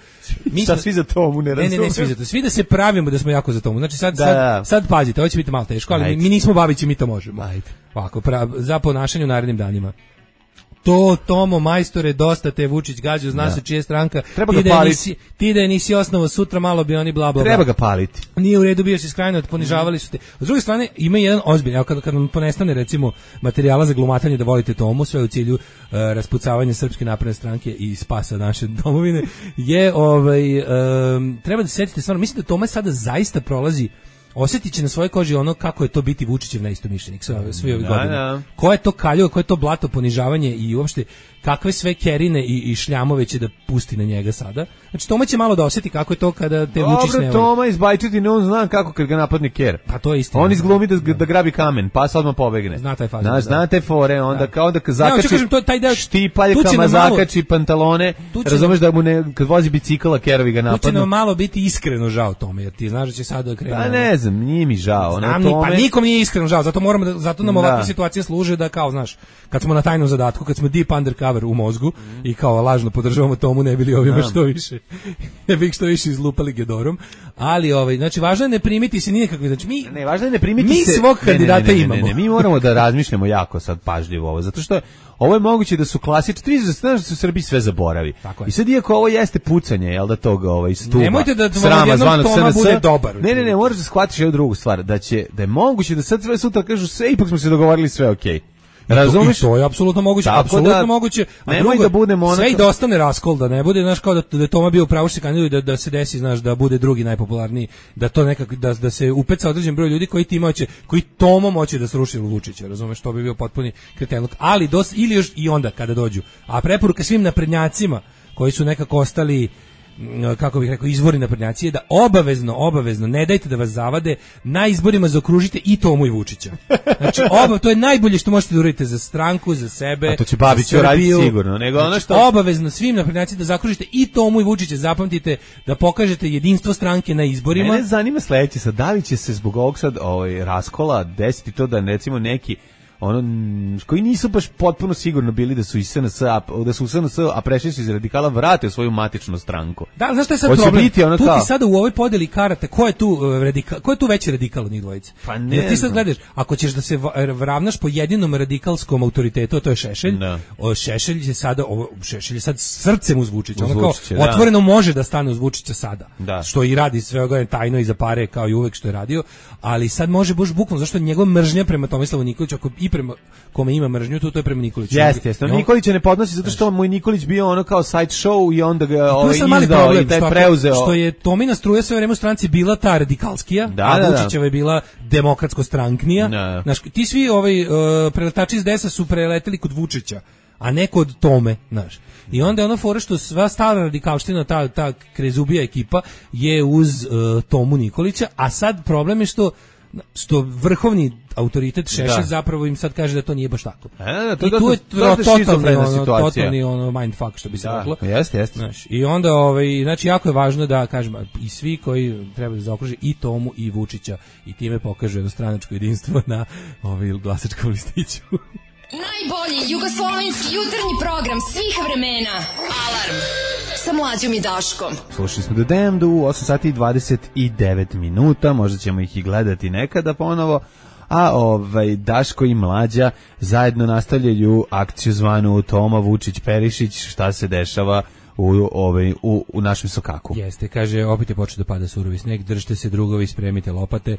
Mi sad svi za Tomu ne razumiju. Ne, ne, ne, svi za to. Svi da se pravimo da smo jako za Tomu. Znači sad, da, sad, sad pazite, ovo će biti malo teško, ali mi, mi nismo Babići, mi to možemo. Ajde. Ovako, pra, za ponašanje u narednim danima. To, Tomo, majstore, dosta te Vučić gađu, zna da. se čija stranka. Treba ga paliti. Ti da je nisi osnovo, sutra malo bi oni bla bla. Treba ga paliti. Nije u redu, bio si skrajno, ponižavali su te. S druge strane, ima jedan ozbiljan, evo kad, kad nam ponestane recimo materijala za glumatanje da volite Tomu, sve u cilju uh, raspucavanja Srpske napredne stranke i spasa naše domovine, je ovaj, um, treba da se setite stvarno, mislim da Toma sada zaista prolazi, osjetit će na svojoj koži ono kako je to biti Vučićev neistomišljenik sve, sve ove godine. Ko je to kaljo, ko je to blato, ponižavanje i uopšte kakve sve kerine i, i šljamove će da pusti na njega sada. Znači Toma će malo da osjeti kako je to kada te Vučić ne... Dobro, Toma iz Bajčetine, on zna kako kad ga napadne ker. Pa to je istina. On izglumi da, da grabi kamen, pa sad odmah pobegne. Zna taj faz. Zna, zna te fore, onda kao da zakači, kažem, to, taj deo, štipaljkama zakači pantalone, razumeš da mu ne, kad vozi bicikla, kerovi ga napadnu. Tu će nam malo biti iskreno žao Tome, jer ti znaš da će sad da krene... Pa ne znam, nije mi žao. Znam, tome... Pa nikom nije iskreno žao, zato moramo da, zato nam ovakve situacije služe da kao, znaš, kad smo na tajnom zadatku, kad smo deep undercover, čavar u mozgu mm. i kao lažno podržavamo Tomu, ne bili ovima što više, ne bi što više izlupali Gedorom, ali ovaj, znači važno je ne primiti se nikakve, znači mi ne, važno je ne primiti mi se, svog kandidata ne, ne, ne, imamo. Ne, ne, ne, mi moramo da razmišljamo jako sad pažljivo ovo, zato što ovo je moguće da su klasični, znaš da se u Srbiji sve zaboravi. I sad iako ovo jeste pucanje, jel da toga ovaj stuba. Nemojte da srama zvanog Toma S N S bude dobar. Ne, ne, ne, moraš da shvatiš jednu drugu stvar, da će da je moguće da sad sve sutra kažu sve, ipak smo se dogovorili, sve okej. Okay. Razumeš? I to je apsolutno moguće, apsolutno da, moguće. A nemoj drugo, da budemo onako... sve i da ostane raskol, da ne bude, znaš, kao da, da je Toma bio pravo što se kandiduje, da, da se desi, znaš, da bude drugi najpopularniji, da to nekako, da, da se upeca određen broj ljudi koji tima će, koji Tomom hoće da sruši Vučića, razumeš, to bi bio potpuni kretenluk. Ali dos, ili još i onda kada dođu. A preporuka svim naprednjacima koji su nekako ostali, kako bih rekao, izvori naprednjacije, da obavezno, obavezno, ne dajte da vas zavade, na izborima zaokružite i Tomu i Vučića. Znači, oba, to je najbolje što možete da uradite za stranku, za sebe, a to će Babić uraditi sigurno. Nego ono što... znači, obavezno svim naprednjacima da zaokružite i Tomu i Vučića, zapamtite da pokažete jedinstvo stranke na izborima. Mene zanima sledeće, sad da li će se zbog ovog sad ovaj, raskola desiti to da recimo neki ono koji nisu baš potpuno sigurno bili da su iz S N S, da su u S N S, a prešli su iz radikala, vrate u svoju matičnu stranku. Da, znaš šta je sad hoće problem? Biti ono tu kao... ti sada u ovoj podeli karate, ko je tu uh, radikal, ko je tu veći radikal od njih dvojice? Pa ne. Jer ti sad gledaš, ako ćeš da se ravnaš po jedinom radikalskom autoritetu, to je Šešelj. Da. O, Šešelj je sada ovo Šešelj je sad srcem uz Vučića, uz ono kao Vučića, da. Otvoreno može da stane uz Vučića sada. Da. Što i radi sve ovo tajno i za pare kao i uvek što je radio, ali sad može baš bukvalno zašto njegova mržnja prema Tomislavu Nikoliću, ako i prema kome ima mržnju, to, to je prema Nikoliću. Jeste, jeste. On... Nikolića ne podnosi zato što moj Nikolić bio ono kao side show i onda ga ovaj izdao problem, i taj preuzeo. Što je Tomina struja sve vreme u stranci bila ta radikalskija, da, a da, Vučićeva je bila demokratsko-stranknija. Da. Znaš, ti svi ovaj, uh, preletači iz desa su preleteli kod Vučića, a ne kod Tome, znaš. I onda je ono fora što sva stara radikalština, ta, ta krezubija ekipa je uz uh, Tomu Nikolića, a sad problem je što što vrhovni autoritet Šešelj zapravo im sad kaže da to nije baš tako. E, da, to I tu je totalni ono, totalni ono mindfuck što bi se reklo. Jeste, jeste. Znaš, i onda ovaj znači jako je važno da kažem i svi koji treba da zaokruže i Tomu i Vučića i time pokažu jednostranačko jedinstvo na ovaj glasačkom listiću. Najbolji jugoslovenski jutarnji program svih vremena. Alarm sa Mlađom i Daškom. Slušali smo The Damned u osam sati i dvadeset devet minuta, možda ćemo ih i gledati nekada ponovo, a ovaj Daško i Mlađa zajedno nastavljaju akciju zvanu Toma Vučić Perišić, šta se dešava u ovaj u, u našem sokaku. Jeste, kaže, opet je počeo da pada surovi sneg, držite se drugovi, spremite lopate. E,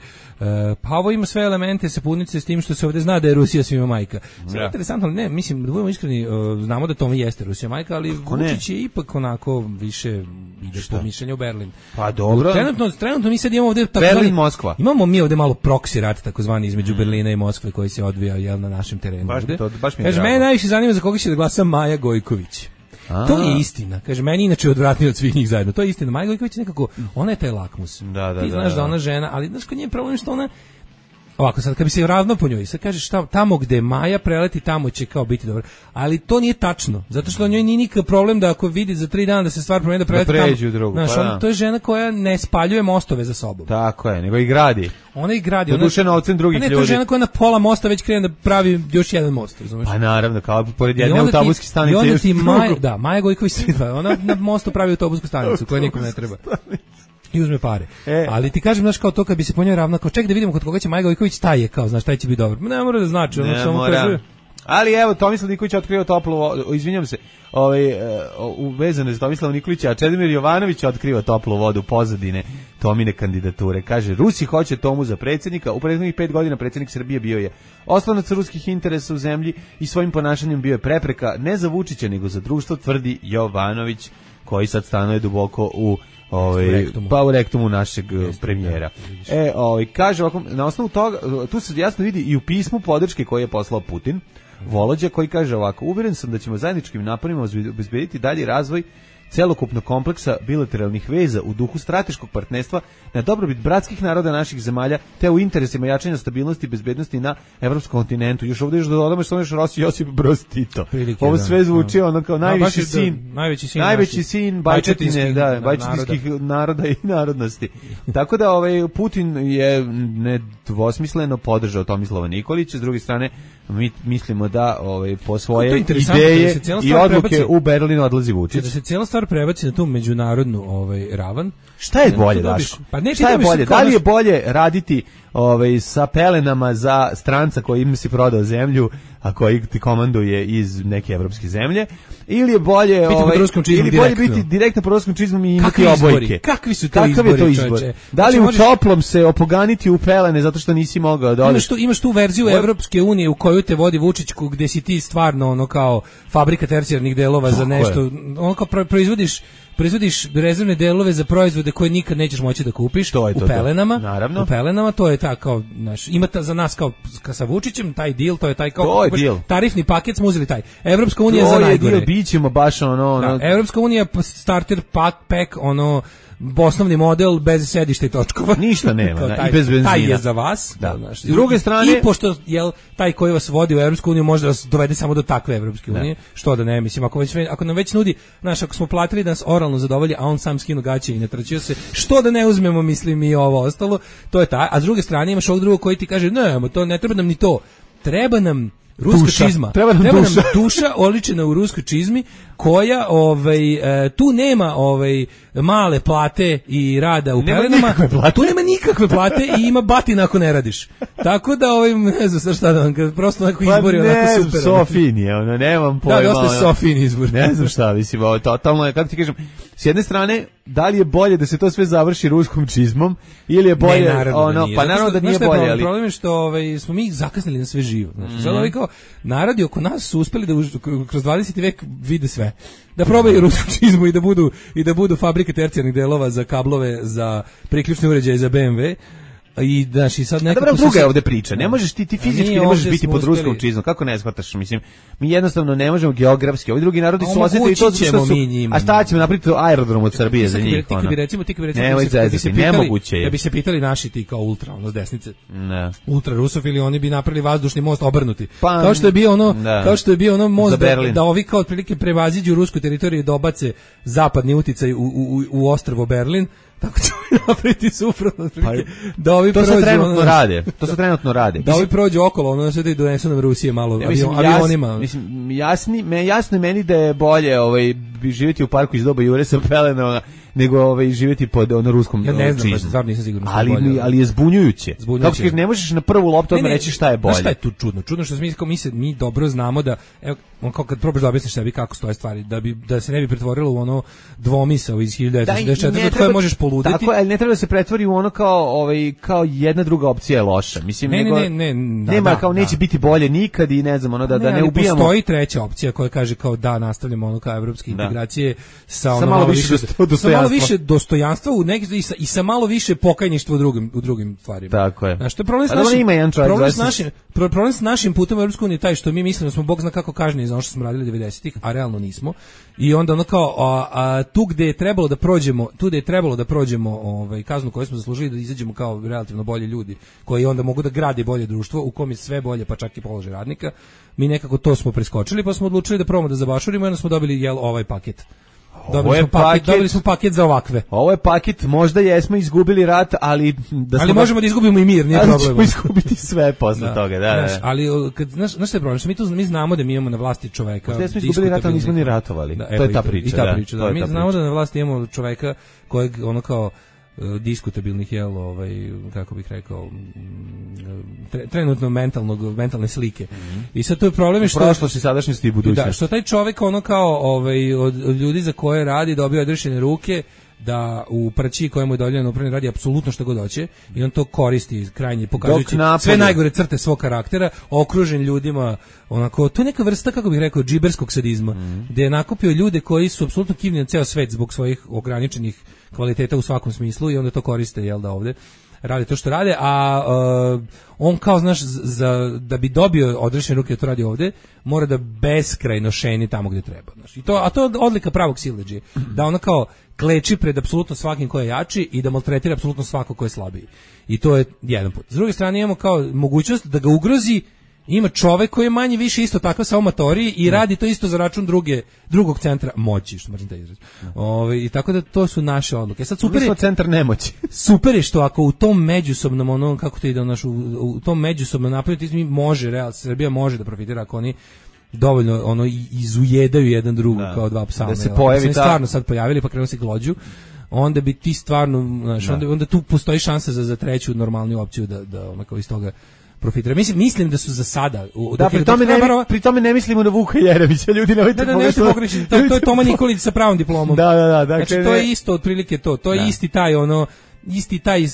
pa ovo ima sve elemente sapunice s tim što se ovde zna da je Rusija svima majka. Sve ja. Interesantno, ne, mislim, da budemo iskreni, znamo da Toma jeste Rusija majka, ali Kako Vučić ne? je ipak onako više ide po mišljenju u Berlin. Pa dobro. Trenutno, trenutno mi sad imamo ovde Berlin, Moskva. Imamo mi ovde malo proksi rat, takozvani između mm. Berlina i Moskve koji se odvija jel na našem terenu. Baš ovde. To, baš mi je kaže, mene najviše zanima za koga će da glasa Maja Gojković. A. To je istina. Kaže, meni inače odvratnije od svih njih zajedno. To je istina. Maja Gojković nekako, ona je taj lakmus. Da, da, Ti znaš da, da ona žena, ali znaš kod nje je problem što ona, ovako sad kad bi se ravno po njoj, sad kažeš šta, tamo gde Maja preleti, tamo će kao biti dobro. Ali to nije tačno, zato što njoj nije nikakav problem da ako vidi za tri dana da se stvar promeni da preleti da tamo. Drugu, znaš, pa ona, to je žena koja ne spaljuje mostove za sobom. Tako je, nego i gradi. Ona i gradi. Ona je novcem drugih ljudi. Ne, to je žena koja na pola mosta već krene da pravi još jedan most, razumeš? Pa naravno, kao pored jedne autobuske stanice. I onda ti Maja, da, Maja Gojković, ona na mostu pravi autobusku stanicu koja nikom ne treba. I uzme pare. E. Ali ti kažem, znaš, kao to kad bi se po njoj ravnao, kao ček da vidimo kod koga će Maja Gojković, taj je, kao, znaš, taj će biti dobar. Ne mora da znači, ono samo kaže. Ali evo, Tomislav Nikolić otkrio toplu vodu, izvinjam se, ovaj, uvezano za Tomislava Nikolića, a Čedomir Jovanović otkriva toplu vodu pozadine Tomine kandidature. Kaže, Rusi hoće Tomu za predsjednika, u prethodnih pet godina predsjednik Srbije bio je oslonac ruskih interesa u zemlji i svojim ponašanjem bio je prepreka ne za Vučića, nego za društvo, tvrdi Jovanović, koji sad stanuje duboko u Ovaj rektumu. Pa u rektumu našeg Jeste, premijera. Da, e, ovaj kaže ovako, na osnovu toga tu se jasno vidi i u pismu podrške koje je poslao Putin, Volođa, koji kaže ovako: uveren sam da ćemo zajedničkim naporima obezbediti dalji razvoj celokupnog kompleksa bilateralnih veza u duhu strateškog partnerstva na dobrobit bratskih naroda naših zemalja, te u interesima jačanja stabilnosti i bezbednosti na evropskom kontinentu. Još ovdje još da dodamo što je Rossi Josip Broz Tito. Prilike, Ovo sve zvuči da. ono kao najviši no, sin, da, najveći sin, najveći sin bajčetinskih da, bajčetinskih naroda. naroda i narodnosti. Tako da ovaj Putin je nedvosmisleno podržao Tomislava Nikolića, s druge strane mi mislimo da ovaj po svoje da ideje da i odluke prebaci, u Berlin odlazi Vučić. Da se cijela stvar prebaci na tu međunarodnu ovaj ravan. Šta je bolje, Daško? Pa ne, šta je bolje? Da li je bolje raditi ovaj sa pelenama za stranca koji im si prodao zemlju, a koji ti komanduje iz neke evropske zemlje, ili je bolje biti ovaj ili bolje direktno. biti direktno pod ruskom čizmom i imati obojke? Kakvi su to Kakav izbori? Je to izbor? Čoče? Da li znači, u možeš... toplom se opoganiti u pelene zato što nisi mogao da odeš? Imaš tu, imaš tu verziju What? Evropske unije u koju te vodi Vučić, gde si ti stvarno ono kao fabrika tercijarnih delova za nešto, ono kao proizvodiš proizvodiš rezervne delove za proizvode koje nikad nećeš moći da kupiš to je to, u pelenama. Naravno. U pelenama to je ta kao naš ima ta, za nas kao sa Vučićem taj deal, to je taj kao to je deal. Tarifni paket smo uzeli taj. Evropska unija za najgore. To je deal, bićemo baš ono, ono... Da, Evropska unija starter pack, pack ono osnovni model bez sedišta i točkova. Ništa nema, taj, da, i bez benzina. Taj je za vas. Da. Znaš, s druge strane... I pošto jel, taj koji vas vodi u Evropsku uniju može da vas dovede samo do takve Evropske unije, što da ne, mislim, ako, već, ako nam već nudi, znaš, ako smo platili da nas oralno zadovolji, a on sam skinu gaće i ne trčio se, što da ne uzmemo, mislim, i ovo ostalo, to je ta. A s druge strane imaš ovog drugog koji ti kaže, ne, to ne treba nam ni to, treba nam ruska duša. čizma. Treba nam Treba duša. Nam duša oličena u ruskoj čizmi koja ovaj e, tu nema ovaj male plate i rada u pelenama. Tu nema nikakve plate i ima batina ako ne radiš. Tako da ovaj ne znam šta da vam kažem, prosto onako izbori pa onako super. Sofin je, ono nemam pojma. Da, dosta Sofin izbor. Ne znam šta, mislim, ovo totalno je, kako ti kažem, s jedne strane, da li je bolje da se to sve završi ruskom čizmom ili je bolje ne, naravno ono, da nije. pa naravno da nije bolje, problem, ali problem je što ovaj smo mi zakasnili na sve živo. Znači, mm-hmm. sad ovaj kao narodi oko nas su uspeli da už, kroz dvadeseti vek vide sve. Da probaju rusku čizmu i da budu i da budu fabrike tercijarnih delova za kablove, za priključne uređaje za B M W. I daš i sad nekako dobro, druga se... je ovde priča. Ne možeš ti ti fizički ne možeš biti pod ruskom čizmom. Kako ne shvataš? Mislim, mi jednostavno ne možemo geografski. Ovi drugi narodi su osetili to što su. A šta ćemo napraviti aerodrom od Srbije za njih? Ti bi recimo, ti bi recimo, ne, bi se pitali, nemoguće je. Da bi se pitali naši ti kao ultra, ono s desnice. Ne. Ultra rusofili, oni bi napravili vazdušni most obrnuti. Pa, kao što je bio ono, da. kao što je bio ono most da, da ovi kao otprilike prevaziđu rusku teritoriju i dobace zapadni uticaj u u u ostrvo Berlin. Tako će napraviti suprotno, pa, da ovi to prođu, se trenutno ono, rade. To se trenutno rade. Da ovi prođu okolo, ono sve da i donesu nam Rusije malo ja, mislim, avionima. Jas, mislim, jasni, me jasno meni da je bolje ovaj živjeti u parku iz doba Jure sa pelenama nego ovaj živjeti pod ono ruskom ja ne znam, čizmom. Stvarno nisam siguran. Ali bolje, ali je zbunjujuće. zbunjujuće. Kako kažeš, ne možeš na prvu loptu odmah reći šta je bolje. Šta je tu čudno? Čudno što mi mi se mi dobro znamo da evo on kao kad probaš da objasniš sebi kako stoje stvari, da bi da se ne bi pretvorilo u ono dvomisao iz hiljadu devetsto šezdeset četvrte od koje možeš poluditi. Tako, ali ne treba da se pretvori u ono kao ovaj kao jedna druga opcija je loša. Mislim ne, nego ne, ne, ne, da, nema da, kao da. neće biti bolje nikad i ne znam ono da ne, da ne ubijamo. Postoji treća opcija koja kaže kao da nastavljamo ono kao evropske integracije sa ono malo više sa malo više dostojanstva u neki i sa, i sa malo više pokajništva u drugim u drugim stvarima. Tako je. Znači, to je problem s našim, problem s našim, problem s našim putem u Evropsku uniju taj što mi mislimo da smo bog zna kako kažnjeni za ono što smo radili devedesetih, a realno nismo. I onda ono kao a, a, tu gde je trebalo da prođemo, tu gde je trebalo da prođemo ovaj kaznu koju smo zaslužili da izađemo kao relativno bolji ljudi koji onda mogu da grade bolje društvo u kom je sve bolje pa čak i položaj radnika. Mi nekako to smo preskočili pa smo odlučili da probamo da zabašurimo i onda smo dobili jel ovaj paket. Dobili smo paket, paket, dobili smo paket za ovakve. Ovo je paket, možda jesmo izgubili rat, ali da ali možemo da izgubimo i mir, nije problem. Ali ćemo izgubiti sve posle da, toga, da, znaš, da. Ali kad znaš, znaš šta je problem? Što mi tu mi znamo da mi imamo na vlasti čoveka. Da smo izgubili rat, ali nismo ni ratovali. Da, to je ta priča, i ta da. priča, da. Mi znamo da na vlasti imamo čoveka kojeg ono kao diskutabilnih jel ovaj kako bih rekao tre, trenutno mentalnog mentalne slike. Mm-hmm. I sad to je problem što prošlosti, sadašnjosti i budućnosti. Da, što taj čovjek ono kao ovaj od, od ljudi za koje radi dobio odrešene ruke da u prći kojemu je dovoljeno upravni radi apsolutno što god hoće i on to koristi krajnje pokazujući sve najgore crte svog karaktera, okružen ljudima onako, to je neka vrsta kako bih rekao džiberskog sadizma, mm-hmm. gde je nakupio ljude koji su apsolutno kivni na ceo svet zbog svojih ograničenih kvaliteta u svakom smislu i onda to koriste jel da ovde rade to što rade, a uh, on kao znaš za, da bi dobio odrešene ruke da to radi ovde, mora da beskrajno šeni tamo gde treba, znaš. I to, a to je odlika pravog siledžije, mm-hmm. da ona kao kleči pred apsolutno svakim ko je jači i da maltretira apsolutno svako ko je slabiji. I to je jedan put. S druge strane imamo kao mogućnost da ga ugrozi Ima čovek koji je manje više isto tako sa amatoriji i radi to isto za račun druge drugog centra moći, što možete izreći. Ovaj i tako da to su naše odluke. Sad super je centar nemoći. Super je što ako u tom međusobnom ono kako to ide u našu u tom međusobnom napredu može Real Srbija može da profitira ako oni dovoljno ono izujedaju jedan drugog kao dva psa. Da se pojavi ta... stvarno sad pojavili pa krenu se glođu. Onda bi ti stvarno, znaš, onda, onda tu postoji šansa za, za treću normalniju opciju da, da onako iz toga profitira. Mislim, mislim da su za sada... U, da, pri tome, ne, barova, pri tome ne mislimo na Vuka Jeremića, ljudi nemojte da, da, nemojte pogrešiti. To, to je Toma Nikolić sa pravom diplomom. Da, da, da. Dakle, znači, to je isto otprilike to. To je da. isti taj, ono, isti taj...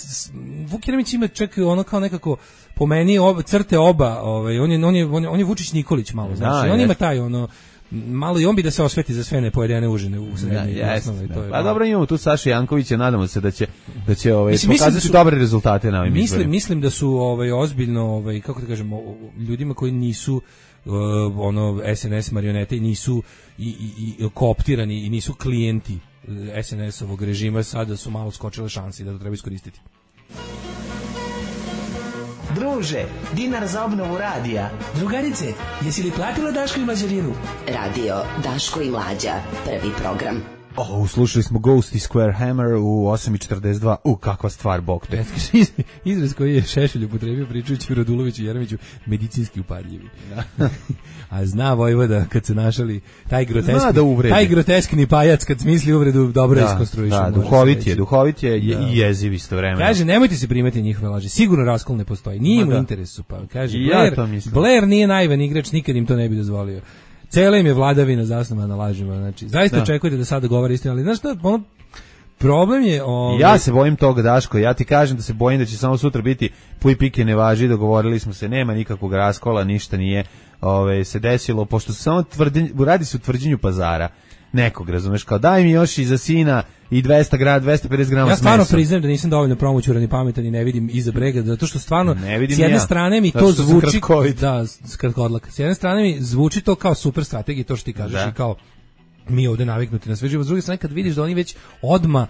Vuk Jeremić ima čak ono kao nekako, po meni, oba, crte oba, ovaj, on, je, on, je, on, je, on je Vučić Nikolić malo, znači, da, on ima taj, ono... malo i on bi da se osveti za sve nepojedene užine u srednjoj ja, osnovi. To je pa dobro, imamo tu Sašu Jankovića, nadamo se da će da će ovaj mislim, pokazati mislim da su, dobre rezultate na ovim mislim, izborima. Mislim da su ovaj ozbiljno ovaj kako da kažemo ljudima koji nisu uh, ono S N S marionete i nisu i, i, i kooptirani i nisu klijenti S N S-ovog režima, sada su malo skočile šanse da to treba iskoristiti. Druže, dinar za obnovu radija. Drugarice, jesi li platila Daško i Mlađarinu? Radio Daško i Mlađa, prvi program. Oh, slušali smo Ghost i Square Hammer u osam i četrdeset dva. U, kakva stvar, bog te. Izraz koji je Šešelj upotrebio pričajući Raduloviću i Jeremiću, medicinski upadljivi. Ja. A zna Vojvoda kad se našali taj groteskni, da taj groteskni pajac kad smisli uvredu dobro da, iskonstruiše. Da, duhovit je, duhovit je da. I jeziv istovremeno. Kaže, nemojte se primeti njihove laži. Sigurno raskol ne postoji. Nije mu interesu. Pa kaže, Blair, ja Blair nije naivan igrač, nikad im to ne bi dozvolio. Cela im je vladavina zasnovana na lažima, znači zaista da. Očekujete da sada govori istinu, ali znaš šta, ono, problem je... Ovaj... Ja se bojim toga, Daško, ja ti kažem da se bojim da će samo sutra biti puj pike ne važi, dogovorili smo se, nema nikakvog raskola, ništa nije ove, se desilo, pošto se samo tvrdi, radi se u tvrđenju pazara, nekog, razumeš, kao daj mi još i za sina i dvesta grad, dvesta pedeset grama. Ja stvarno priznajem da nisam dovoljno promoćuran i pametan i ne vidim iza brega, zato što stvarno s jedne ja. strane mi to zvuči da kratkodlak. S jedne strane mi zvuči to kao super strategija, to što ti kažeš da. I kao mi ovde naviknuti na sve živo. S druge strane kad vidiš da oni već odma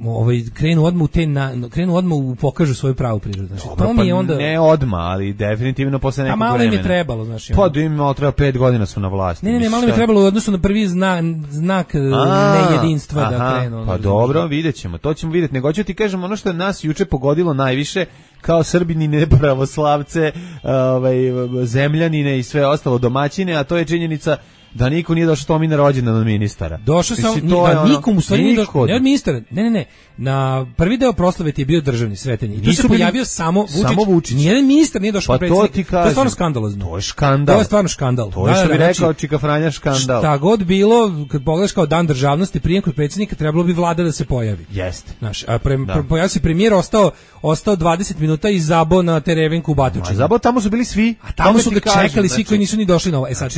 ovaj krenu odma u te na, krenu odma u pokažu svoju pravu prirodu, znači Dobro, to mi je onda ne odma, ali definitivno posle nekog vremena. A malo im je trebalo, znači. Pa da im malo treba pet godina su na vlasti. Ne, ne, ne, malo im je trebalo u odnosu na prvi znak znak nejedinstva aha, da krenu. Pa dobro, videćemo. To ćemo videti. Nego ću ti kažem ono što je nas juče pogodilo najviše kao Srbini nepravoslavce, ovaj zemljanine i sve ostalo domaćine, a to je činjenica da niko nije došao Tomi na rođendan od ministara. Došao sam, da ono, nikom u stvari nije došao, ne od ministara, ne, ne, ne, na prvi deo proslave ti je bio državni Sretenji. I tu se pojavio samo Vučić, samo Vučić. Nijedan ministar nije došao pa predsjednik. To, to je stvarno skandalozno. To je skandal. To je stvarno skandal. To je što da, bi rekao znači, Čika Franja skandal. Šta god bilo, kad pogledaš kao dan državnosti, prijem kod predsjednika, trebalo bi vlada da se pojavi. Jeste. Znaš, a pre, da. pojavio se premijer, ostao, ostao dvadeset minuta i zabo na Terevenku u Batočini. Zabo tamo su bili svi. A tamo su ga čekali svi koji nisu ni došli na ovo. E sad,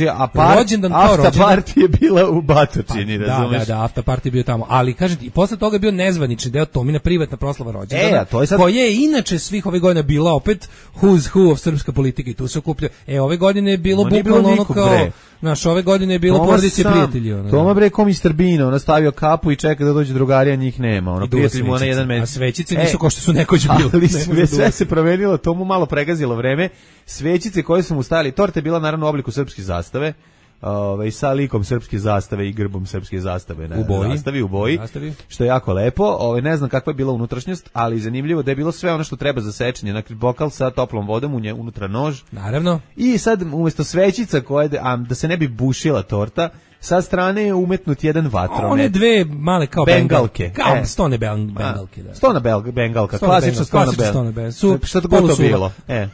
rođendan kao rođendan je bila u Batočini, pa, razumeš? Da, da, da, after party je bio tamo. Ali kažem ti, i posle toga je bio nezvanični deo Tomina privatna proslava rođendana. E, to je sad... koja je inače svih ove godine bila opet who's who of srpska politika i tu se okuplja. E, ove godine je bilo bukvalno ono kao... Bre. Naš, ove godine je bilo porodice prijatelji. Ono, Toma bre ko mister Bean, ona stavio kapu i čeka da dođe drugarija, njih nema. Ono, prijatelji mu na jedan metar. A svećice nisu e, kao što su nekoć bile. Ali sve, sve se promenilo, to mu malo pregazilo vreme. Svećice koje su mu stajali, torta je bila naravno u obliku srpske zastave. Ove, sa likom srpske zastave i grbom srpske zastave na u boji, zastavi, u boji zastavi. Što je jako lepo. Ove, ne znam kakva je bila unutrašnjost, ali zanimljivo da je bilo sve ono što treba za sečenje, na bokal sa toplom vodom, u nje, unutra nož. Naravno. I sad umjesto svećica koje, a, da se ne bi bušila torta, sa strane je umetnut jedan vatromet. One dve male kao bengalke. Kao e. stone bengalke. Da. Stona bel, bengalka, stone klasična stona bel. bel. Su, šta to god to bilo. E.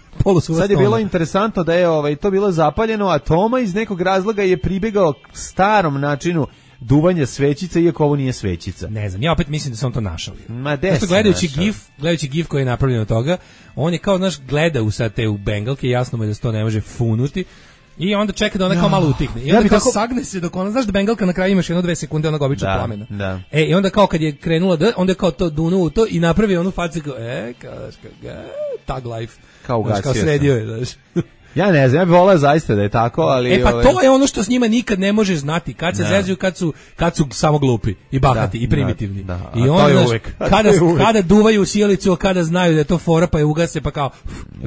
Sad je bilo interesantno da je ovaj, to bilo zapaljeno, a Toma iz nekog razloga je pribegao starom načinu duvanja svećica, iako ovo nije svećica. Ne znam, ja opet mislim da sam to našao. Ma des gledajući našao. gif, gledajući gif koji je napravljen od toga, on je kao, znaš, gleda u sad te u bengalke, jasno mu je da se to ne može funuti. I onda čeka da ona kao malo utihne. I onda ja kao tako... sagne se dok ona, znaš da bengalka na kraju imaš jedno dve sekunde onog običnog da, plamena. Da. E, i onda kao kad je krenula da, onda je kao to dunuo u to i napravi onu facu kao, e, kao, kao, tag life. Kao ugasio kao sredio je, znaš. Ja ne znam, ja bih volao zaista da je tako, ali... E pa ove... to je ono što s njima nikad ne možeš znati, kad se zezuju, kad su, kad su samo glupi i bahati da, i primitivni. Da, da. I onda, kada, kada duvaju u sjelicu, kada znaju da je to fora, pa je ugase, pa kao...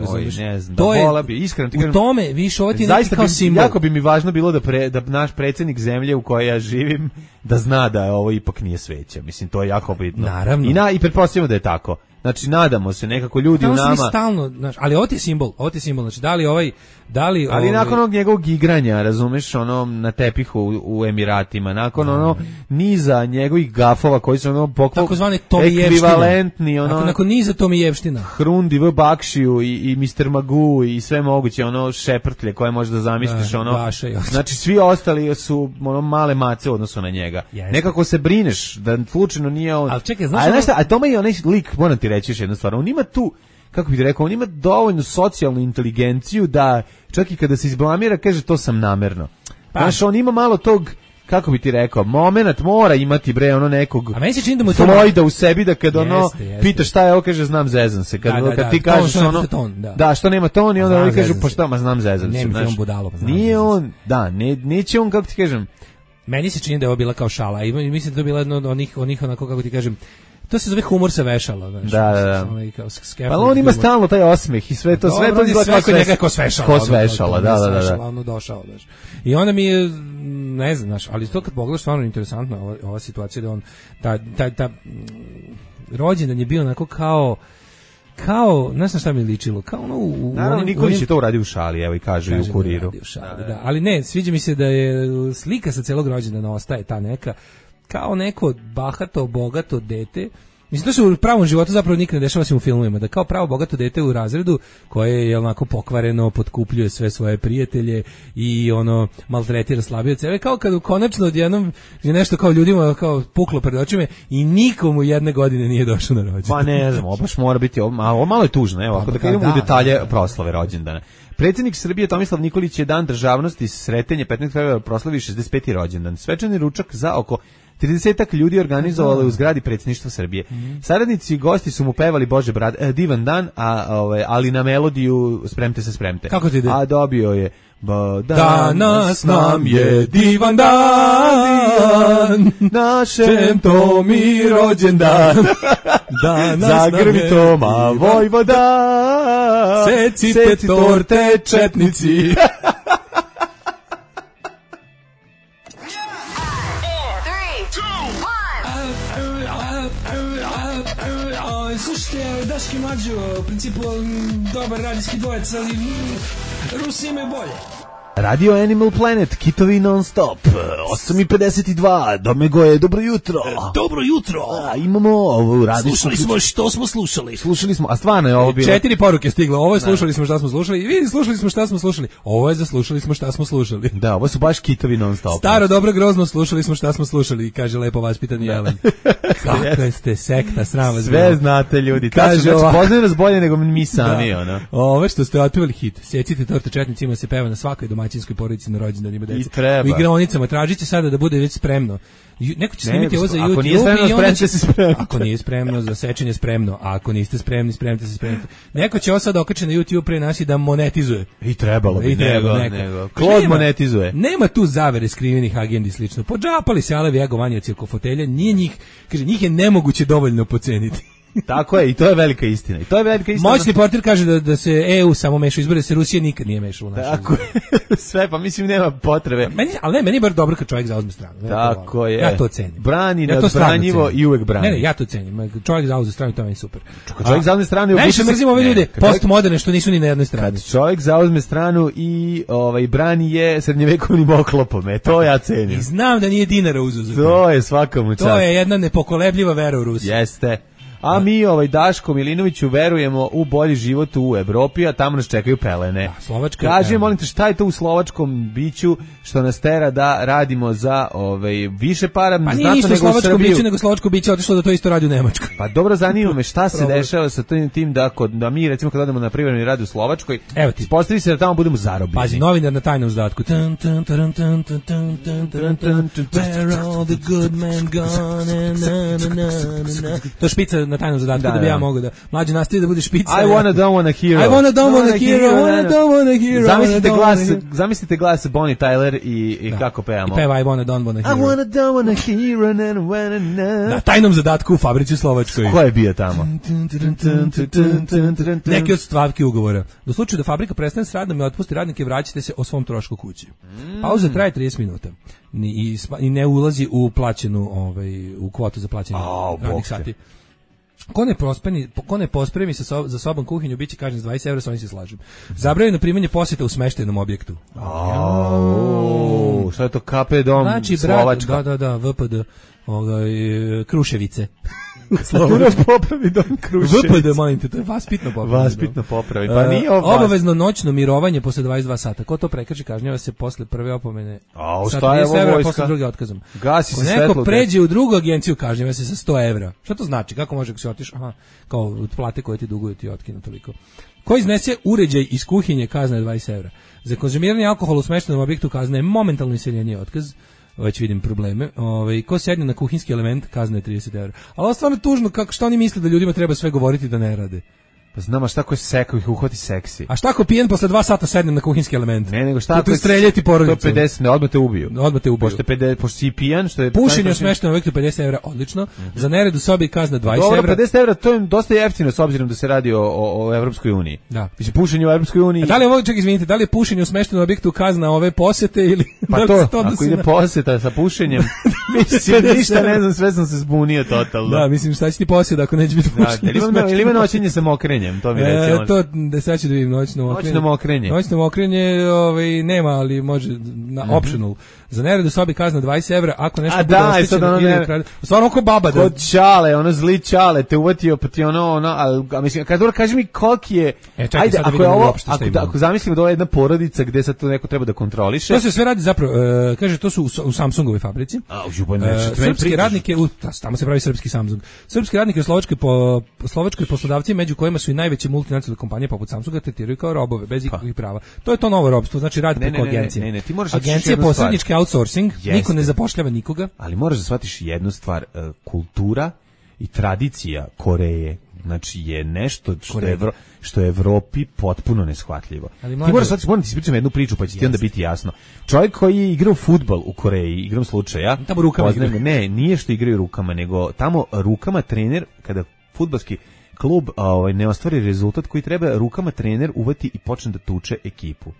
Oj, ne znam, to da je, vola bi, iskreno ti kažem... U tome, više, ovo ti je neki kao bi, simbol. Jako bi mi važno bilo da, pre, da naš predsjednik zemlje u kojoj ja živim, da zna da ovo ipak nije sveće. Mislim, to je jako bitno. Naravno. I, na, i pretpostavljamo da je tako. Znači, nadamo se, nekako ljudi no, u nama... Stalno, znači, ali ovo ti je simbol, ovo ti je simbol, znači, da li ovaj... Da li ali ovaj... nakon onog njegovog igranja, razumeš, ono, na tepihu u, u Emiratima, nakon no. ono, niza njegovih gafova koji su ono pokval... Takozvane ekvivalentni, ono... Nakon, nakon niza Tomijevština. Hrundi v Bakšiju i, i mister Magoo i sve moguće, ono, šeprtlje koje možeš da zamisliš, da, ono... Baša, znači, svi ostali su, ono, male mace u odnosu na njega. Jeste. Nekako se brineš da slučajno nije on... Ali čekaj, znaš... A, ono... a tome i onaj lik, moram ti reći još jednu stvar, on ima tu... kako bih rekao, on ima dovoljnu socijalnu inteligenciju da čak i kada se izblamira kaže to sam namerno. Pa. Znaš, on ima malo tog, kako bi ti rekao, moment mora imati bre ono nekog a meni se čini da mu Floyda u sebi da kad ono jeste, jeste. pitaš šta je, ovo kaže znam zezam se. Kad, da, da, kad da, ti kažeš ton, ono, ton, da. da, što nema ton i onda znam oni kažu se. pa šta, ma znam zezam se. Znaš, on budalo, pa nije on, da, ne, neće on, kako ti kažem. Meni se čini da je ovo bila kao šala i mislim da to je bila jedno od onih, onih onako, kako ti kažem, to se zove humor sa vešala, znači. Da, da, da. Pa on ima stalno taj osmeh i sve to, sve to izgleda kako njega ko svešala. Ko svešala, da, da, da. Ono došao, znači. I onda mi je, ne znam, znači, ali to kad pogledaš stvarno interesantno ova, ova situacija da on ta ta ta rođendan je bio onako kao kao, ne znam šta mi ličilo, kao ono u... Naravno, Nikolić je to uradio u šali, evo i kaže i u Kuriru. U šali, da, da. Ali ne, sviđa mi se da je slika sa celog rođendana ostaje ta neka, kao neko bahato, bogato dete. Mislim, to se u pravom životu zapravo nikad ne dešava se u filmovima, da kao pravo bogato dete u razredu koje je onako pokvareno, potkupljuje sve svoje prijatelje i ono maltretira slabioce. Evo kao kad konačno odjednom je nešto kao ljudima kao puklo pred očima i nikomu jedne godine nije došao na rođendan. Pa ne znam, baš mora biti, ovo malo, malo je tužno, evo, ako da krenemo u detalje da, proslave rođendana. Predsjednik Srbije Tomislav Nikolić je dan državnosti sretenje petnaestog februara proslavi šezdeset peti rođendan. Svečani ručak za oko tridesetak ljudi organizovali u zgradi predsjedništva Srbije. Mm. Saradnici i gosti su mu pevali Bože brat, eh, divan dan, a ove, ali na melodiju spremte se spremte. Kako ti ide? A dobio je danas nam je divan dan, našem Tomi rođendan. Zagrmi Toma Vojvoda, secite, secite torte četnici. Slušajte, Daški Mlađo, u principu dobar radijski dvojec, ali Rusi imaju bolje. Radio Animal Planet, kitovi non stop, osam i pedeset dva, Domego je, dobro jutro. E, dobro jutro. A, imamo ovu radijsku... Slušali smo što smo slušali. Slušali smo, a stvarno je ovo bilo... Četiri poruke stiglo, ovo je slušali smo šta smo slušali, i vidi, slušali smo šta smo slušali, ovo je za slušali smo šta smo slušali. Da, ovo su baš kitovi non stop. Staro, dobro, grozno, slušali smo šta smo slušali, kaže lepo vaspitani Jelen. Kako ste sekta, sram vas. Sve znate ljudi, kaže ovako. Poznaju nas bolje nego mi sami, da. Ono. Ovo što ste otpevali hit, secite torte četnicima se peva na svakoj domaćinskoj porodici na rođendanima deca. I treba. U igraonicama tražite sada da bude već spremno. Neko će snimiti ovo za YouTube. Ako nije spremno, spremite se spremno. Ako nije spremno, za sečenje spremno. A ako niste spremni, spremite se spremite. Neko će ovo sad okači na YouTube pre nas i da monetizuje. I trebalo bi. I treba, nego. nego. Klod monetizuje. Nema tu zavere skrivenih agendi slično. Podžapali se alevi agovanjaci oko fotelja. Nije njih, kaže, njih je nemoguće dovoljno poceniti. Tako je, i to je velika istina. I to je velika istina. Moćni portir kaže da, da se E U samo meša izbore, se Rusija nikad nije mešala u našu. Tako je. Sve, pa mislim nema potrebe. Meni, ali ne, meni je bar dobro kad čovjek zauzme stranu. Ne, tako to, je. Ja to cenim. Brani ja nadbranjivo i uvek brani. Ne, ne, ja to cenim. Čovjek zauzme stranu, to je meni super. Kad čovjek zauzme stranu... Najviše mrzim ove ljude, postmoderne, što nisu ni na jednoj strani. Kad čovjek zauzme stranu i ovaj, brani je srednjevekovnim oklopom, e, to ja cenim. I znam da nije dinara uzuzo. To je svakamu čast. To je jedna nepokolebljiva vera u Rusiju. Jeste. A mi, ovaj, Daško Milinoviću, verujemo u bolji život u Evropi, a tamo nas čekaju pelene. Da, Slovačka. Kaži, molim te, šta je to u slovačkom biću što nas tera da radimo za ovaj, više para, pa nije isto slovačko biću, nego slovačko biće otišlo da to isto radi u Nemačkoj. Pa dobro, zanima me šta se dešava sa tim, tim da, kod, da mi, recimo, kad odemo na privremeni rad u Slovačkoj, ispostavi se da tamo budemo zarobljeni. Pazi, novinar na tajnom zadatku. Where all the good men gone? To špica na tajnom zadatku da, da bi ja da. mogao da mlađi nastavi da bude špica. I wanna don't wanna hero. I wanna don't wanna hero. I wanna don't wanna hero. Zamislite glas, zamislite glas Bonnie Tyler i, i da. kako pevamo. I peva I wanna don't wanna hero. I wanna don't wanna hero and wanna know. Na tajnom zadatku u fabrici u Slovačkoj. Ko je bio tamo? Neki od stavki ugovora. Do slučaju da fabrika prestane s radom i otpusti radnike, vraćate se o svom trošku kući. Mm. Pauza traje trideset minuta. Ni, i, i ne ulazi u plaćenu, ovaj, u kvotu za plaćanje oh, radnih sati. Ko ne, prospeni, ko ne pospremi sa so, za sobom kuhinju, bit će kažnjen s dvadeset evra, sa ovim se slažem. Zabranjeno primanje posjeta u smeštenom objektu. Oh, šta je to K P dom znači, Slovačka? Da, da, da, V P D, ovaj, Kruševice. Slovačka popravi dom Kruševice. V P D, molim te, to je vaspitno popravi. Vaspitno popravi, pa nije ovo. Obavezno noćno mirovanje posle dvadeset dva sata. Ko to prekrši, kažnjava se posle prve opomene. A šta je ovo vojska? Posle druge otkazom. Gasi se svetlo. Neko pređe u drugu agenciju, kažnjava se sa sto evra. Šta to znači? Kako može ako se otiš? Aha, kao od plate koje ti duguju ti otkinu toliko. Ko iznese uređaj iz kuhinje, kazna je dvadeset evra. Za konzumiranje alkohola u smeštenom objektu kazna je momentalno iseljenje, otkaz. Već vidim probleme. Ovaj ko sedne na kuhinjski element, kazna je trideset evra. Ali ovo stvarno tužno, kako što oni misle da ljudima treba sve govoriti da ne rade. Pa znam, a šta ko je sekao ih uhvati seksi? A šta ako pijen posle dva sata sednem na kuhinjski element? Ne, nego šta ako streljati porodicu? To pedeset, ne, odmah te ubiju. Odmah te ubiju. Pošto pedeset, pošto si pijan, što je pušenje u smeštenom objektu pedeset evra, odlično. Mm-hmm. Za nered u sobi kazna dvadeset evra. Dobro, pedeset evra, to je dosta jeftino s obzirom da se radi o, o, o Evropskoj uniji. Da. Mislim, pušenje u Evropskoj uniji. A da li ovo, ček, izvinite, da li je pušenje u smeštenom objektu kazna ove posete ili pa da to, ako ide na... poseta sa pušenjem, mislim, ništa ne znam, sve sam se zbunio totalno. Da, mislim, šta će ti posjeda ako neće biti pušenje? Da, ili ima noćenje sa mokrenjem, to mi recimo. To da sad ću da vidim noćno mokrenje. Noćno mokrenje. Noćno mokrenje, ovaj nema, ali može na mm-hmm. optional. Za nered u sobi kazna dvadeset evra, ako nešto bude oštećeno ili ukrade. Stvarno oko baba da. Kod čale, ono zli čale, te uvatio pa ti ono, ono, a mislim, kad dobro kaži mi koliki je. E, čekaj, ajde, ako je ovo, ako, ako zamislimo da ovo je jedna porodica gde sad to neko treba da kontroliše. To se sve radi zapravo, uh, kaže to su u, u Samsungovoj fabrici. A, u Županu, uh, srpski radnike, u, tamo se pravi srpski Samsung. Srpski radnike u Slovačkoj po Slovačkoj poslodavci, među kojima su i najveće multinacionalne kompanije poput Samsunga, tretiraju kao robove bez ikakvih prava. To je to novo robstvo, znači radi preko agencije. Ne, ne, ti moraš agencija posrednički outsourcing, niko ne zapošljava nikoga. Ali moraš da shvatiš jednu stvar, uh, kultura i tradicija Koreje, znači je nešto što je Evro, što je Evropi potpuno neshvatljivo. Ti moraš shvatiti, moram ti ispričati jednu priču pa će ti onda biti jasno. Čovjek koji je igrao fudbal u Koreji, igram slučaja, tamo rukama poznajem, ne, nije što igraju rukama, nego tamo rukama trener kada fudbalski klub ovaj ne ostvari rezultat koji treba, rukama trener uvati i počne da tuče ekipu.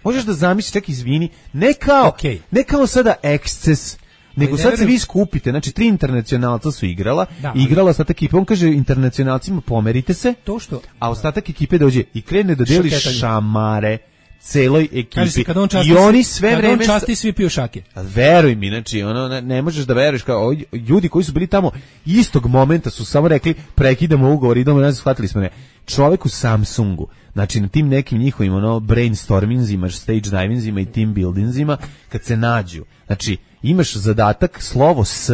Možeš da zamisliš, čak izvini, ne kao, okay. ne kao sada eksces, nego sad se vi skupite, znači tri internacionalca su igrala, da, ali... igrala ostatak ekipe, on kaže internacionalcima pomerite se, to što, a ostatak ekipe dođe i krene da deli šamare celoj ekipi. Kad on časti, i oni sve kad vreme on časti svi piju šake. Veruj mi, znači ono ne, ne možeš da veruješ, kao ljudi koji su bili tamo istog momenta su samo rekli prekidamo ugovor, idemo nazad, shvatili smo ne. Čovjek u Samsungu, znači na tim nekim njihovim ono brainstormingzima, stage divingsima i team buildingsima, kad se nađu, znači imaš zadatak slovo S,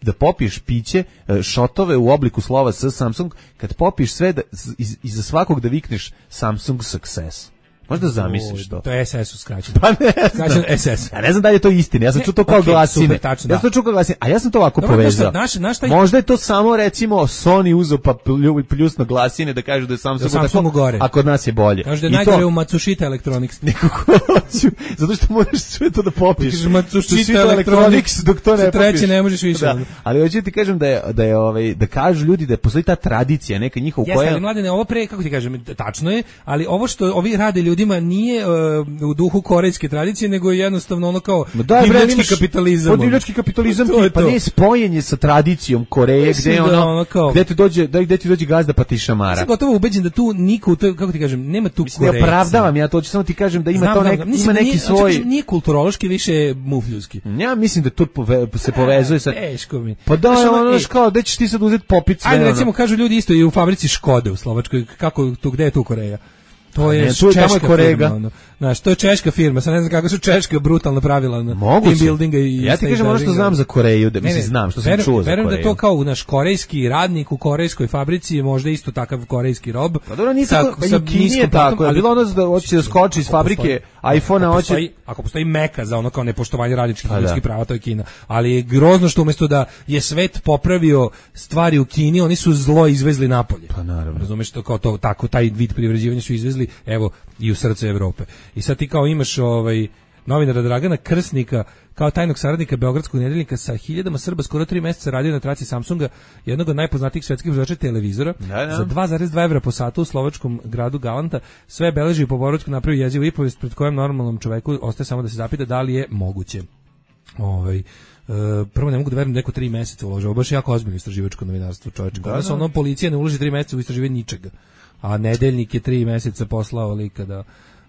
da popiješ piće, šotove u obliku slova S Samsung, kad popiješ sve da, iz, iza svakog da vikneš Samsung Success. Možda zamisliš to. To je S S u skraćeno. Pa ne znam. S S. Ja ne znam da li je to istina. Ja sam čuo to kao okay, glasine. Super, tačno, ja sam to čuo kao glasine. A ja sam to ovako dobro, povezao. Naš, naš taj... Možda je to samo recimo Sony uzeo pa pljusno glasine da kažu da je Samsung, da Samsung gore. A kod nas je bolje. Kaže da je najgore to... u Matsushita Electronics. Nekako hoću. Zato što možeš sve to da popiješ. Kaže Matsushita Electronics dok to ne popiješ. Treće ne možeš više. Da. Ali hoću ti kažem da je da je ovaj da kažu ljudi da postoji ta tradicija neka njihova koja. Jeste, ali mladene, ovo pre kako ti kažem, tačno je, ali ovo što ovi rade ljudima nije u duhu korejske tradicije, nego je jednostavno ono kao da, divljački kapitalizam. Divljački kapitalizam, ti, pa ne spojenje sa tradicijom Koreje, gde da ono, ono kao, gde ti dođe, da gde ti dođe gazda pa ti šamara. Sam gotovo ubeđen da tu niko, kako ti kažem, nema tu Korejca. Ne opravdavam, ja to hoću samo ti kažem da ima znam, to nek, znam, ima neki nije, svoj. Znači, nije kulturološki, više mufljuski. Ja mislim da to pove, se povezuje sa. Teško mi. Pa da, znači, ono kao da ćeš ti sad uzeti popit sve. Ajde, recimo kažu ljudi isto i u fabrici Škode u Slovačkoj, kako tu gde je tu Koreja? To je češka firma, ono. Znaš, to je češka firma, sad ne znam kako su češka brutalna pravila na team buildinga i ja ti kažem ono što znam za Koreju, da mislim znam što sam verujem, čuo za verujem Koreju. Verujem da je to kao naš korejski radnik u korejskoj fabrici je možda isto takav korejski rob. Pa dobro, nije tako, pa nije tako, ali bilo ono da hoće da skoči iz fabrike iPhone-a, hoće... Ako postoji meka za ono kao nepoštovanje radničkih ljudskih prava, to je Kina. Ali je grozno što umjesto da je svet popravio stvari u Kini, oni su zlo izvezli napolje. Pa naravno. Razumeš to kao to, tako, taj vid privređivanja su izvezli, evo, i u srce Evrope. I sad ti kao imaš ovaj novinara Dragana Krsnika kao tajnog saradnika Beogradskog nedeljnika sa hiljadama Srba skoro tri mjeseca radio na traci Samsunga, jednog od najpoznatijih svetskih proizvođača televizora, da, da. za dva zarez dva evra po satu u slovačkom gradu Galanta. Sve beleži po boračku napravio jezivu i povijest pred kojom normalnom čoveku ostaje samo da se zapita da li je moguće. Ovaj Uh, prvo ne mogu da verujem da neko tri mjeseca uložio, baš jako ozbiljno istraživačko novinarstvo, čoveče. Da, da. Ono, policija ne uloži tri mjeseca u istraživanje ničega, a nedeljnik je tri mjeseca poslao lika da,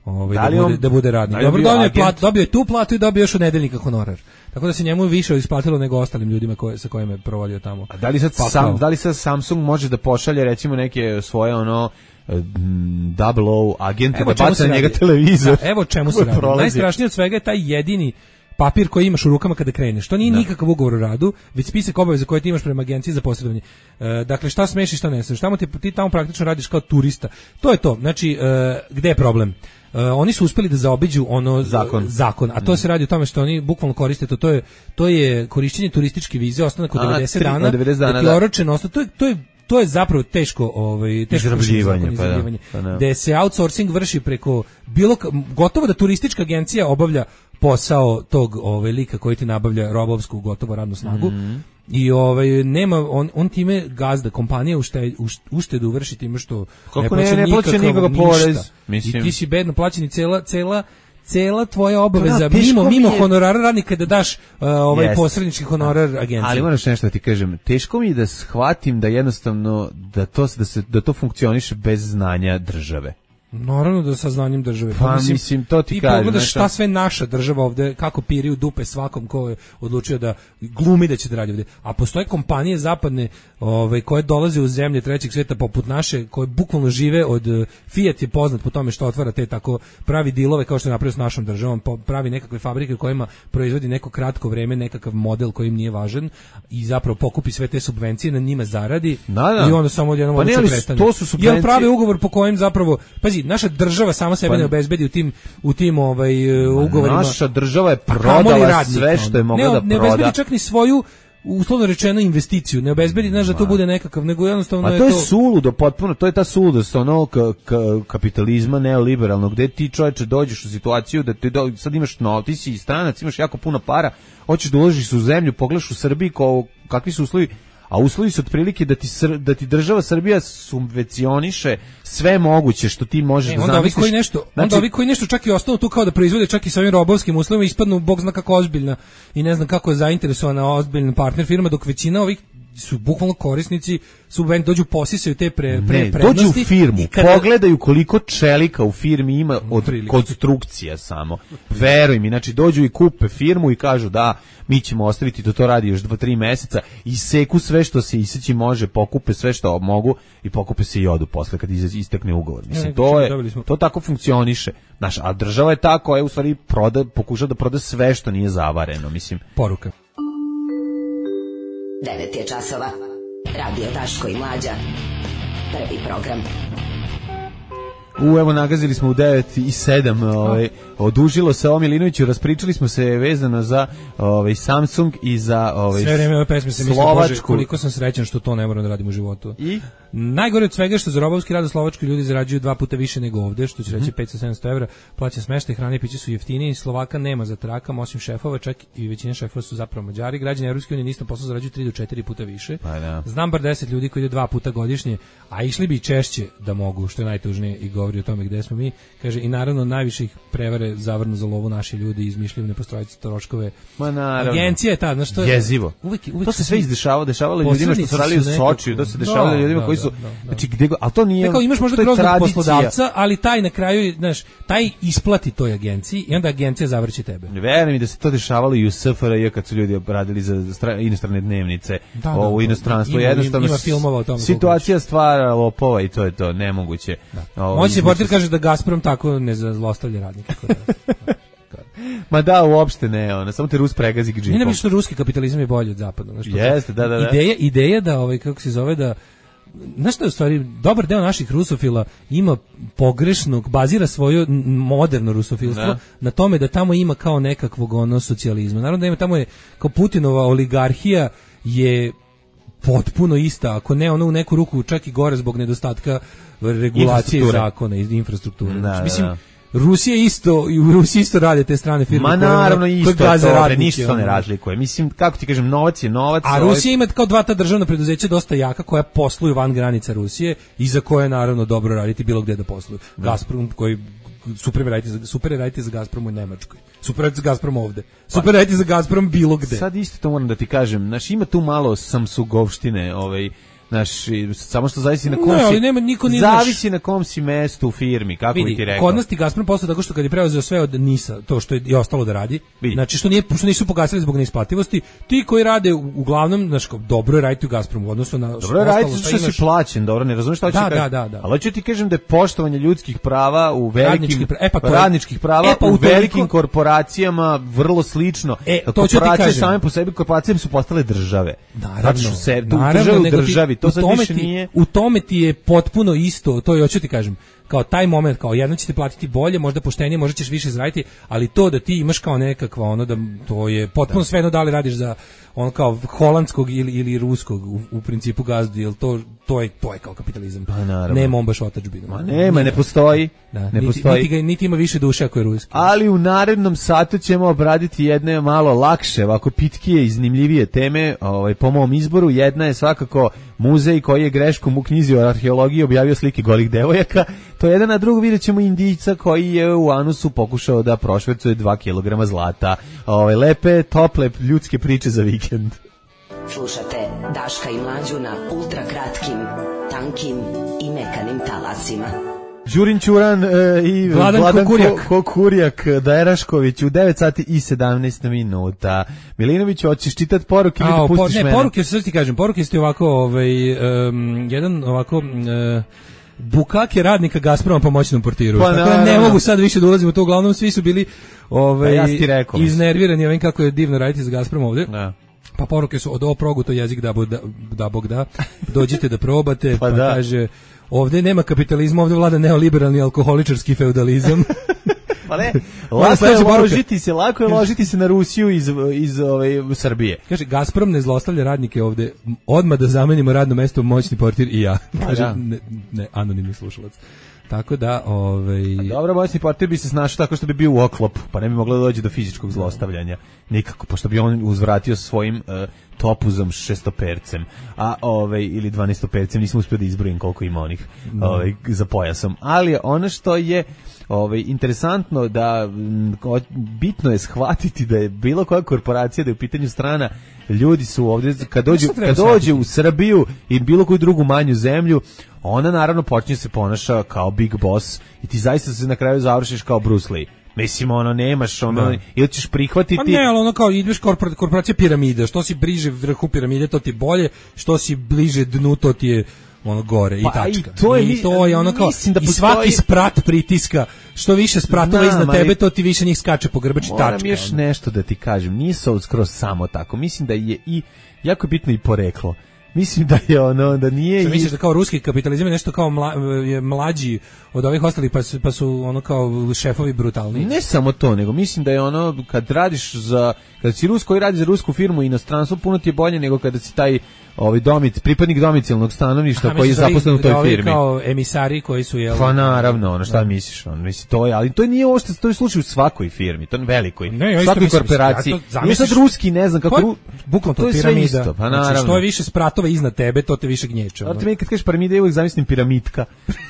ovaj, da, da, bude, da bude radnik. Dobro, dobio je, plat, dobio je tu platu i dobio još od nedeljnika honorar. Tako da se njemu više isplatilo nego ostalim ljudima koje, sa kojima je provodio tamo. A da li sad, sam, da li sad Samsung može da pošalje recimo neke svoje ono double O agente da baca na njega televizor? Da, evo čemu se radi. Najstrašnije od svega je taj jedini papir koji imaš u rukama kada kreneš. To nije da. nikakav ugovor o radu, već spisak obaveza koje ti imaš prema agenciji za posredovanje. E, dakle, šta smeš i šta ne smeš. Tamo ti, ti tamo praktično radiš kao turista. To je to. Znači, e, gde je problem? E, oni su uspeli da zaobiđu ono zakon, zakon a to mm. se radi o tome što oni bukvalno koriste to, to je to je korišćenje turističke vize, ostanak od devedeset dana, devedeset dana, da. Oročeno, ostanak, to je to je to je zapravo teško, ovaj teško izrabljivanje, pa da, pa da. Da se outsourcing vrši preko bilo gotovo da turistička agencija obavlja posao tog ovaj lika koji ti nabavlja robovsku gotovo radnu snagu. Mm. I ovaj nema on on time gazda kompanija ušte, uštedu vrši time što kako ne plaća ne, ne plaća nikakav porez, mislim. I ti si bedno plaćen i cela cela cela tvoja obaveza da, mimo mimo je... honorara radnika da daš uh, ovaj yes. posrednički honorar agenciji. Ali moraš nešto da ti kažem, teško mi je da shvatim da jednostavno da to da se da to funkcioniše bez znanja države. Naravno da sa znanjem države. Pa mislim, mislim to ti, ti kažem. Ti pogledaš šta sve naša država ovde, kako piri u dupe svakom ko je odlučio da glumi da će da radi ovde. A postoje kompanije zapadne ove, koje dolaze u zemlje trećeg svijeta poput naše, koje bukvalno žive od... Fiat je poznat po tome što otvara te tako pravi dilove kao što je napravio s našom državom, pravi nekakve fabrike kojima proizvodi neko kratko vreme nekakav model koji im nije važan i zapravo pokupi sve te subvencije, na njima zaradi da, da. I onda samo odjednom pa ne, prestane. To su subvencije. Jel pravi ugovor po kojem zapravo... Pazi, naša država sama sebe pa, ne obezbedi u tim u tim ovaj ugovorima. Naša država je prodala sve što je mogla da proda. Ne obezbedi čak ni svoju uslovno rečeno investiciju, ne obezbedi, znaš da to bude nekakav, nego jednostavno je to... A to je suludo, potpuno, to je ta suludost onog kapitalizma neoliberalnog, gde ti čoveče dođeš u situaciju da ti do, sad imaš, no, ti si stranac, imaš jako puno para, hoćeš da uložiš u zemlju, pogledaš u Srbiji ko, kakvi su uslovi, a uslovi su otprilike da ti, da ti država Srbija subvencioniše sve moguće što ti možeš e, da zamisliš. Ovi koji nešto, znači, onda ovi koji nešto čak i ostanu tu kao da proizvode čak i sa ovim robovskim uslovima ispadnu bog zna kako ozbiljna i ne znam kako je zainteresovana ozbiljna partner firma, dok većina ovih su bukvalno korisnici subvent dođu posisaju te pre, pre ne, prednosti. Dođu u firmu, kada... pogledaju koliko čelika u firmi ima od Prilike. konstrukcija samo. Veruj mi, znači dođu i kupe firmu i kažu da mi ćemo ostaviti da to radi još dva tri meseca i seku sve što se iseći može, pokupe sve što mogu i pokupe se i odu posle kad istekne ugovor. Mislim, ne, to je, to tako funkcioniše. Znaš, a država je ta koja u stvari proda, pokuša da proda sve što nije zavareno. Mislim. Poruka. devet je časova. Radio Daško i Mlađa. Prvi program. U, evo, nagazili smo u devet i sedam, ovaj, odužilo se o Milinoviću, raspričali smo se vezano za ovaj, Samsung i za ovaj, sve vreme ove pesme se misli, Bože, koliko sam srećan što to ne moram da radim u životu. I? Najgore od svega što za robovski rad u Slovačkoj ljudi zarađuju dva puta više nego ovde, što će reći petsto sedamsto evra, plaća smeštaj, hrane i piće su jeftiniji, Slovaka nema za trakama, osim šefova, čak i većina šefova su zapravo Mađari, građani Evropske unije nisam posao zarađuju tri do četiri puta više. Pa da. Znam bar deset ljudi koji idu dva puta godišnje, a išli bi češće da mogu, što je najtužnije i govori o tome gde smo mi, kaže, i naravno najviše ih prevare zavrnu za lovu naši ljudi, izmišljaju nepostojeće troškove. Ma naravno. Agencija je ta, znaš što je jezivo. Uvek, uvek to se sve izdešavalo, dešavalo ljudima što su radili u Sočiju, to se dešavalo ljudima koji su, da, da, da. znači gde, al to nije, kao imaš možda groznog poslodavca, ali taj na kraju, znaš, taj isplati toj agenciji i onda agencija zavrći tebe. Verujem mi da se to dešavalo i u S F R J kad su ljudi radili za inostrane dnevnice, da, da, u inostranstvu, ima, jednostavno ima filmova o tome. Situacija stvara lopova i to je to, nemoguće. Moćni portir kaže da Gazprom tako ne zlostavlja radnike. Ma da, uopšte ne, ona, samo te Rus pregazi džipom. Nije nam što ruski kapitalizam je bolji od zapadnog. Jeste, da, da, da. Ideja, ideja da, ovaj, kako se zove, da znaš što je u stvari, dobar deo naših rusofila ima pogrešnog, bazira svoje moderno rusofilstvo da. Na tome da tamo ima kao nekakvog ono socijalizma. Naravno da ima tamo je, kao Putinova oligarhija je potpuno ista, ako ne ono u neku ruku čak i gore zbog nedostatka regulacije zakona i infrastrukture. Da, znači, mislim, da. Rusija isto, i u Rusiji isto rade te strane firme. Ma naravno koje, isto koje to, radnici, ništa ne razlikuje. Mislim, kako ti kažem, novac je novac. A ovaj... Rusija ima kao dva ta državna preduzeća dosta jaka koja posluju van granica Rusije i za koje je naravno dobro raditi bilo gdje da posluju. Da. Gazprom koji super raditi za super raditi za Gazprom u Nemačkoj. Super raditi za Gazprom ovde. Super raditi za Gazprom bilo gde. Sad isto to moram da ti kažem, znaš, ima tu malo Samsungovštine, ovaj Naš, samo što zavisi na kom no, si, nema, niko nije zavisi naš... na kom si mestu u firmi, kako vidi, bi ti rekao. Kod nas ti Gazprom posle tako što kad je preuzeo sve od NIS-a, to što je i ostalo da radi, vidi. Znači što nije što nisu pogasili zbog neisplativosti, ti koji rade uglavnom, znači dobro je raditi u Gazpromu u odnosu na dobro je raditi što imaš... si plaćen, dobro, ne razumeš šta hoćeš da, kažem. Da, da, da. Ali hoću ti kažem da je poštovanje ljudskih prava u velikim pra... e, pa to radničkih prava e, pa u toliko... velikim korporacijama vrlo slično. E, to ću ti kažem. Same po sebi korporacije su postale države. Naravno, znači se države u državi, to sad više nije. U tome ti je potpuno isto, to je hoću ti kažem, kao taj moment, kao jedno će ti platiti bolje, možda poštenije, možda ćeš više zaraditi, ali to da ti imaš kao nekakva ono da to je potpuno da. Svejedno da li radiš za on kao holandskog ili ili ruskog u, u principu gazdu, jel to to je to je kao kapitalizam. Pa nema on baš otadžbinu. Ma nema, ne postoji. Da, ne niti, postoji. Niti, ga, niti ima više duše ako je ruski. Ali u narednom satu ćemo obraditi jedne malo lakše, ovako pitkije i zanimljivije teme, ovaj po mom izboru. Jedna je svakako muzej koji je greškom u knjizi o arheologiji objavio slike golih devojaka. To je jedan, a drugo vidjet ćemo Indijca koji je u anusu pokušao da prošvercuje dva kilograma zlata. Ove lepe, tople ljudske priče za vikend. Slušate Daška i Mlađu na ultra kratkim, tankim i mekanim talasima. Đurin Ćuran e, i Vladan, Vladan Kukurijak, Ko, Kukurijak Dajrašković u devet sati i sedamnaest minuta. Milinović, hoćeš čitati poruke ili da pustiš po, ne, mene? Poruke, sad ti kažem, poruke ste ovako, ovaj, um, jedan ovako... Uh, bukake radnika Gazproma pomoćnom portiru. Pa, tako da ne mogu sad više da ulazim u to, uglavnom svi su bili ovaj, ja rekao, iznervirani ovim kako je divno raditi za Gazprom ovde. Da. Pa poruke su od ovo progu to jezik da, da, da Bog da, dođite da probate, pa, pa da. Kaže ovde nema kapitalizma, ovde vlada neoliberalni alkoholičarski feudalizam. Pa ne, lako je ložiti se, lako je ložiti se na Rusiju iz, iz ove, Srbije. Kaže, Gazprom ne zlostavlja radnike ovde, odmah da zamenimo radno mesto moćni portir i ja. Kaže, ja. Ne, ne, anonimni slušalac. Tako da, ovaj... Dobro, moćni portir bi se snašao tako što bi bio u oklopu, pa ne bi moglo da dođe do fizičkog zlostavljanja. Nikako, pošto bi on uzvratio svojim uh, topuzom šestopercem, a ovaj ili dvanaestopercem, nisam uspio da izbrojim koliko ima onih no. ovaj, za pojasom. Ali ono što je ovaj interesantno da m, bitno je shvatiti da je bilo koja korporacija da je u pitanju strana, ljudi su ovdje kad dođu kad dođe u Srbiju i bilo koju drugu manju zemlju, ona naravno počinje se ponaša kao big boss i ti zaista se na kraju završiš kao Bruce Lee. Mislim, ono, nemaš, ono, ili ćeš prihvatiti... Pa ne, ali ono kao, ideš korpor, korporacija piramide, što si bliže vrhu piramide, to ti je bolje, što si bliže dnu, to ti je ono gore pa i tačka. I to je, I to je ono kao, da i svaki sprat pritiska, što više spratova Znam, iznad tebe, to ti više njih skače po grbači tačka. Moram još ono. nešto da ti kažem, nije se skroz samo tako, mislim da je i, jako je bitno i poreklo. Mislim da je ono, da nije... Što misliš da kao ruski kapitalizam je nešto kao mla, je mlađi od ovih ostalih, pa su, pa su ono kao šefovi brutalni? Ne samo to, nego mislim da je ono, kad radiš za, kad si Rus koji radi za rusku firmu i inostranstvo, puno ti je bolje nego kada si taj ovaj domic, pripadnik domicilnog stanovništva koji je zaposlen u toj ovi firmi. Kao emisari koji su jel... Pa naravno, ono šta da. misliš, on misli to je, ali to nije ovo što to je slučaj u svakoj firmi, to je velikoj, ne, svakoj mislim, korporaciji. Ja nije sad ruski, ne znam kako, pa, bukvalno to, to je piramida. Isto, pa naravno. Znači, što je više spratova iznad tebe, to te više gnječe. Ali ti meni kad kažeš piramida, ja uvijek zamislim piramidka,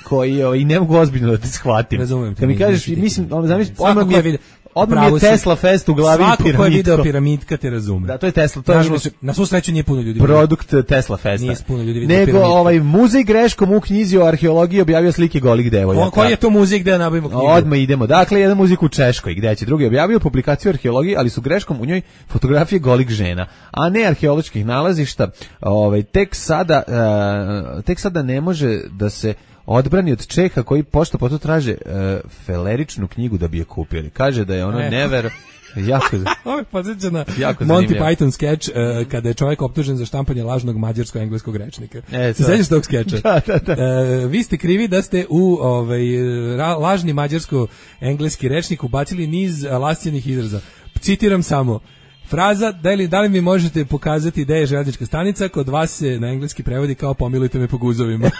koji je, i ne mogu ozbiljno da te shvatim. Razumem. Kad mi kažeš, mislim, on zamislim, odmah mi je odmah je Tesla Fest u glavi svako piramidko. Svako ko je video piramidka te razume. Da, to je Tesla. To Nažalost, je na svu sreću nije puno ljudi. Produkt Tesla Festa. Nije puno ljudi video nego piramidka. ovaj muzej greškom u knjizi o arheologiji objavio slike golih devojaka. Ko, koji je to muzej gde nabavimo knjigu? Odmah idemo. Dakle, jedan muzej u Češkoj, gde će drugi objavio publikaciju arheologije, ali su greškom u njoj fotografije golih žena, a ne arheoloških nalazišta. Ovaj tek sada uh, tek sada ne može da se odbrani od Čeha koji pošto potom traže uh, feleričnu knjigu da bi je kupili. Kaže da je ono e. never jako ovo je podsjeća na Monty Python skeč uh, kada je čovjek optužen za štampanje lažnog mađarsko-engleskog rečnika. E, sećaš tog skeča? Da, da, da. Uh, vi ste krivi da ste u ovaj, ra, lažni mađarsko-engleski rečnik ubacili niz lascijenih izraza. Citiram samo. Fraza, da li, da li mi možete pokazati gde je železnička stanica, kod vas se na engleski prevodi kao pomilujte me po guzovima.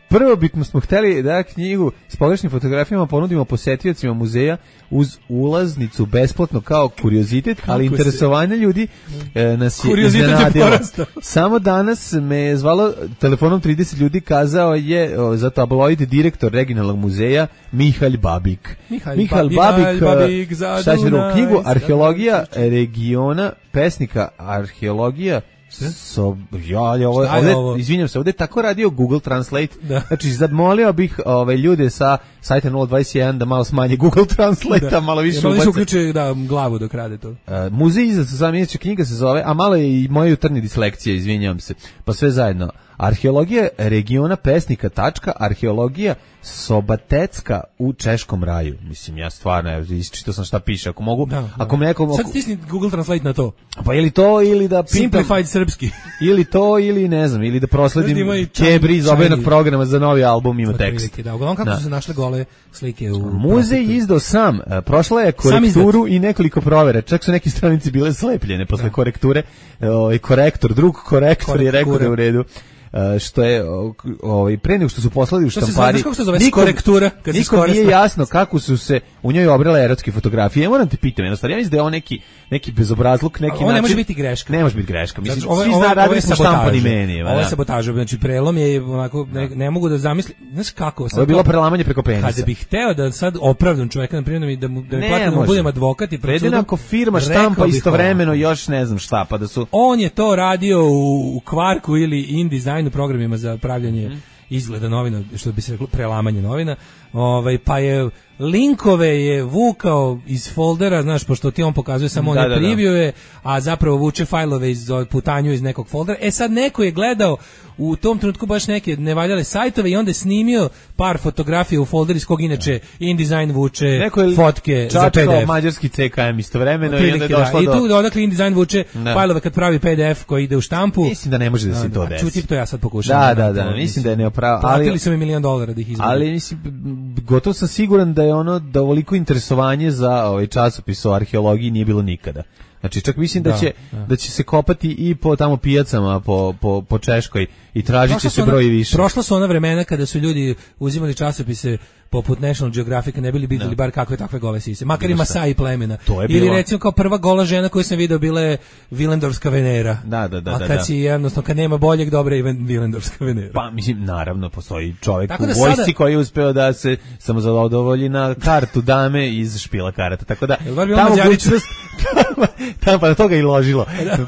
Prvo bitno smo hteli da knjigu s pogrešnim fotografijama ponudimo posetiocima muzeja uz ulaznicu besplatno kao kuriozitet, kako ali interesovanje se... ljudi e, nas je iznenadilo. Samo danas me je zvalo telefonom trideset ljudi, kazao je o, za tabloid direktor regionalnog muzeja Mihalj Babik. Mihalj, Mihalj ba, Babik, Babik šta će u knjigu Arheologija regiona, pesnika arheologija So, ja, ovdje, ovdje, izvinjam se, ovdje je tako radio Google Translate, da. Znači zadmolio bih ove ljude sa sajta nula dvadeset jedan da malo smanje Google Translate, da. Malo više ubace. Oni uključuje da, glavu dok rade to. Uh, muzej iza sam inače knjiga se zove, a malo je i moja jutarnja dislekcija, izvinjam se, pa sve zajedno. Arheologija regiona pesnika tačka, arheologija Sobatecka u Češkom raju. Mislim, ja stvarno, isčitao sam šta piše, ako mogu, da, ako me neko... Sad stisni Google Translate na to. Pa ili to, ili da pitam... Simplified srpski. Ili to, ili ne znam, ili da prosledim Kebri iz obenog programa za novi album, ima tekst. Da, uglavnom kako da. Su se našle gole slike u... Muzej izdao sam, prošla je korekturu i nekoliko provera, čak su neke stranice bile slepljene posle da. Korekture, ovaj korektor, drug korektor Korekture. Je rekao da je u redu. Uh, što je ovaj pre nego što su poslali u štampari. Kako se zove nikom, korektura kad nikom nije jasno kako su se u njoj obrale erotske fotografije. Ja moram te pitam, jednostavno ja mislim da je on neki neki bezobrazluk, neki način. Ovo ne može biti greška. Ne može biti greška. Mislim znači, svi zna raditi smo štampani meni. Ovo je sabotaža, znači prelom je onako ne, ne mogu da zamislim, znaš kako. Ovo je bilo prelamanje preko penisa. Kada bih hteo da sad opravdam čoveka na primjer da mu da mi platim da budem advokat i pred sudom. Jednako firma štampa istovremeno još ne znam šta, pa da su. On je to radio u, u Kvarku ili InDesign u programima za pravljanje mm. izgleda novina, što bi se reklo prelamanje novina, ovaj, pa je linkove je vukao iz foldera, znaš, pošto ti on pokazuje samo da, one da, preview-e, a zapravo vuče fajlove iz putanju iz nekog foldera. E sad neko je gledao u tom trenutku baš neke nevaljale sajtove i onda je snimio par fotografija u folder iz kog inače InDesign vuče fotke za P D F. Mađarski C K M istovremeno i onda je došlo da. do... I tu odakle InDesign vuče da. Fajlove kad pravi P D F koji ide u štampu. Mislim da ne može da se to desi. Čuti, to ja sad pokušam. Da, da, da, mislim da je neopravo. Platili su mi milion dolara da ih izvedu. Ali mislim, gotovo sam siguran da je ono, da ovoliko interesovanje za ovaj časopis o arheologiji nije bilo nikada. Znači čak mislim da, da će da. da će se kopati i po tamo pijacama po po po Češkoj i tražit će se broj više. Prošla su ona vremena kada su ljudi uzimali časopise poput National Geographic, ne bili videli bar kakve takve gole sise, makar i Masai plemena. Ili recimo kao prva gola žena koju sam video bila je Vilendorska Venera. Da, da, da. A kad da, si jednostavno, kad nema boljeg, dobra je Vilendorska Venera. Pa mislim, naravno, postoji čovjek u vojsci sada... koji je uspeo da se samo zadovolji na kartu dame iz špila karata. Tako da, tamo mogućnost, tamo pa na toga i ložilo,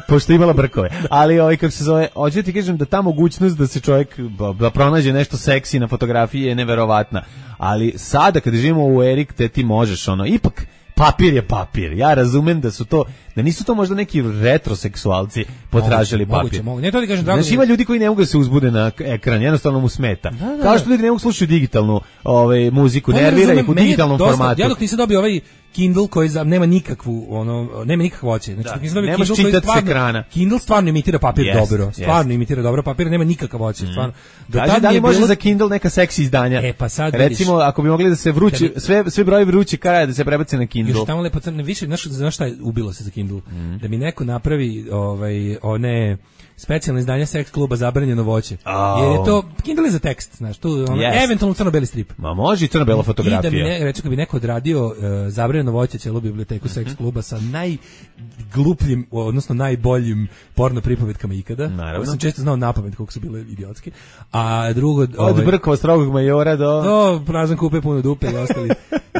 pošto imala brkove. Ali ovaj, kako se zove, hoću ti kažem da ta mogućnost da se čovjek da pronađe nešto seksi na fotografiji je neverovatna. Ali sada kad živimo u erik te ti možeš ono, ipak papir je papir. Ja razumem da su to, da nisu to možda neki retroseksualci potražili moguće, papir. Moguće, ne to ti kažem, drago. Znači ima ljudi koji ne mogu da se uzbude na ekran, jednostavno mu smeta. Da, da, kao što ljudi ne mogu slušati digitalnu ovaj, muziku, nervira ih u digitalnom dosta, formatu. Ja dok nisam dobio ovaj Kindle koji za, nema nikakvu ono nema nikakve voće. Znači da, ne možeš čitati s ekrana. Kindle stvarno imitira papir yes, dobro. Stvarno yes. imitira dobro papir, nema nikakve voće, mm. stvarno. Do Kaži, da li može bilo... za Kindle neka seksi izdanja? E pa sad recimo vidiš, ako bi mogli da se vrući, bi... sve sve brojevi vrući kraja da se prebace na Kindle. Još tamo lepo crne više, znaš, znaš šta je ubilo se za Kindle? Kindle, mm. da mi neko napravi ovaj, one specijalne izdanja seks kluba Zabranjeno voće. Oh. Jer je to, Kindle je za tekst, znaš, tu ono, yes. eventualno crno-beli strip. Ma može i crno-bela fotografija. I da mi ne, recimo, kad bi neko odradio uh, Zabranjeno voće, cijelu biblioteku mm-hmm. seks kluba sa najglupljim, odnosno najboljim porno pripovetkama ikada. Naravno. Sam često znao napamet koliko su bile idiotske. A drugo... Od ovaj, Brkova strogog majora do... Do prazan kupe puno dupe i ostali,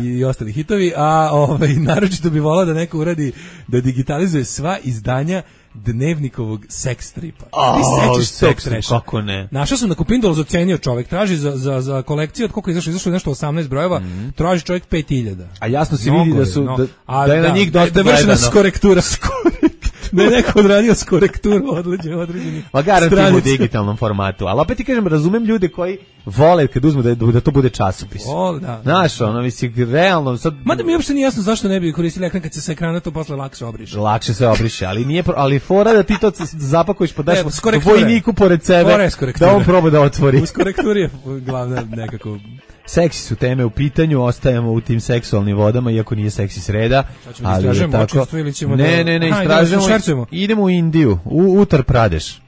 i ostali hitovi. A ovaj, naročito bi volao da neko uradi, da digitalizuje sva izdanja dnevnikovog seks stripa. Oh, ti sećaš seks stripa, kako ne. Našao sam na Kupindolu, ocenio čovjek, traži za, za, za kolekciju, od koliko je izašlo, izašlo je nešto osamnaest brojeva, mm. traži čovjek pet hiljada. A jasno se vidi da su, no, da, a, da je da, na njih dosta da, da vrši nas korektura. Da je neko odradio s korekturu određenih određenih. Ma garantujem u digitalnom formatu, ali opet ti kažem, razumem ljude koji vole kad uzmu da, da to bude časopis. O, da. Znaš, ono, misli, realno... Sad... Mada mi uopšte nije jasno zašto ne bi koristili ekran kad se sa ekrana to posle lakše obriše. Lakše se obriše, ali nije, ali fora da ti to zapakuješ, pa daš vojniku pored sebe, da on proba da otvori. Uz korekturi je glavna nekako... Seksi su teme u pitanju, ostajemo u tim seksualnim vodama, iako nije seksi sreda. Ali je tako... Ne, ne, ne, istražujemo. Idemo u Indiju, u Uttar Pradeš.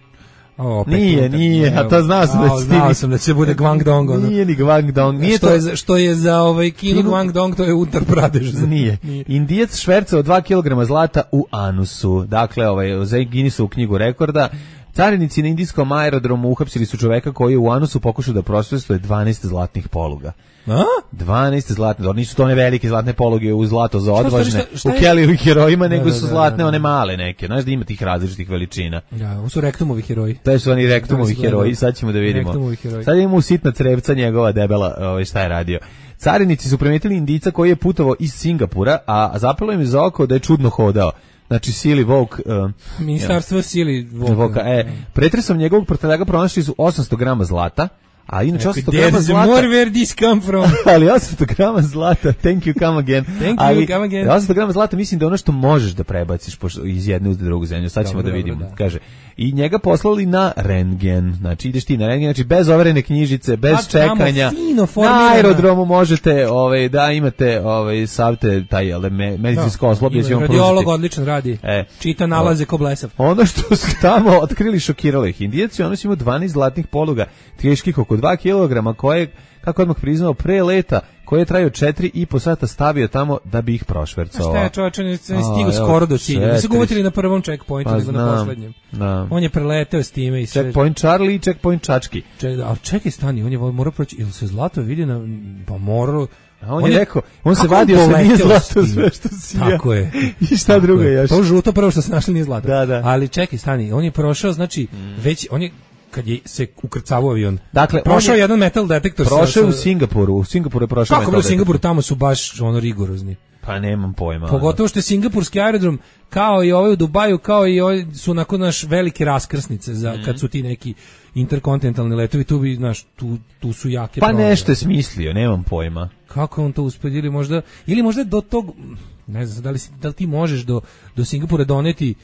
O, nije, utak, nije, a to znao sam, o, znao sam da će bude Guangdong. Ono. Nije ni Guangdong. Nije što, to... je za, što je za ovaj Kinu Guangdong, to je Uttar Pradeš. Nije. nije. Indijac švercao dva kilograma zlata u anusu. Dakle, ovaj, za Guinnessovu knjigu rekorda. Carinici na indijskom aerodromu uhapsili su čoveka koji je u anusu pokušao da prosvjetuje dvanaest zlatnih poluga. A? dvanaest zlatne, nisu to one velike zlatne poluge u zlato za odvažne, u Kellyovih herojima, nego da, da, su zlatne da, da, one male neke. Znaš da ima tih različitih veličina. Da, ovo su rektumovi heroji. To su oni rektumovi heroji, sad ćemo da vidimo. Sad imamo sitna crevca njegova debela, ovaj, šta je radio. Carinici su primetili Indijca koji je putovao iz Singapura, a zapelo im za oko da je čudno hodao. Znači Sili Vok, uh, Ministarstvo ja, Sili Voka, e, pretresom njegovog prtljaga pronašli su osamsto grama zlata, a inače osamsto grama zlata. More where this come from. Ali osamsto grama zlata, thank you, come again. Thank ali, you, come again. osamsto grama zlata mislim da ono što možeš da prebaciš iz jedne u drugu zemlju, sad ćemo dobro, da vidimo, da. Kaže. I njega poslali na rentgen, znači ideš ti na rentgen, znači bez overene knjižice, bez a, čekanja, na aerodromu možete, ovaj, da imate ovaj, savte, taj ale, me, medicinsko osloblje. Radiolog odlično radi, e, čita nalaze ko blesav. Ono što su tamo otkrili šokiralo ih. Indijaci, ono su imaju dvanaest zlatnih poluga, teških oko dva kilograma, koje, kako odmah priznao, pre leta, koji je trajao četiri i po sata stavio tamo da bi ih prošvercao. Šta je čovječe, ne stigu skoro do cilja. Ne su ga uvatili na prvom checkpointu, pa nego na poslednjem. Da. On je preleteo s time i sve. Checkpoint Charlie i checkpoint Čački. Ček, a čekaj, stani, on je morao proći, ili se zlato vidi na, pa morao... A on, on je rekao, on se vadio sa nije zlato sve što si ja. Tako je. I šta drugo je još? To žuto prvo što se našli nije zlato. Da, da. Ali čekaj, stani, on je prošao, znači, mm. već, on je kad je se ukrcavao avion. Dakle, prošao je jedan metal detektor. Prošao sa, u Singapuru, u Singapuru je prošao metal detektor. Kako u Singapuru, tamo su baš ono rigorozni. Pa nemam pojma. Pogotovo što je singapurski aerodrom, kao i ovaj u Dubaju, kao i ovaj su nakon naš velike raskrsnice za mm. kad su ti neki interkontinentalni letovi, tu bi, znaš, tu, tu su jake pa promjene. Nešto je smislio, nemam pojma. Kako on to uspio, ili možda, ili možda do tog, ne znam, da li, da li ti možeš do, do Singapura doneti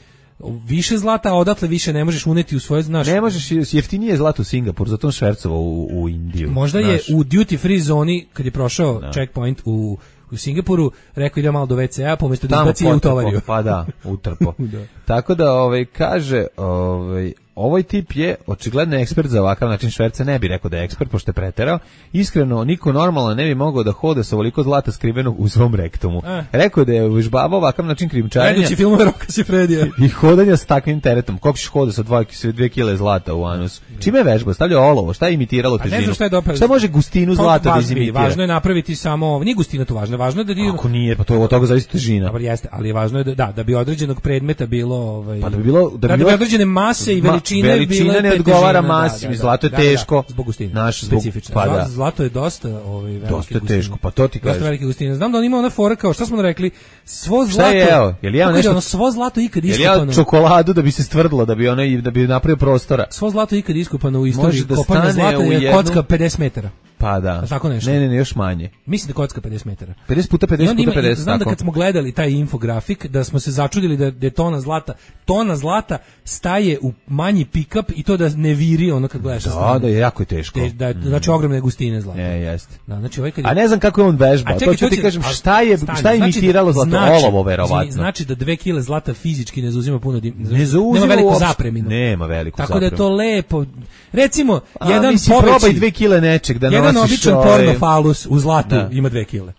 više zlata, a odatle više ne možeš uneti u svoje, znaš. Ne možeš, jeftinije zlato u Singapur, zato on švercovao u, u Indiju. Možda znaš. Je u duty free zoni, kad je prošao no. checkpoint u u Singapuru, rekao ide malo do ve ce a, pomjesto da izbaci u tovariju. Pa da, utrpo. Da. Tako da, ovaj, kaže, ovaj, ovaj tip je očigledno ekspert za ovakav način šverca, ne bi rekao da je ekspert, pošto je preterao. Iskreno, niko normalno ne bi mogao da hoda sa ovoliko zlata skrivenog u svom rektumu. Eh. Rekao da je uvežbavao ovakav način krijumčarenja. Gledajući filmove Roka Sifredija. I hodanja s takvim teretom. Koliko ćeš hoda sa dve kile zlata u anus? Čime je vežba? Stavljao olovo? Šta je imitiralo težinu? Ne znam šta je dopre... Šta može gustinu zlata da izimitira? Važno je napraviti samo, nije gustina tu važno, važno je da ti... Ako nije, pa to je od toga zavisi težina. Dobro jeste, ali važno je da da, da bi određenog predmeta bilo, ovaj, pa da bi bilo da bi, da bilo, bi određene mase i veličine, ma, veličina bile ne odgovara masi, da, da, zlato je da, teško. Da, da, zbog gustine. Naš specifično. Pa da. Zlato je dosta, ovaj, velike dosta teško, pa to ti kažeš. Dosta velike gustine. Znam da on ima ona fora kao šta smo rekli, svo zlato. Šta je jeo? Jel jeo nešto? Ono svo zlato ikad iskopano. Jel jeo čokoladu da bi se stvrdilo, da bi ona da bi napravio prostora. Svo zlato ikad iskopano u istoriji kopanja zlata je kocka pedeset metara. Pa da. Tako nešto. Ne, ne, ne, još manje. Mislim da kocka pedeset metara. pedeset puta pedeset puta pedeset, znam tako. da kad smo gledali taj infografik, da smo se začudili da, da je tona zlata, tona zlata staje u manji pick-up i to da ne viri ono kad gledaš. Da, da je jako teško. Te, da, znači ogromne gustine zlata. Je, jeste. Da, znači ovaj kad je... A ne znam kako je on vežba, to ću ti kažem, šta je, stani, šta je imitiralo zlato, znači, olovo verovatno. Znači da dve kile zlata fizički ne zauzima puno, dim, ne zauzima nema veliku uopšte, zapreminu. Nema veliku Tako zapreminu. da je to lepo. Recimo, A, jedan mislim, poveći, probaj dve kile nečeg da jedan nosiš. običan ovaj... pornofalus u zlatu da. ima dve kile.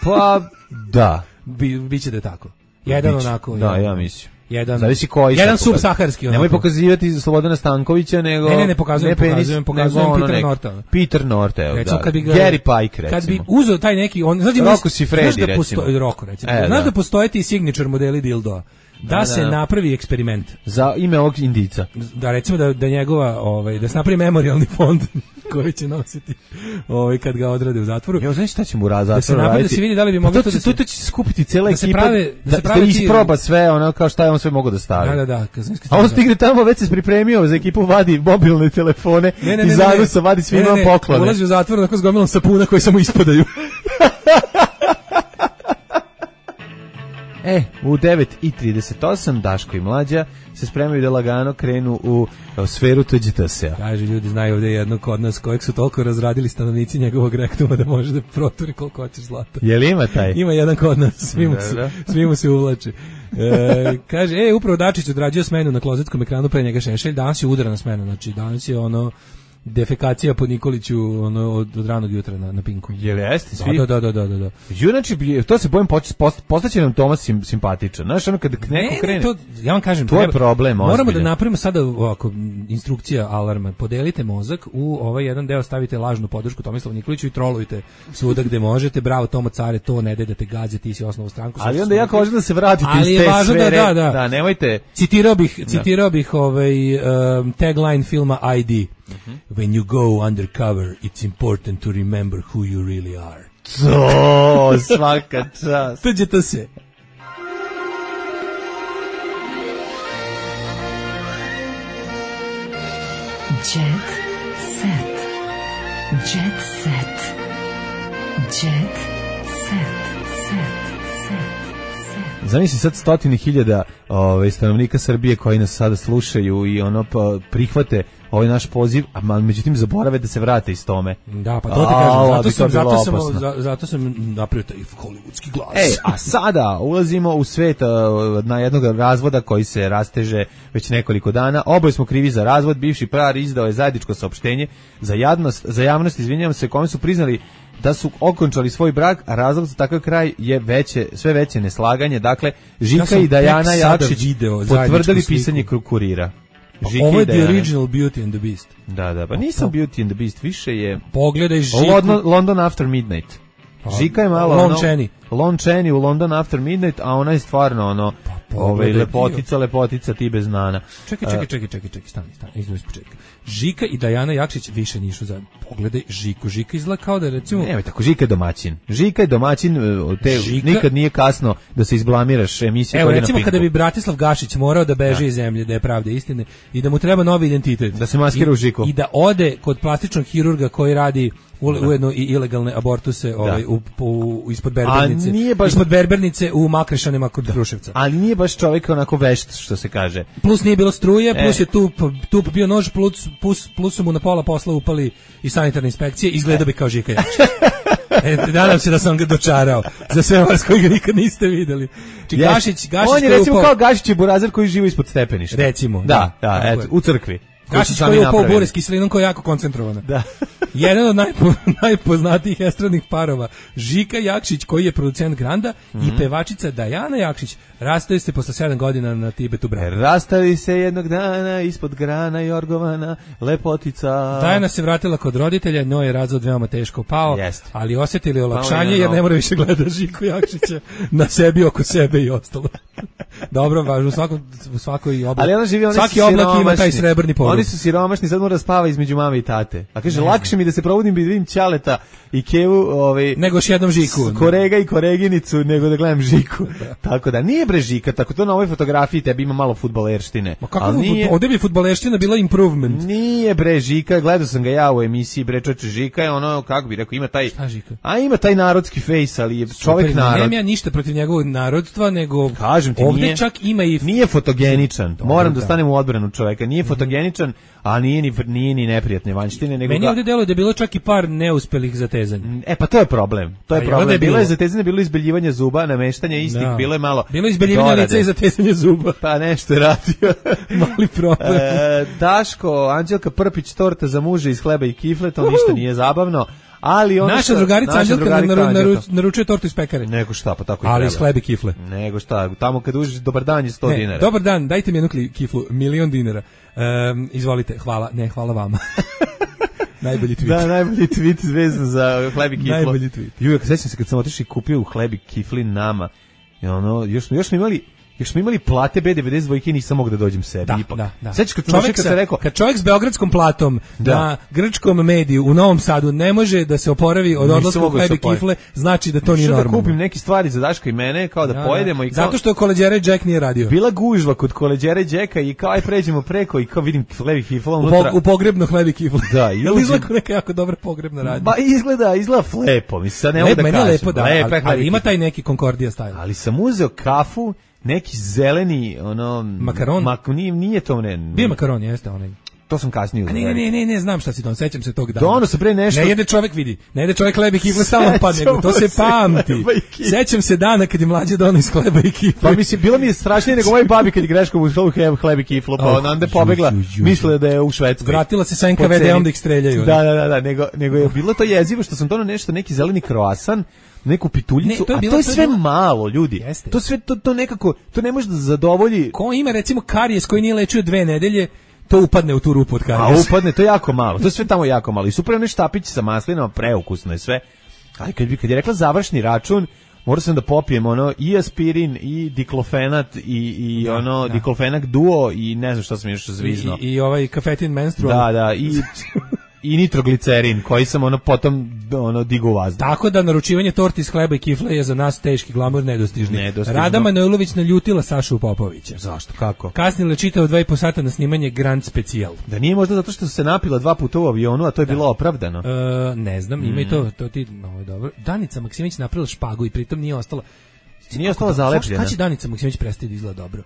Pa, da. Bi, biće da je tako. Jedan Biće. onako. Da, jedan, ja mislim. Jedan, zavisi koji. Jedan subsaharski. Nemoj pokazivati Slobodana Stankovića, nego... Ne, ne, ne pokazujem, ne penis, pokazujem, pokazujem ono Peter nek, Norta. Peter Norta, evo, recimo, da. Kad bi ga, Gary Pike, recimo. Kad bi uzeo taj neki... On, znači, Rocco Siffredi, znaš da recimo. Postoji, Rocco, recimo. E, znaš da. da postoje ti signature modeli dildoa. Da, da se da. napravi eksperiment. Za ime ovog indica. Da, recimo da, da njegova, ovaj, da se napravi memorijalni fond koji će nositi ovaj, kad ga odrade u zatvoru. Jo, znaš šta će mu u zatvoru da se napravi, da se vidi da li bi mogli pa to, to da se... se... To će skupiti cijela da se ekipa, prave, da, da, se prave da ti... isproba sve, ono kao šta je on sve mogao da stavi. Da, da, da. Kad A on stigne tamo, već se pripremio za ekipu, vadi mobilne telefone ne, ne, i ne, zagusa, vadi svima ne, ne, poklone. Ulazi u zatvor onako s gomilom sapuna koji samo ispadaju. E, u devet i trideset osam Daško i Mlađa se spremaju da lagano krenu u, u sferu tuđitasea. Kaže, ljudi znaju ovdje jednog kod nas kojeg su toliko razradili stanovnici njegovog rektuma da može da proturi koliko hoćeš zlata. Je li ima taj? Ima jedan kod nas, svi mu se, svi mu se uvlači. E, kaže, e, upravo Dačić odrađuje smenu na klozetskom ekranu, pre njega Šešelj, danas je udarana smena, znači danas je ono defekacija po Nikoliću ono, od, od ranog jutra na, na Pinku. Je li jeste svi? Da, da, da, da, da, da. Znači, to se bojim, post, postaće nam Tomas sim, simpatičan. Znaš, ono kad neko ne, krene... Ne, to, ja vam kažem, to treba, je problem, moramo ozbiljan. da napravimo sada ovako, instrukcija alarma. Podelite mozak, u ovaj jedan deo stavite lažnu podršku Tomislavu Nikoliću i trolujte svuda gde možete. Bravo, Tomo care, to ne daj da te gađe, ti si osnovu stranku. Ali onda jako važno da se vratite ali iz te sfere. Da, da, da. da, nemojte... Citirao bih, citirao bih ovaj, um, tagline filma I D. Uh-huh. When you go undercover, it's important to remember who you really are. To, svaka čast. Tuđe to se. Jet set. Jet set. Jet set. Set. Set. Zamisli sad stotine hiljada ove, stanovnika Srbije koji nas sada slušaju i ono pa, prihvate ovaj naš poziv, a međutim zaborave da se vrate iz tome. Da, pa to ti kažem, zato sam, zato sam, za, zato sam napravio taj hollywoodski glas. E, a sada ulazimo u svet na jednog razvoda koji se rasteže već nekoliko dana. Oboje smo krivi za razvod, bivši par izdao je zajedničko saopštenje za javnost, za javnost, izvinjavam se, kome su priznali da su okončali svoj brak, a razlog za takav kraj je veće, sve veće neslaganje. Dakle, Žika ja i Dajana Jakšić potvrdili pisanje Kurira. Žiki ovo je The Original Beauty and the Beast. Da, da, pa nisam Beauty and the Beast, više je... Pogledaj Žiku. London, London After Midnight. Žika je malo... Lon Chaney. Lon Chaney u London After Midnight, a ona je stvarno ono... Ove, lepotica, lepotica, ti bez nana. Čekaj, čekaj, čekaj, čekaj, čekaj, stani, stani, iznu iz početka. Žika i Dajana Jakšić više nišu zajedno. Pogledaj Žiku, Žika izgleda kao da je recimo... Ne, tako, Žika je domaćin. Žika je domaćin, te, Žika... nikad nije kasno da se izblamiraš emisije. Evo, recimo kada bi Bratislav Gašić morao da beže da. iz zemlje, da je pravde istine, i da mu treba novi identitet. Da se maskira u Žiku. I da ode kod plastičnog hirurga koji radi ujedno i ilegalne abortuse ovaj, u, u, ispod berbernice. Baš... Ispod berbernice u Makrešanima kod da. Kruševca. Ali nije baš čovjek onako vešt, što se kaže. Plus nije bilo struje, plus e. je tu, tu bio nož, plus, plus, plus su mu na pola posla upali i sanitarne inspekcije, izgleda e. bi kao Žika Jakšić. E, nadam se da sam ga dočarao za sve vas koji ga nikad niste videli. Či yes. Gašić, Gašić on je recimo upao... kao Gašić je burazer koji živi ispod stepeništa. Recimo. Da, da, da eto, u crkvi. Gašić koji je upao bure s kiselinom koja je jako koncentrovana. Da. Jedan od najpo, najpoznatijih estradnih parova, Žika Jakšić koji je producent Granda mm-hmm. i pevačica Dajana Jakšić rastaju se posle sedam godina na Tibetu brana. Rastali se jednog dana ispod grana Jorgovana, lepotica. Dajana se vratila kod roditelja, njoj je razvod veoma teško pao, Jest. ali osjetili olakšanje jer ne mora više gleda Žiku Jakšića na sebi, oko sebe i ostalo. Dobro, važno, u svakom, u svakoj oblak. Ali ona živi, svaki oblak ima taj srebrni poruk. Oni su siromašni, sad mora spava između mame i tate. A kaže, lakše mi da se probudim bi vidim Ćaleta i Kevu, ovaj nego još jednom Žiku. Korega i Koreginicu, nego da gledam Žiku. Tako da nije bre Žika, tako to na ovoj fotografiji tebi ima malo fudbalerštine. Ma kako nije, ovde bi fudbalerština bila improvement. Nije bre Žika, gledao sam ga ja u emisiji bre čoveče, Žika je ono kako bi rekao ima taj Šta Žika? A ima taj narodski face, ali je čovjek narod. Nemam ja ništa protiv njegovog narodstva, nego kažem ti, ovde nije, čak ima i nije fotogeničan. Moram da stanem u odbranu čovjeka. Nije fotogeničan, a nije ni nije ni neprijatne vanjštine, nego meni ga... ovde deluje da je bilo čak i par neuspelih zatezanja. E pa to je problem. To je a problem. Je bilo je je zatezanje, bilo izbeljivanje zuba, nameštanje istih, da. Bilo je malo. Bilo je izbeljivanje lica i zatezanje zuba. Pa nešto je radio. Mali problem. E, Daško, Anđelka Prpić, torta za muže iz hleba i kifle, to uh-huh. ništa nije zabavno. Ali ona naša drugarica Anđelka naru, naru, naručuje tortu iz pekare. Nego šta, pa tako i ali treba. Ali iz hleba i kifle. Nego šta, tamo kad uđeš dobar dan je sto ne, dinara. Dobar dan, dajte mi jednu kiflu, milion dinara. Um, izvolite, hvala, ne, hvala vama. Najbolji tweet. Da, najbolji tweet vezan za hleb i kiflu. Najbolji tweet. Jujak, sećam se kad sam otišao i kupio u hleb i kifli nama. I ono, još smo, još smo imali Još smo imali plate B devedeset dva i nisam mogao da dođem sebi da, ipak. Da, da. Sećaš kad čovjek kad se rekao, kad čovjek s beogradskom platom da. Na grčkom mediju u Novom Sadu ne može da se oporavi od odlaska u hleb i kifle, znači da to nije normalno. Da kupim neke stvari za Daška i mene kao da, da pojedemo da. i kao zato što Koleđera i Jack nije radio. Bila gužva kod Koleđera i Jacka i kao aj pređemo preko i kao vidim hleb i kifla unutra. U, u pogrebno hleb i kifle. Da, i izgleda neka jako dobra pogrebna radnja. Ba izgleda, izgleda flepo, mi sad ne mogu da kažem. Lepo, da, ali, ali ima taj neki Concordia style. Ali sam uzeo kafu neki zeleni ono makaron mak, nije, nije to ne bio makaron jeste onaj to sam kasnije uzeo. Ne, ne, ne, ne, znam šta si don, sećam se tog dana. Dono se bre nešto. Ne jede čovjek vidi. Ne jede čovjek hleb i kifle samo padne, to se pamti. Sećam se dana kad je mlađe dono iz hleba i kifle. Pa mislim bilo mi je strašnije nego moj babi kad je greškom uzela hleb, hleb i kiflu, pa oh, onda je pobegla, mislila da je u Švedskoj. Vratila se sa en ka ve de-om da ih streljaju. Da, da, da, da, nego nego je bilo to jezivo što sam doneo nešto neki zeleni kroasan, neku pituljicu, ne, to je bilo, a to je sve to je malo, ljudi. Jeste. To sve to to nekako, to ne može da zadovolji. Ko ima recimo karijes koji nije lečio dve nedelje, to upadne u tu rupu od karijesa. A upadne, to je jako malo. To je sve tamo jako malo. I super onaj štapić sa maslinama, preukusno je sve. Ali kad bi kad je rekla završni račun, morao sam da popijem ono i aspirin i diklofenat i i da, ono da. diklofenak duo i ne znam šta sam još zvizno. I, i, i ovaj kafetin menstrual. Da, da, i i nitroglicerin koji sam ono potom ono digu vazduh. Tako da naručivanje torti iz hleba i kifle je za nas teški glamur nedostižni. Nedostižno. Rada Manojlović naljutila Sašu Popovića. Zašto? Kako? Kasnila čitao dva i po sata na snimanje Grand Specijal. Da nije možda zato što se napila dva puta u avionu, a to je da. bilo opravdano. E, ne znam, ima mm. i to, to ti, no, je dobro. Danica Maksimović napravila špagu i pritom nije ostala nije ostala zalepljena. Kada će Danica Maksimović prestati da izgleda dobro?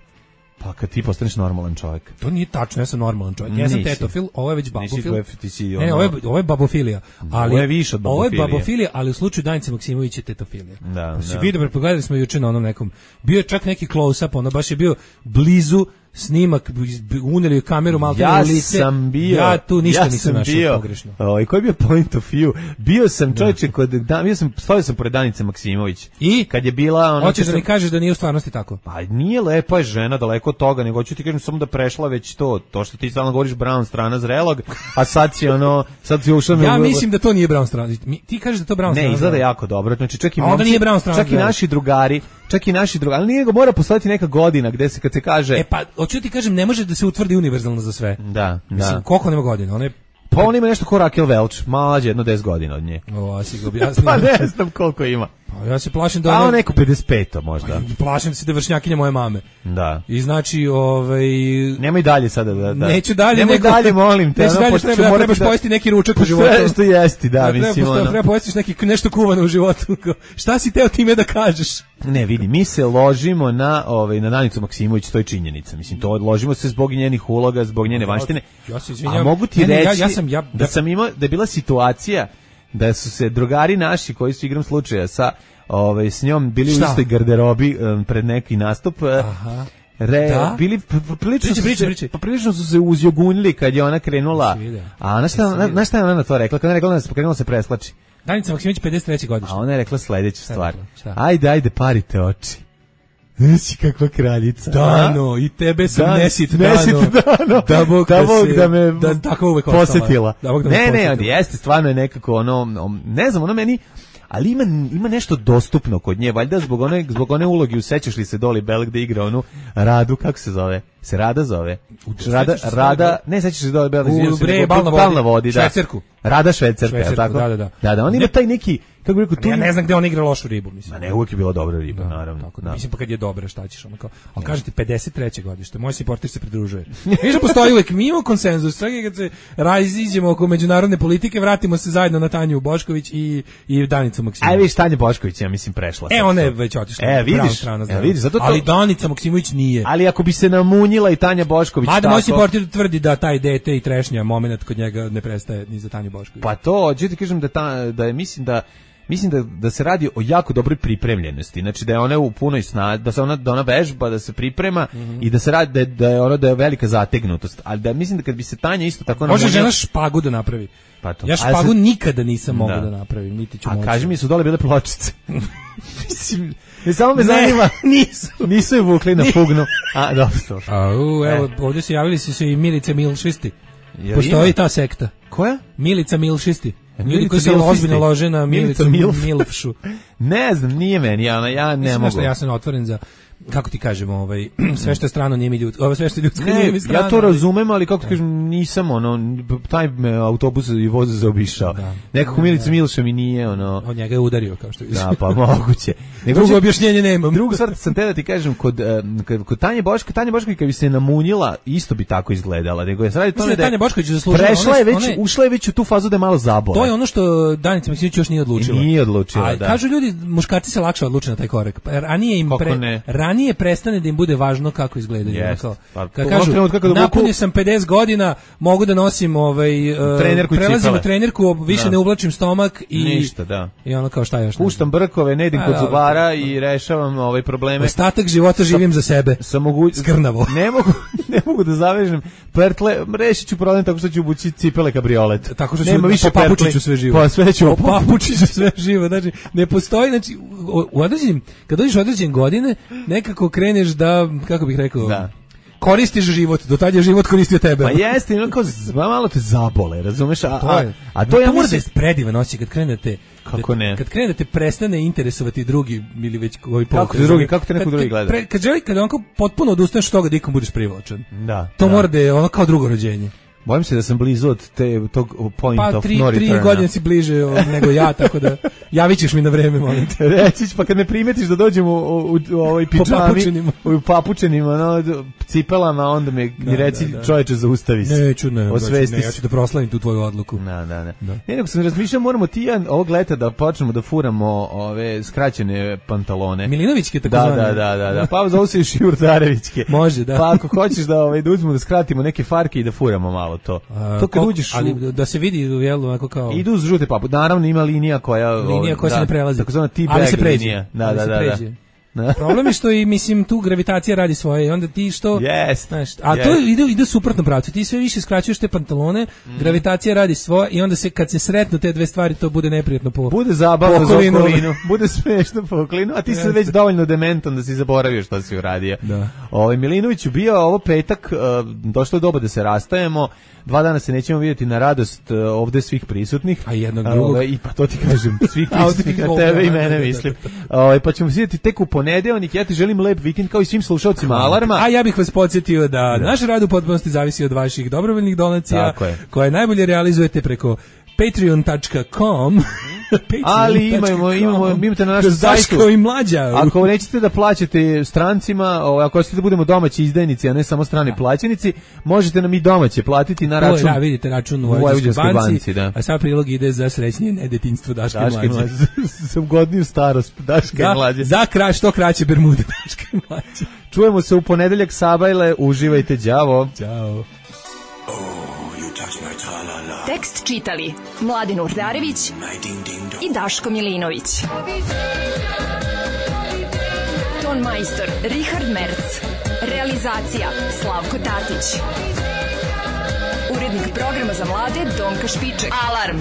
Pa kad ti postaneš normalan čovjek. To nije tačno, ja sam normalan čovjek. Ja sam Nisi. tetofil, ovo je već babofil. Nisi, ne, ovo je, ovo je babofilija. Ali, ovo je više od babofilije. Ovo je babofilija, ali u slučaju Danice Maksimović je tetofilija. Da, da. Vidio, pogledali smo juče na onom nekom, bio je čak neki close-up, ono baš je bio blizu snimak, uneli kameru malo ja u lice. Ja sam bio. Ja tu ništa ja nisam našao bio, pogrešno. O, koji je bio point of view? Bio sam čovječe kod, da, bio sam, stavio sam pored Danice Maksimović. I? Kad je bila... Ono, hoćeš da sam, mi kažeš da nije u stvarnosti tako? Pa nije lepa je žena, daleko od toga, nego hoću ti kažem samo da prešla već to. To što ti stalno govoriš Brown strana zrelog, a sad si ono... Sad si ušao... Ja mislim da to nije Brown strana. Ti kažeš da to Brown strana. Ne, izgleda jako dobro. Znači, čak i, momci, nije Brown strana, čak i naši drugari, čak i naši drugari, ali nije ga mora postaviti neka godina gde se kad se kaže... E pa, hoću ti kažem, ne može da se utvrdi univerzalno za sve. Da, mislim, da. Koliko nema godina? One pa on ima nešto ko Raquel Welch, mlađe, jedno deset godina od nje. O, a si ga objasnio. Pa ne znam koliko ima. Pa ja se plašim da... A on neko pedeset pet možda. Pa, plašim se da vršnjakinja moje mame. Da. I znači, ovaj... Nemoj dalje sada da... da. Neću dalje. Nemoj nego, dalje, molim te. Neću dalje, treba, da, trebaš da, pojesti neki ručak u životu. Sve što jesti, da, treba, mislim treba, ono. Treba pojestiš neki, nešto kuvano u životu. Šta si teo time da kažeš? Ne, vidi, mi se ložimo na, ovaj, na Danicu Maksimović, to je činjenica. Mislim, to ložimo se zbog njenih uloga, zbog njene vanštine. Ja se izvinjam. A mogu ti ne, ne, reći ja, ja sam, ja, da sam imao, da je bila situacija da su se drugari naši koji su igram slučaja sa ovaj s njom bili Šta? u istoj garderobi um, pred neki nastup. Aha. Re, da? bili prilično priče, priče, priče. Pa prilično su se uzjogunili kad je ona krenula. A na šta, na, na šta je ona na to rekla? Kad je rekla da se pokrenula se preslači. Danica Maksimović pedeset treće godište. A ona je rekla sledeću stvar. Ajde, ajde, parite oči. Nisi kakva kraljica. Dano, i tebe sam Dan, nesit, nesit dano. dano. Da Bog da, da, Bog se, da me da, tako uvek posjetila. Da Bog da ne, me ne, ne, jeste, stvarno je nekako ono, ne znam, ono meni, ali ima, ima nešto dostupno kod nje, valjda zbog one, zbog one uloge, usećaš li se Doli Bell gde igra onu Radu, kako se zove? Se Rada zove? Rada, Rada, ne, sećaš se Doli Bell, u bre, bal na vodi, bal na vodi, da. Švecerku. Rada Švecerka, Švecerku, tako? da, da, da. Da, da, on ima taj neki, kako bih rekao, tu ja ne znam gde on igra lošu ribu, mislim. Ma ne, uvijek je bila dobra riba, da, naravno. Tako da, da. Mislim, pa kad je dobra, šta ćeš, ono kao, ali kažete, pedeset treće godište, moj supporter se pridružuje. Viš da postoji uvijek, mi imamo konsenzus, čak i kad se raziđemo oko međunarodne politike, vratimo se zajedno na Tanju Bošković i, i Danicu Maksimović. Aj, vidiš, Tanja Bošković, ja mislim, prešla. E, ona je već otišla. E, vidiš, strana, e, vidiš, zato to... Ali Danica Maksimović nije. Ali ako bi se namunjila i Tanja Bošković, mada tako... moj supporter tvrdi da taj dete i trešnja moment kod njega ne prestaje ni za Tanju Bošković. Pa to, ću ti kažem da, ta, da je, mislim da mislim da, da se radi o jako dobroj pripremljenosti. Znači da je ona u punoj snazi, da se ona da ona vežba, da se priprema mm-hmm. i da se radi da je, da je ona da je velika zategnutost. Ali da mislim da kad bi se Tanja isto tako može žena špagu da napravi. Pa to. Ja špagu se... nikada nisam mogao da. da napravim, niti ću moći. A kaži mi, su dole bile pločice. Mislim, ne samo me zanima, nisu. Nisu je vukli na fugnu. A, dobro, to. A, u, evo, e. ovdje se javili su se i Milice Milšisti. Ja, postoji ima? Ta sekta. Koja? Milica Milšisti. Ljudi koji se ozbiljno lože na Milicu Milfšu. Ne znam, nije meni, ja, ja ne mogu. Ja sam otvoren za, kako ti kažemo, ovaj, sve što je strano nije mi ljudsko, ovo sve što je ljudsko nije mi strano. Ja to razumem, ali kako ti kažem, nisam, ono, taj me autobus i voz zaobišao. Da. Nekako Milica Milša mi nije, ono... Od njega je udario, kao što vidiš. Da, pa moguće. Nego drugo objašnjenje nemam. Drugu stvar sam te da ti kažem, kod, kod, kod Tanje Boška, Tanja Bošković kad bi se namunjila, isto bi tako izgledala. Nego je sad to ne da Tanja Bošković zaslužila. Prešla je već, one... ušla je već u tu fazu da je malo zabola. To je ono što Danica Maksimović još nije odlučila. I nije odlučila, a, da. Kažu ljudi, muškarci se lakše odluče na taj korak. Ranije im pre, ranije prestane da im bude važno kako izgledaju. Yes. Kao, pa, kad kažu, napunio sam pedeset godina, mogu da nosim ovaj, uh, trenerku prelazim u trenerku, više da. Ne uvlačim stomak i, ništa, da. I ono kao šta još. Puštam brkove, ne idem kod zubara i rešavam ovaj probleme. Ostatak života živim za sebe. Sa mogu... Skrnavo. Ne mogu, ne mogu da zavežem pertle, rešit ću problem tako što ću obući cipele kabriolet. Tako što ću nema više po papučiću sve živo. Pa sve ću po papučiću sve živo. Znači, ne postoji, znači, u određenim, kad dođeš u određene godine, nekako kreneš da, kako bih rekao, da. Koristiš život, do tad je život koristio tebe. Pa jeste, ono kao, malo te zabole, razumeš? A, to je, a to je, ja mora da je predivan osjećaj kad krenete, kako ne? Kad krenete prestane interesovati drugi ili već koji pokret. Kako te drugi, kako te neko drugi gleda? Kad, kad želi, kad onako potpuno odustaneš od toga da ikom budeš privlačen. Da. To da. Mora da je ono kao drugo rođenje. Bojim se da sam blizu od te, tog point pa, of tri, no return. Pa tri godine si bliže nego ja, tako da javit ćeš mi na vreme, molim te. Reći, pa kad me primetiš da dođem u, u, u ovoj pičami, u papučenima, no, cipelama, onda me da, mi reci da, da. Čovječe zaustavi se. Neću, ne, ne, ja ću da proslavim tu tvoju odluku. Da, da, da. da. Ne, nego sam razmišljao, moramo ti ja ovog leta da počnemo da furamo ove skraćene pantalone. Milinovićke, tako da, zvane. Da, da, da, da. Pa zovu se i Šiurdarevićke. Može, da. Pa ako hoćeš da, ovaj, da uzmemo da skratimo neke farke i da furamo malo to. A, to kad kol, uđeš u... ali da se vidi jel onako kao idu uz žute papu. Naravno ima linija koja linija koja da, se ne prelazi. Takozvana T-bag linija. Da, da, da, da. Da. Problem je što i mislim tu gravitacija radi svoje i onda ti što yes, znaš, a yes. to ide ide suprotno pravcu. Ti sve više skraćuješ te pantalone, mm. gravitacija radi svoje i onda se kad se sretnu te dve stvari to bude neprijatno po. Bude zabavno za okolinu, bude smešno po okolinu, a ti si već dovoljno dementan da si zaboravio šta si uradio. Da. Ovaj Milinović bio ovo petak, uh, došlo je doba da se rastajemo. Dva dana se nećemo vidjeti na radost uh, ovde svih prisutnih. A jednog drugog. Ove, I pa to ti kažem, svih prisutnih, a tebe i mene mislim. Ove, pa ćemo se vidjeti tek u ponedeljak. Ja ti želim lep vikend kao i svim slušalcima Alarma. A ja bih vas podsjetio da, da. naš rad u potpunosti zavisi od vaših dobrovoljnih donacija, koje najbolje realizujete preko patreon tačka com. Ali imamo, imamo, imate na našem sajtu. I mlađa. Ako nećete da plaćate strancima, ako hoćete da budemo domaći izdajnici, a ne samo strani da. plaćenici, možete nam i domaće platiti na račun. Da, vidite račun u Vojvođanskoj banci, banci da. A sad prilog ide za srećnije nedetinjstvo Daške i mlađe. Za ugodniju starost Daške i mlađe. Za kraj što kraće bermude Daške i mlađe. Čujemo se u ponedeljak, sabajle, uživajte, đavo. Ćao. Tekst čitali Mladin Urdarević i Daško Milinović. Ton majstor Richard Merc. Realizacija Slavko Tatić. Urednik programa za mlade Donka Špiček. Alarm.